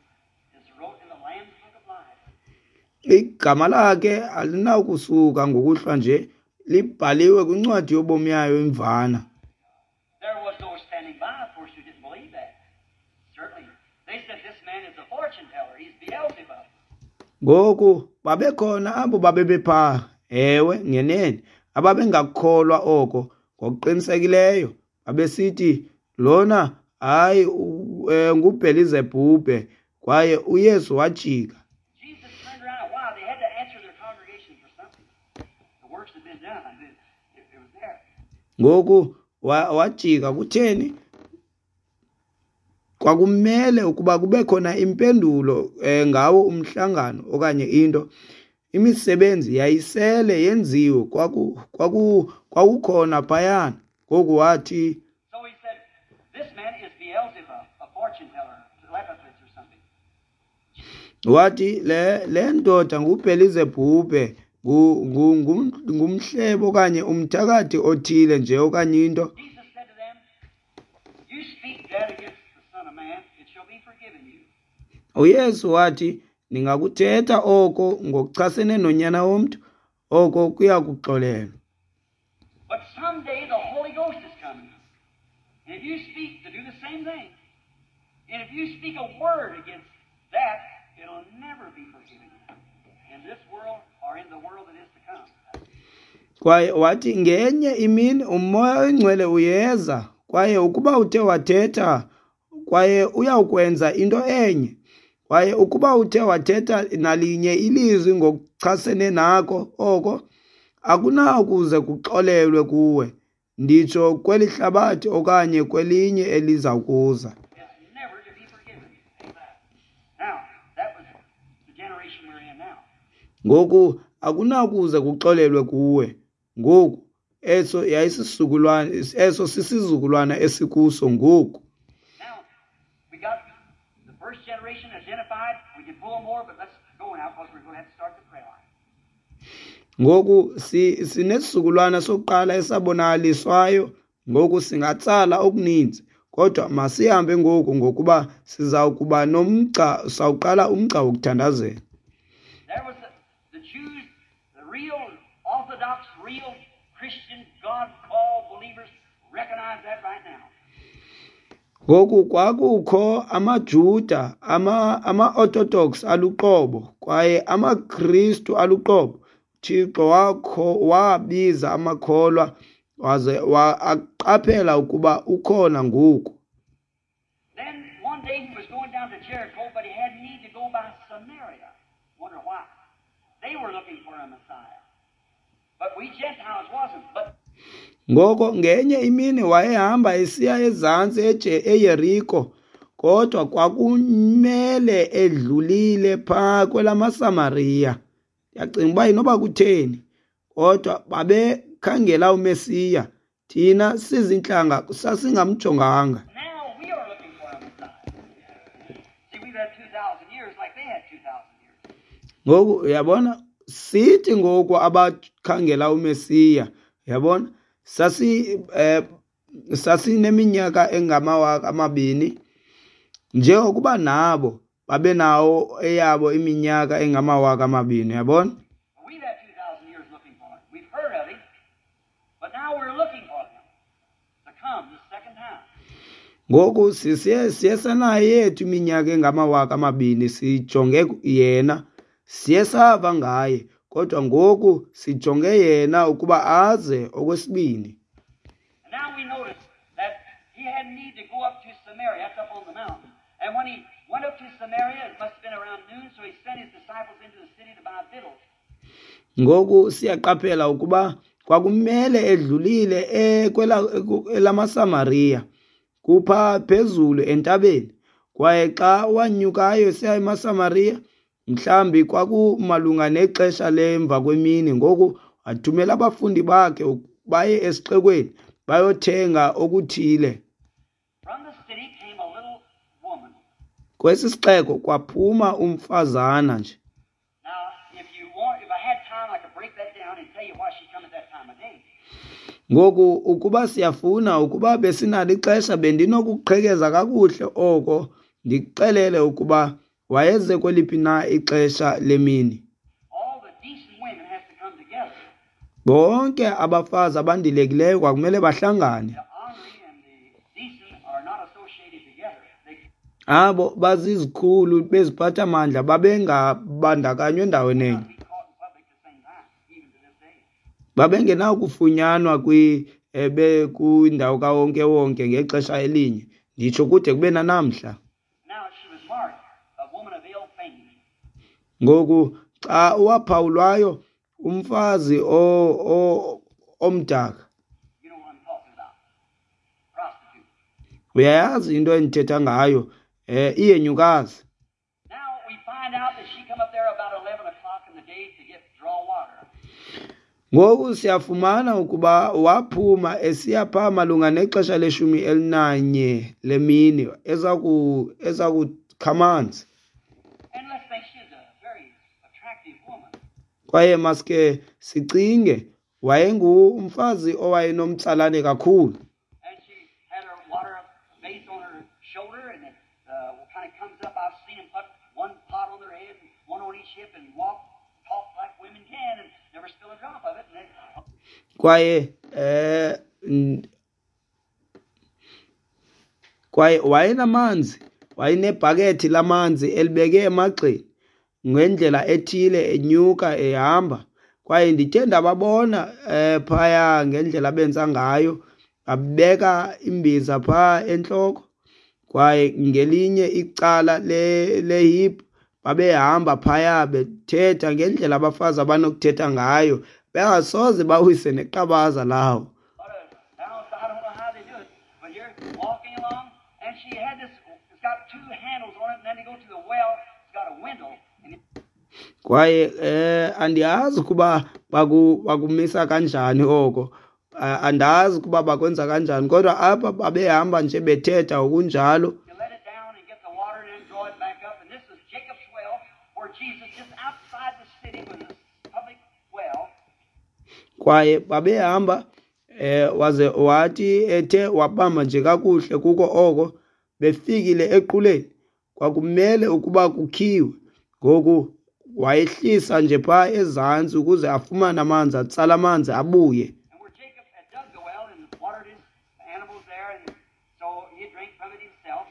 It's wrote in the Lamb's Book of Life. Igama lakhe alinawukusuka ngokuhlwa nje, libhaliwe kwincwadi yobomi yayo imvana. There was those standing by, of course, who didn't believe that. Certainly. They said, this man is a fortune teller. He's Beelzebub. Ngoku babekhona abo babebepha, ewe, ngenene, ababengakukholwa oko ngokuqinisekileyo. Babesithi lona hayi u- eh, nguBhelizebhubhe, kwaye uYesu wajika. Jesus turned around. Why? They had to answer their congregation for something. The works had been done. It, it, it was there. Ngoku wa- wajika kutheni? Kwakumele ukuba kube khona impendulo eh, ngawo umhlangano okanye into. Imisebenzi yayisele yenziwe, kwaku kwaku kwakukhona phayana. Ngoku wathi, So he said, this man is Beelzebub, a fortune teller, telepathist or something. wathi le le ndoda nguBhelizebhubhe, ngu- ngu- ngum- ngumhlebo okanye umthakathi othile nje okanye into. Jesus said to them, you speak that against the Son of Man, it shall be forgiven you. UYesu wathi, ningakuthetha oko ngokuchasene nonyana womntu, oko kuyakuxolelwa. But someday the Holy Ghost is coming. And if you speak to do the same thing, and if you speak a word against that, it'll never be forgiven you in this world or in the world that is to come. Kwaye wathi ngenye imini uMoya oyiNgcwele uyeza, kwaye ukuba uthe wathetha, kwaye uyawukwenza into enye. Kwaye ukuba uthe wathetha nalinye ilizwi ngokuchasene nako oko, akunakuze kuxolelwe kuwe, nditsho kweli hlabathi okanye kwelinye eliza kuza. It's never to be forgiven. Now, that was the generation we're in now. Ngoku akunakuze kuxolelwe kuwe. Ngoku eso yayisisizukulwana, eso sisizukulwana esikuso ngoku. Now, we got the first generation identified. We can pull more, but let's go now because we're going to have to start the prayer line. Ngoku si sinesizukulwana sokuqala esabonakaliswayo. Ngoku singatsala okuninzi, kodwa masihambe ngoku ngokuba sizawukuba nomgca, sawuqala umgca wokuthandazela. There was the, the Jews, the real Orthodox, real Christian, God-called believers recognize that right now. Ngoku kwakukho amaJuda, ama ama-Orthodox aluqobo kwaye amaKristu aluqobo. Thixo wakho wabiza amakholwa waze wa- aqaphela ukuba ukhona ngoku. Then one day he was going down to Jericho, but he had need to go by Samaria. Wonder why. They were looking for a Messiah. But we Gentiles wasn't. But Ngoko ngenye imini wayehamba esiya ezantsi eJe- eYeriko, kodwa kwakumele edlulile phaa kwelamaSamariya. Ndiyacinga uba inoba kutheni, kodwa babekhangela uMesiya. Thina sizintlanga sasingamjonganga. now we are looking for a Messiah. See, we've had two thousand years like they had two thousand years. Ngoku uyabona, sithi ngoku abakhangela uMesiya, uyabona, sasi eh, sasineminyaka engamawaka amabini njengokuba nabo babenawo eyabo iminyaka engamawaka amabini, uyabona. But we've had two thousand years looking for him. We've heard of him, but now we're looking for him. Ngoku sisiye siye sanayo yethu iminyaka engamawaka amabini sijonge yena, siye sava ngaye, kodwa ngoku sijonge yena ukuba aze okwesibini. And now we notice that he had need to go up to Samaria, that's up on the mountain. And when he went up to Samaria, it must have been around noon, so he sent his disciples into the city to buy victuals. Ngoku siyaqaphela ukuba kwakumele edlulile ekwela elamaSamariya kupha phezulu entabeni, kwaye xa wanyukayo esiya emaSamariya mhlambi kwakumalunga nexesha lemva kwemini. Ngoku wathumela abafundi bakhe baye esixekweni bayothenga okuthile. From the city came a little woman. Kwesi sixeko kwaphuma umfazana nje. Now, if you want, if I had time, I could break that down and tell you why she come at that time of day. Ngoku ukuba siyafuna, ukuba besinalo ixesha, bendinokuqhekeza kakuhle oko ndikuxelele ukuba wayeze kweliphi na ixesha lemini. All the decent women has to come together. Bonke abafazi abandilekileyo kwakumele bahlangane. The ornery and the decent are not associated together. They Abo bazizikhulu beziphathamandla babengabandakanywa endaweni enye. cannot be caught in public at the same time, even to this day. Babengenakufunyanwa kwi eh, be kwindawo kawonkewonke ngexesha elinye, nditsho kude kube nanamhla. Now she was marked, a woman of ill fame. Ngoku xa waphawulwayo umfazi o, o, omdaka, You know what I'm talking about. Prostitute. uyayazi into endithetha ngayo, eh iyenyukazi. Now we find out that she come up there about eleven o'clock in the day to get draw water. Ngoku siyafumana ukuba waphuma esiya phaa malunga nexesha leshumi elinanye lemini eza ku eza kukha amanzi. And let's think she's a very attractive woman. Kwaye maske sicinge wayengumfazi owayenomtsalane kakhulu. And she had her water vase on her shoulder, and it uh, kind of comes up. I've seen them put one pot on their head and one on each hip and walk, talk like women can, and never spill a drop of it. And then, Kwaye eh n- kwaye wayenamanzi, wayenebhakethi lamanzi elibeke emagxeni ngendlela ethile enyuka ehamba. Kwaye ndithe ndababona eh phaya ngendlela abenza ngayo, babeka imbiza phaa entloko, kwaye ngelinye icala le lehip babehamba phaya bethetha ngendlela abafazi abanokuthetha ngayo, bengasoze bawise neqabaza lawo. But uh, now I don't know how they do it, but you're walking along, and she had this. It's got two handles on it, and then they go to the well. It's got a window, and it, Kwaye eh andiyazi ukuba baku bakumisa kanjani oko, Ah, andazi ukuba bakwenza kanjani, kodwa apha babehamba nje bethetha okunjalo. you let it down and get the water, and then draw it back up. And this is Jacob's well, where Jesus, just outside the city, was a public well. Kwaye babehamba eh waze wathi ethe wabamba nje kakuhle kuko oko, befikile equleni kwakumele ukuba kukhiwe. Ngoku wayehlisa nje phaa ezantsi ukuze afumane amanzi, atsale amanzi abuye. And where Jacob had dug the well and watered his animals there, and so he drank from it himself.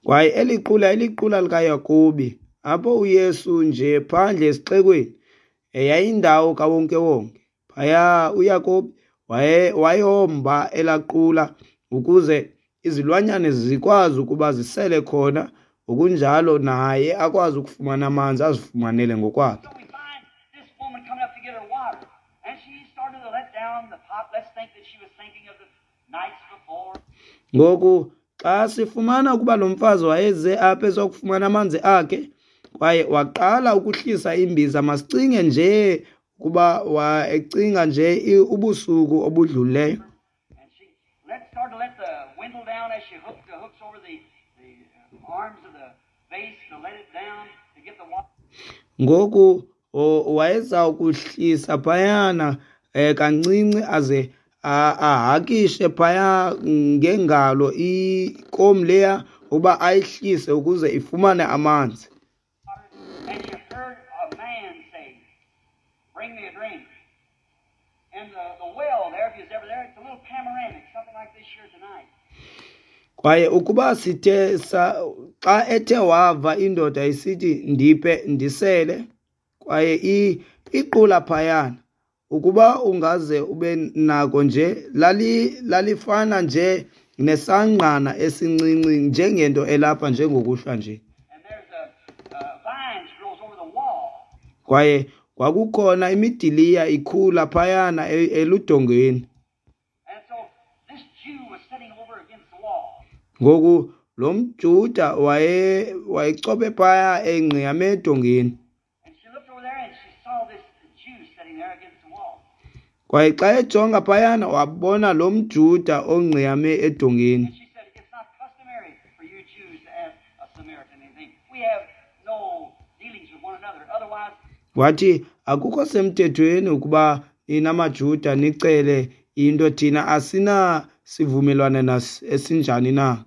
Kwaye eli qula iliqula likaYakobi, apho uYesu nje phandle esixekweni, eh, yayindawo kawonkewonke. Phaya uYakobi waye wayomba elaqula ukuze izilwanyana zikwazi ukuba zisele khona, ngokunjalo naye akwazi ukufumana amanzi azifumanele ngokwakhe. So we find this woman coming up to get her water, and she started to let down the pot. Let's think that she was thinking of the nights before. Ngoku xa sifumana ukuba lo mfazi wayeze apha ezokufumana amanzi akhe, kwaye waqala ukuhlisa imbiza, masicinge nje ukuba waecinga nje i- ubusuku obudlulileyo. And she let started to let the window down as she hooked the hooks over the, the uh, arms of the vase to let it down to get the water. Ngoku o- wayeza ukuhlisa phayana eh kancinci aze a- ahakishe phaya ngengalo ikom leya uba ayihlise ukuze ifumane amanzi. And she heard a man say, "Bring me a drink." And the, the well there, if you was ever there, it's a little panoramic, something like this here tonight. Kwaye ukuba sithe sa xa ethe wava indoda isithi ndiphe ndisele, kwaye iqula phayana, ukuba ungaze ube nako nje, lali lalifana nje nesangqana esincinci njengento elapha njengokuhlwa nje. Kwaye kwakukhona imidiliya ikhula phayana eludongeni. Ngoku lo mJuda waye wayechobe phaya engqiyame edongeni. Kwaye xa ejonga phayana wabona lo mJuda ongqiyame edongeni. Wathi akukho semthethweni ukuba nina maJuda nicele into, thina asina sivumelwano esinjani na.